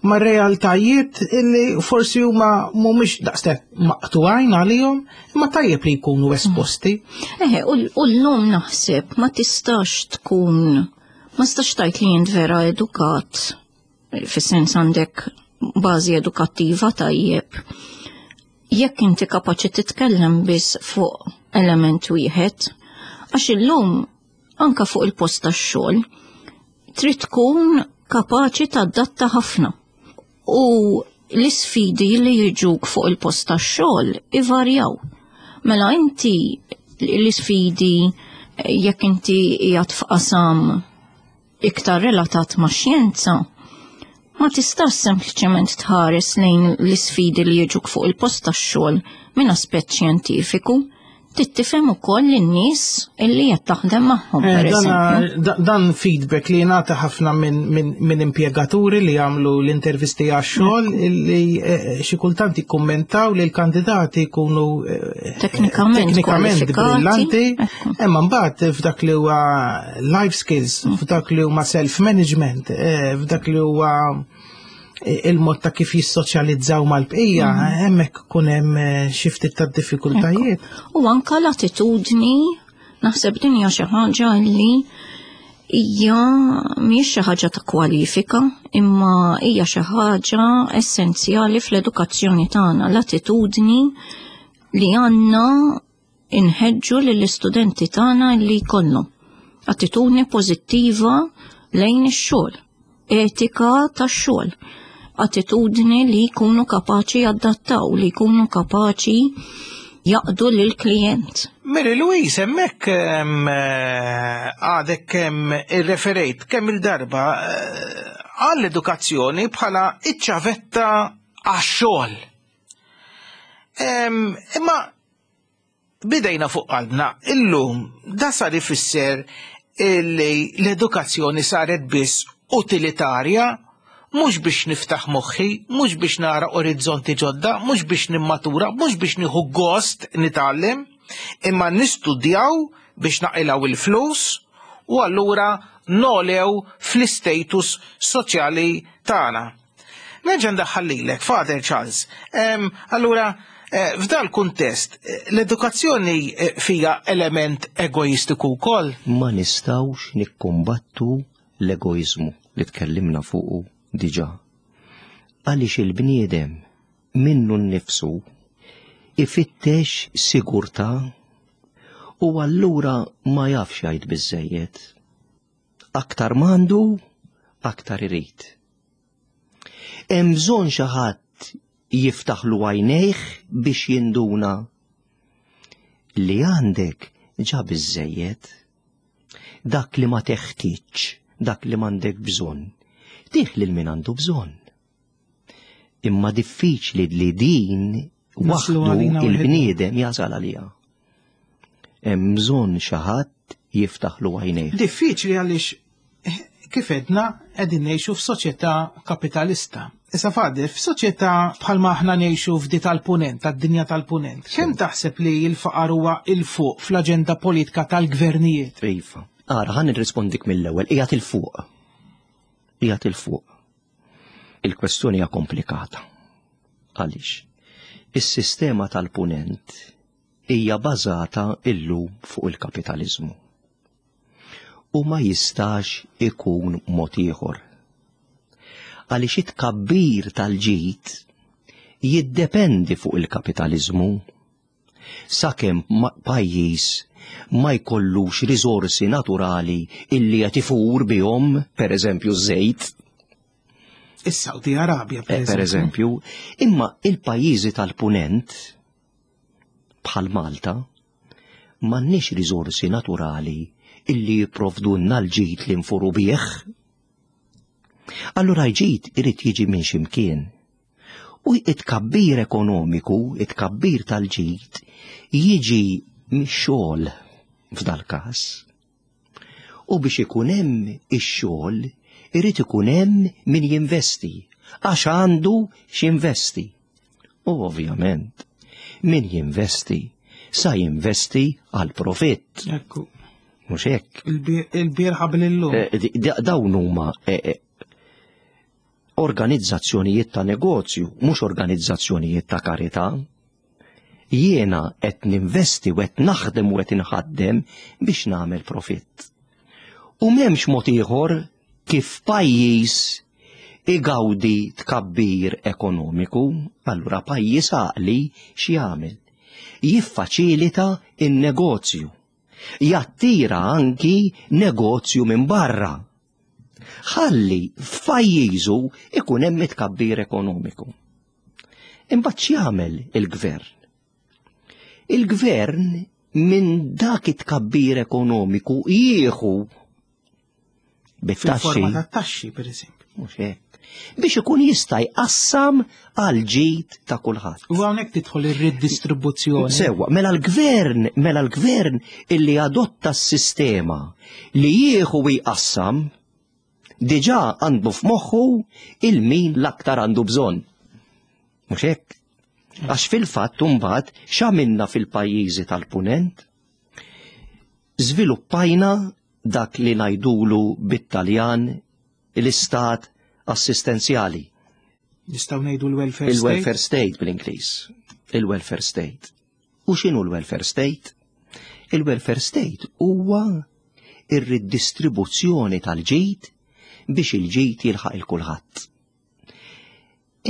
ma realtajiet li forsi huma mhumiex daqshekk maqtugħin għalihom, Imma tajjeb li jkunu esposti.
Eħe, u l-lum naħseb ma tistax tkun, ma tistax tajt li jint vera edukat, fis-sens għandek bażi edukattiva tajjeb. Jekk inti kapaċi titkellem biss fuq element wieħed, għax illum anka fuq il-post tax-xogħol trid tkun kapaċi tadatta ħafna. U l-isfidi li jiġuk fuq il-post tax-xogħol ivarjaw. Mela inti l-isfidi jekk inti qiegħed f'qasam iktar relatat ma' xjenza, ma tistax sempliċement tħares lejn l-isfidi li jiġuk fuq il-post tax-xogħol minn aspett xjentifiku. Trid tifhem ukoll lin-nies illi qed taħdem magħhom
eh,
pereżempju.
Dan feedback li jingħata ħafna minn impjegaturi li jagħmlu l-intervisti għax-xogħol li eh, xi kultant jikkummentaw li l-kandidati jkunu eh,
teknikament
brillanti, imma mbagħad f'dak li huwa life skills, mm. f'dak li huma self-management, f'dak li huwa il-mod ta' kif jissoċjalizzaw mal-bqija, mhm. hemmhekk kun hemm eh, xi ftit ta' diffikultajiet.
U anka l-attitudni naħseb din hija xi ħaġa li hija mhijiex xi ħaġa ta' kwalifika, imma hija xi ħaġa essenzjali fl-edukazzjoni tagħna, l-attitudni li għandna inħeġġu lill-istudenti tagħna li jkollhom attitudni pożittiva lejn ix-xogħol, etika tax-xogħol, attitudni li jkunu kapaċi jadattaw, li jkunu kapaċi jaqdu lil klijent.
Mary Louise, hemmhekk eh, għadek kemm irreferejt kemm il-darba eh, għall-edukazzjoni bħala iċ-ċavetta għax-xogħol. Imma bidejna fuq qalbna illum da sar ifisser li l-edukazzjoni saret biss utilitarja mhux biex niftaħ moħħi, mhux biex nara orizzonti ġodda, mhux biex nimmatura, mhux biex nieħu gost nitgħallem, imma nistudjaw biex naqilgħu il-flus u allura nolew fl-istatus soċjali tagħna. Nerġa' ndaħħal lilek, Father Charles. Allura, eh, f'dal kuntest, eh, l-edukazzjoni eh, fija element egoistiku wkoll.
Ma nistgħux nikkumbattu l-egoiżmu li tkellimna fuqu diġà. Għaliex il-bniedem minnu nnifsu ifittex sigurtà u allura ma jafx jgħid biżejjed. Aktar m'għandu, aktar irid. Hemm bżonn xi ħadd jiftaħlu għajnejh biex jinduna li għandek ġa biżejjed. Dak li ma teħtieġ, dak li m'għandek bżonn, tih lil min għandu bżonn. Imma diffiċli li din waħdu il-bniedem jasal għaliha. Hemm bżonn xi ħadd jiftaħlu għajnejh.
Diffiċli għaliex eh, kif edna qegħdin ngħixu f'soċjetà kapitalista. Issa fadli, f'soċjetà bħalma aħna ngħixu f'di tal-punent, tad-dinja tal-punent, kemm taħseb li l-faqar huwa il fuq fl-aġenda politika tal-gvernijiet?
Iva. Ara, ħan nirrispondik mill-ewwel, qiegħed il fuq. Qiegħed il fuq. Il-kwestjoni hija komplikata. Għaliex? Is-sistema tal-punent hija bażata illum fuq il-kapitaliżmu. U ma jistax ikun mod ieħor. Għaliex it-tkabbir tal-ġid jiddependi fuq il-kapitaliżmu. Sakemm pajjiż ma jkollux riżorsi naturali illi qed ifur bihom, pereżempju ż-żejt.
Is-Saudi Arabja,
per eh, eżempju. Imma il-pajjiżi tal-punent bħal Malta m'għandniex riżorsi naturali illi jipprovdulna l-ġid li nfuru bih. Allura l-ġid irid jiġi minn ximkien. U it-kabbir ekonomiku, it-kabbir tal-ġid, jiġi mix-xogħol f'dal-każ. U biex ikun hemm ix-xogħol, irid ikun hemm min jinvesti, għax għandu x'investi. U ovvjament, min jinvesti sa jinvesti għal profitt.
Ekku.
Mhux hekk.
Il-bieraħ qabel illum.
Eh, dawn huma eh, eh, organizzazzjonijiet ta' negozju, mhux organizzazzjonijiet ta' karità. Jiena qed ninvesti u qed naħdem u qed inħaddem biex nagħmel profitt. U m'hemmx mod ieħor kif pajjiż igawdi tkabbir ekonomiku, allura pajjiż għaqli x'jagħmel? Jiffaċilita n-negozju. Jattira anki negozju minn barra. Ħalli f'pajjiżu ikun hemm it-tkabbir ekonomiku. Imbagħad x'jagħmel il-gvern? Il-gvern minn dak it-tkabbir ekonomiku jieħu
bit-taxxi. Fil-forma ta' taxxi, per eżempju.
Mhux hekk. Biex ikun jista' jqassam għal ġid ta' kulħadd.
U hawnhekk tidħol ir-redistribuzzjoni.
Sewwa, mela l-gvern, mela l-gvern illi adotta s-sistema li jieħu jqassam diġà għandu f'moħħu il-min l-aktar għandu bżonn. Mhux hekk? Għax fil-fatt imbagħad x'għamilna fil-pajjiżi tal-punent? Żviluppajna dak li ngħidulu bit-Taljan l-istat assistenzjali.
Nistgħu ngħidu l-welfare state?
Il-welfare state bl-Ingliż. Il-welfare state. U x'inhu l-welfare state? Il-welfare state huwa ir-ridistribuzzjoni tal-ġid biex il-ġid jilħaq il-kulħadd.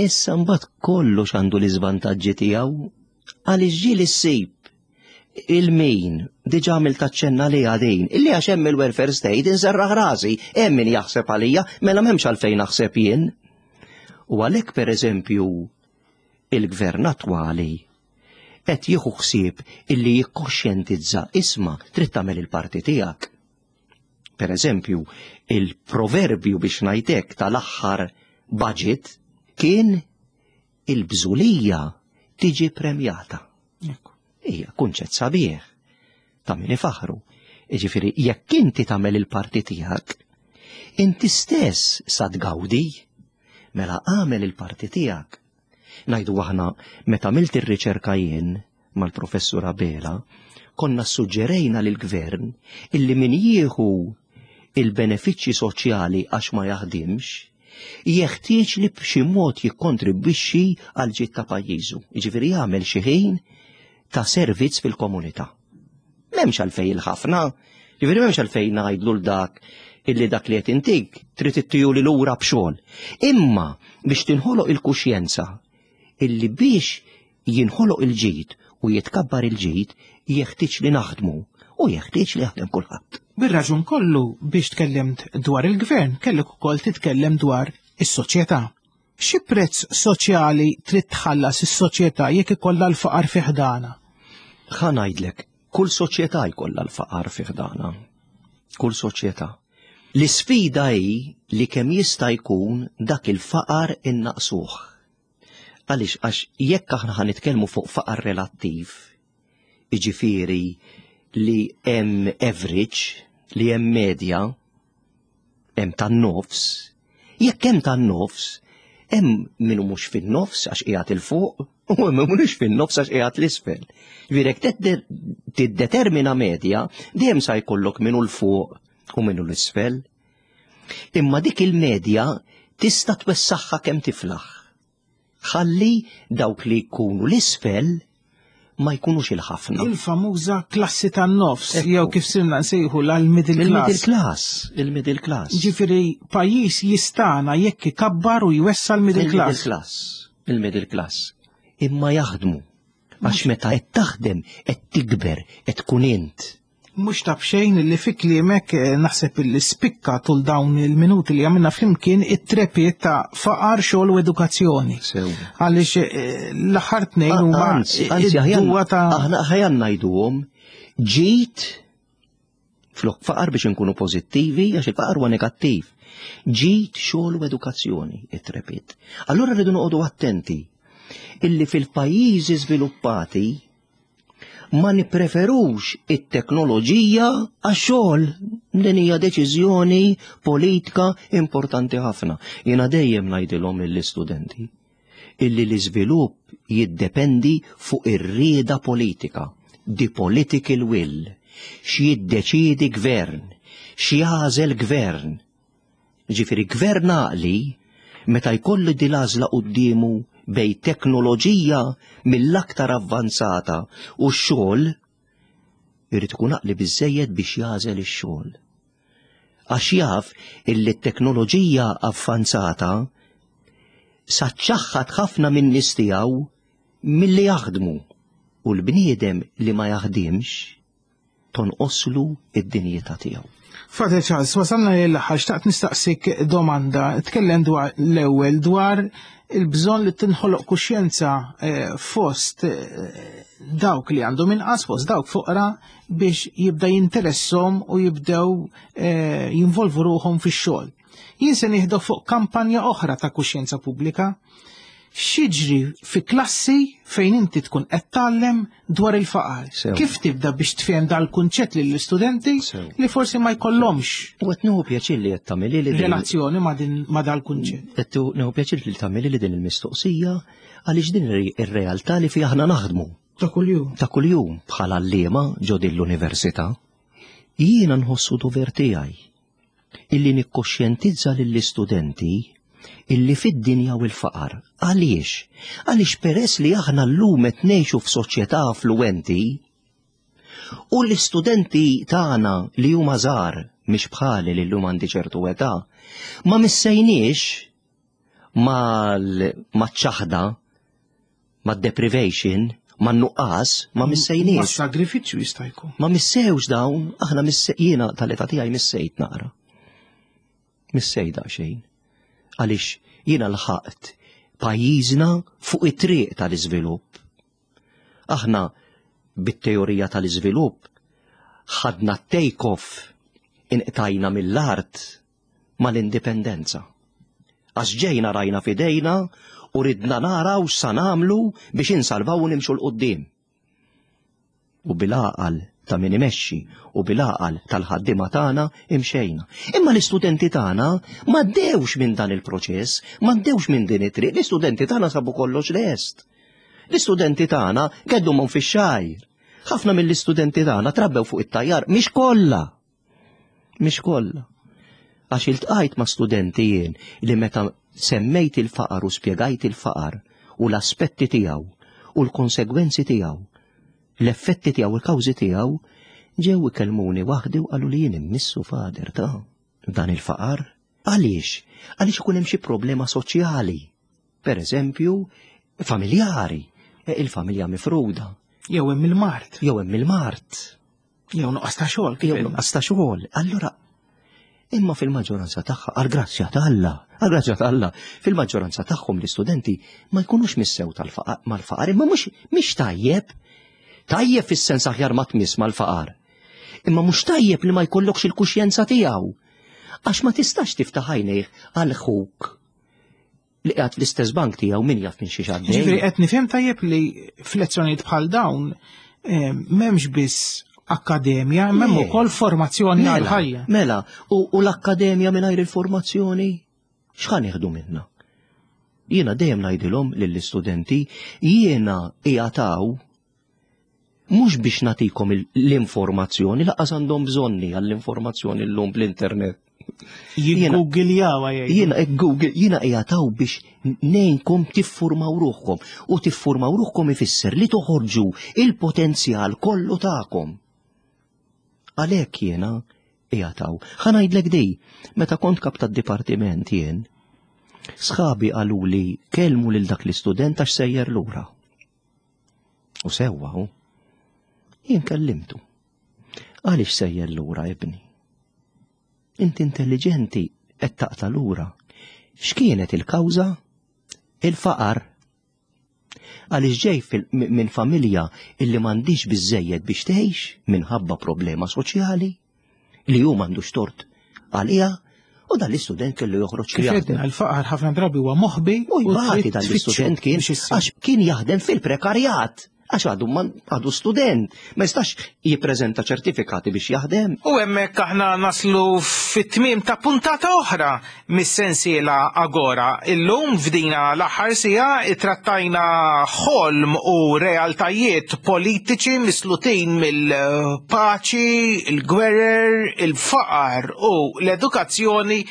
Issa mbagħad kollox għandu l-iżvantaġġi tiegħu għaliex ġieli ssib il-min diġà għamilt aċċenna li għadin, illi għax hemm il-welfare state inserraħ rasi, hemm min jaħseb għalija, mela m'hemmx għalfejn naħseb jien. U għalhekk pereżempju il-gvern attwali qed jieħu ħsieb illi jikkoxjentizza isma' trid tagħmel il-parti tiegħek. Per eżempju, il-proverbju biex ngħidlek tal-aħħar budget kien il-bżulija tiġi premjata. Hija kunċett sabiħ ta' min ifaħru. Jiġifieri jekk inti tagħmel il-parti tiegħek, inti stess sa tgawdi, mela agħmel il-parti tiegħek. Ngħidu aħna meta għamilt ir-riċerka jien mal-Professur Abela, konna ssuġġerejna lill-Gvern illi min jieħu il-benefiċċji soċjali għax ma jaħdimx, jeħtieġ li b'xi mod jikkontribwixxi għal ġid ta' pajjiżu, jiġifieri jagħmel xi ħin ta' servizz fil-komunità. M'hemmx għalfejn il-ħafna, jiġifieri m'hemmx għalfejn ngħidlu l dak illi dak li qed intik trid ittijuli lura b'xogħol. Imma biex tinħoloq il-kuxjenza illi biex jinħoloq il-ġid u jitkabbar il-ġid jeħtieġ li naħdmu u jeħtieġ li jaħdem kulħadd.
Bir-raġun kollu biex tkellimt dwar il-gvern kellek ukoll titkellem dwar is-soċjetà. Xi prezz soċjali trid tħallas is-soċjetà jekk ikollha l-faqar fi ħdana?
Ħa ngħidlek, kull soċjetà jkollha l-faqar fi ħdana. Kull soċjetà. L-isfida hi li kemm jista' jkun dak il-faqar innaqsuh. Għaliex għax jekk aħna ħa nitkellmu fuq faqar relattiv, jiġifieri li hemm average, li hemm medja, hemm tan-nofs, jekk hemm tan-nofs, hemm min hu mhux fin-nofs għax qiegħed 'il fuq u hemm min mhux fin-nofs għax qiegħed l-isfel. Ġifieri jekk tiddetermina medja, dejjem sa jkollok min hu 'l fuq u min hu l-isfel. Imma dik il-medja tista' twessaħħa kemm tiflaħ. Ħalli dawk li jkunu l-isfel ma jkunux il-ħafna.
Il-famuża klassi tan-nofs, jew kif sirna nsejħu l-middle class.
Il-middle class, il-middle class.
Ġifieri pajjiż jistana jekk ikabbar u jwessa l-middle class.
Il-middle class, il-middle class. Imma jaħdmu. Għax meta qed taħdem, qed tikber, qed tkun int.
Mhux ta' b'xejn li fi kliemek eh, naħseb li spikka tul dawn il-minuti li għamilna flimkien it-trepiet ta' faqar xogħol u edukazzjoni. Għaliex eh, l-aħħar tnejn huma
id-duwa ta' aħna ħajan ngħiduhom ġid flok faqar biex inkunu pożittivi għax il-faqar huwa negattiv. Ġid xogħol u edukazzjoni it-trepiet. Allura rridu noqogħdu attenti illi fil-pajjiżi żviluppati ma nippreferux it-teknoloġija għax-xogħol. Din hija deċiżjoni politika importanti ħafna. Jiena dejjem ngħidilhom lill-istudenti illi l-iżvilupp jiddependi fuq ir-rieda politika, the political will, x'jiddeċiedi gvern, x'jagħżel gvern. Ġifieri gvern għaqli meta jkollu din l-għażla quddiemu bejn teknoloġija mill-aktar avvanzata u x-xogħol, irid ikun għaqli biżżejjed biex jagħżel ix-xogħol. Għax jaf illi t-teknoloġija avvanzata sa ċċaħħad ħafna min-nies tiegħu milli jaħdmu u l-bniedem li ma jaħdimx tonqoslu id-dinjità tiegħu.
Father Charles, wasalna lejn l-aħħar xtaqt nistaqsik domanda. Tkellem dwar l-ewwel dwar il-bżonn li tinħoloq kuxjenza eh, fost eh, dawk li għandhom inqas fost dawk foqra biex jibda jinteressom u jibdew eh, jinvolvu ruħhom fix-xogħol. Jien se nieħdu fuq kampanja oħra ta' kuxjenza pubblika. X'jiġri fi klassi fejn inti tkun qed tgħallem dwar il-faqar? Kif tibda biex tfhem dal-kunċett lill-istudenti li forsi ma jkollhomx?
U qed nieħu pjaċir li qed tagħmilli li
relazzjoni ma' din ma' dal-kunċett.
Qed nieħu pjaċir li tagħmilli li din il-mistoqsija għaliex din ir-realtà li fiha aħna naħdmu.
Ta' kuljum.
Ta' kuljum bħala għalliema ġo din l-università. Jiena nħossu dover tiegħi illi nikkoxjentizza lill-istudenti illi fid-dinja u l-faqar. Għaliex? Għaliex peress li aħna llum qed ngħixu f'soċjetà affluwenti u l-istudenti tagħna li huma żgħar mhix bħali li llum għandi ċertu età, ma missejniex mal-ċaħda mad-deprivation, man-nuqqas, ma missejniex.
Mas-sagrifiċċju jista' jkun.
Ma missewx dawn, aħna jiena tal-età tiegħi missejt naqra. Missejt daqsxejn. Għaliex jiena lħaqt pajjiżna fuq it-triq tal-iżvilupp. Aħna bit-teorija tal-iżvilupp ħadna take off inqtajna mill-art mal-indipendenza. Għax ġejna rajna f'idejna u ridna naraw x'sa nagħmlu biex insalvaw u nimxu 'l quddiem. U bil-għaqal ta' min imexxi u bil-għaqal tal-ħaddiema tagħna imxejna. Imma l-istudenti tagħna m'għaddewx minn dan il-proċess, m'għaddewx minn din it-triq, l-istudenti tagħna sabu kollox lest. L-istudenti tagħna geddumhom fix-xgħir. Ħafna mill-istudenti tagħna trabbew fuq it-tajjar, mhix kollha. Mhix kollha. Għax iltqajt ma' studenti jien li meta semmejt il-faqar u spjegajt il-faqar u l-aspetti tiegħu u l-konsegwenzi tiegħu, l-effetti tiegħu, il-kawżi tiegħu, ġew ikellmuni waħdi u qalu li jien immissu fader ta' dan il-faqar. Għaliex? Għaliex ikun hemm xi problema soċjali. Per eżempju, familjari, e, il-familja mifruda.
Jew hemm il-mart.
Jew hemm il-mart.
Jew nuqqas ta' xogħol.
Jew nuqqas ta' xogħol. Allura imma fil-maġġoranza tagħha għal grazzja ta' Alla, għal grazzja ta' Alla, fil-maġġoranza tagħhom l-istudenti ma jkunux missew tal-faqar mal-faqar, imma mhux mhix tajjeb. Tajjeb fis-sens aħjar ma tmiss mal-faqar. Imma mhux tajjeb li ma jkollokx il-kuxjenza tiegħu. Għax ma tistax tiftaħ għajnejh għal ħuk li qiegħed fl-istess bank tiegħu min jaf minn xi xaddej.
Ġifieri qed nifhem tajjeb li f'lezzjonijiet bħal dawn eh, m'hemmx biss akkademja, m'hemm ukoll formazzjoni mela, għal ħajja.
Mela, u l-akkademja mingħajr il-formazzjoni x'ħan nieħdu minna? Jiena dejjem ngħidilhom lill-istudenti jiena qiegħataw mhux biex nagħtikom l-informazzjoni, laqas għandhom bżonni għall-informazzjoni llum bl-internet.
Jiggoogljawa
jgħid. Jiena Google, jiena qiegħataw biex ngħinkom tiffurmaw ruħkom u tiffurmaw ruħkom ifisser li toħorġu il-potenzjal kollu tagħkom. Għalhekk jiena qiegħataw. Ħa ngħidlek di, meta kont kap tad-dipartiment jien, sħabi qaluli kellmu lil dak l-istudent għax sejjer lura. U sewwa hu. Jien kellimtu. Għaliex sejjer lura ibni? Inti intelligenti qed taqta' lura. X'kienet il-kawża? Il-faqar. Għaliex ġej minn familja illi m'għandix biżejjed biex tgħix minħabba problema soċjali li hu m'għandux tort għaliha u dan l-istudent kellu joħroġ
Kif għedna, il-faqar ħafna drabi huwa moħbi
u jbati dan l-istudent kien għax kien jaħdem fil-prekarjat għax għadu għadu student, ma jistax jippreżenta ċertifikati biex jaħdem.
U hemmhekk aħna naslu fit-tmiem ta' puntata oħra mis-sensiela Agora. Illum f'dina l-aħħar siegħa ittrattajna ħolm u realtajiet politiċi mislutin mill-paċi, il-gwerer, il-faqar u l-edukazzjoni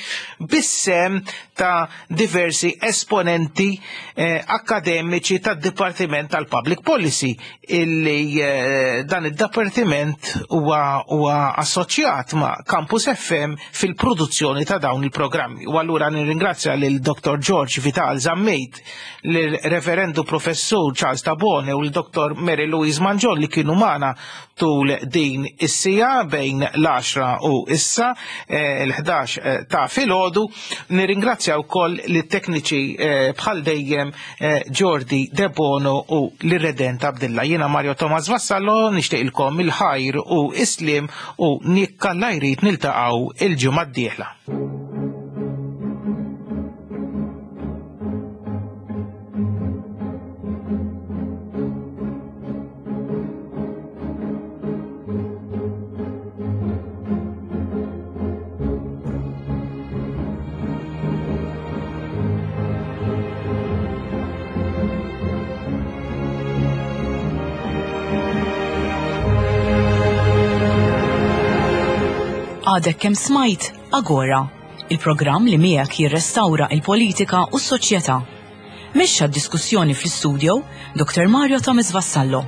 bis-sehem ta' diversi esponenti eh, akkademiċi tad-Dipartiment tal-Public Policy illi eh, dan id-dipartiment huwa huwa assoċjat ma' Campus FM fil-produzzjoni ta' dawn il-programmi. U allura nirringrazzja lil Dr. George Vital Zammit, lil Reverendu Professur Charles Tabone u l-Dr. Mary Louise Mangion li kienu magħna tul din is-sija bejn l-10 u issa eh, l-11 eh, ta' filgħodu. Nirringrazzja wkoll lit-tekniċi bħal dejjem Jordi Debono u l-Redenta. Abdilla. Jiena Mario Thomas Vassallo nixtieqilkom il-ħajr u islim u nikkalla jrid niltaqgħu il-ġimgħa d-dieħla.
Għadek kemm smajt Agora, il-programm li miegħek jirrestawra il-politika u s-soċjetà. Mexxa d-diskussjoni fl-istudio Dr. Mario Thomas Vassallo.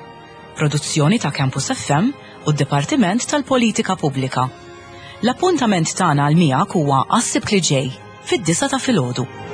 Produzzjoni ta' Campus FM u d-Dipartiment tal-Politika Pubblika. L-appuntament tagħna għal miegħek huwa għas-Sibt li ġej, fid-disgħa ta' filgħodu.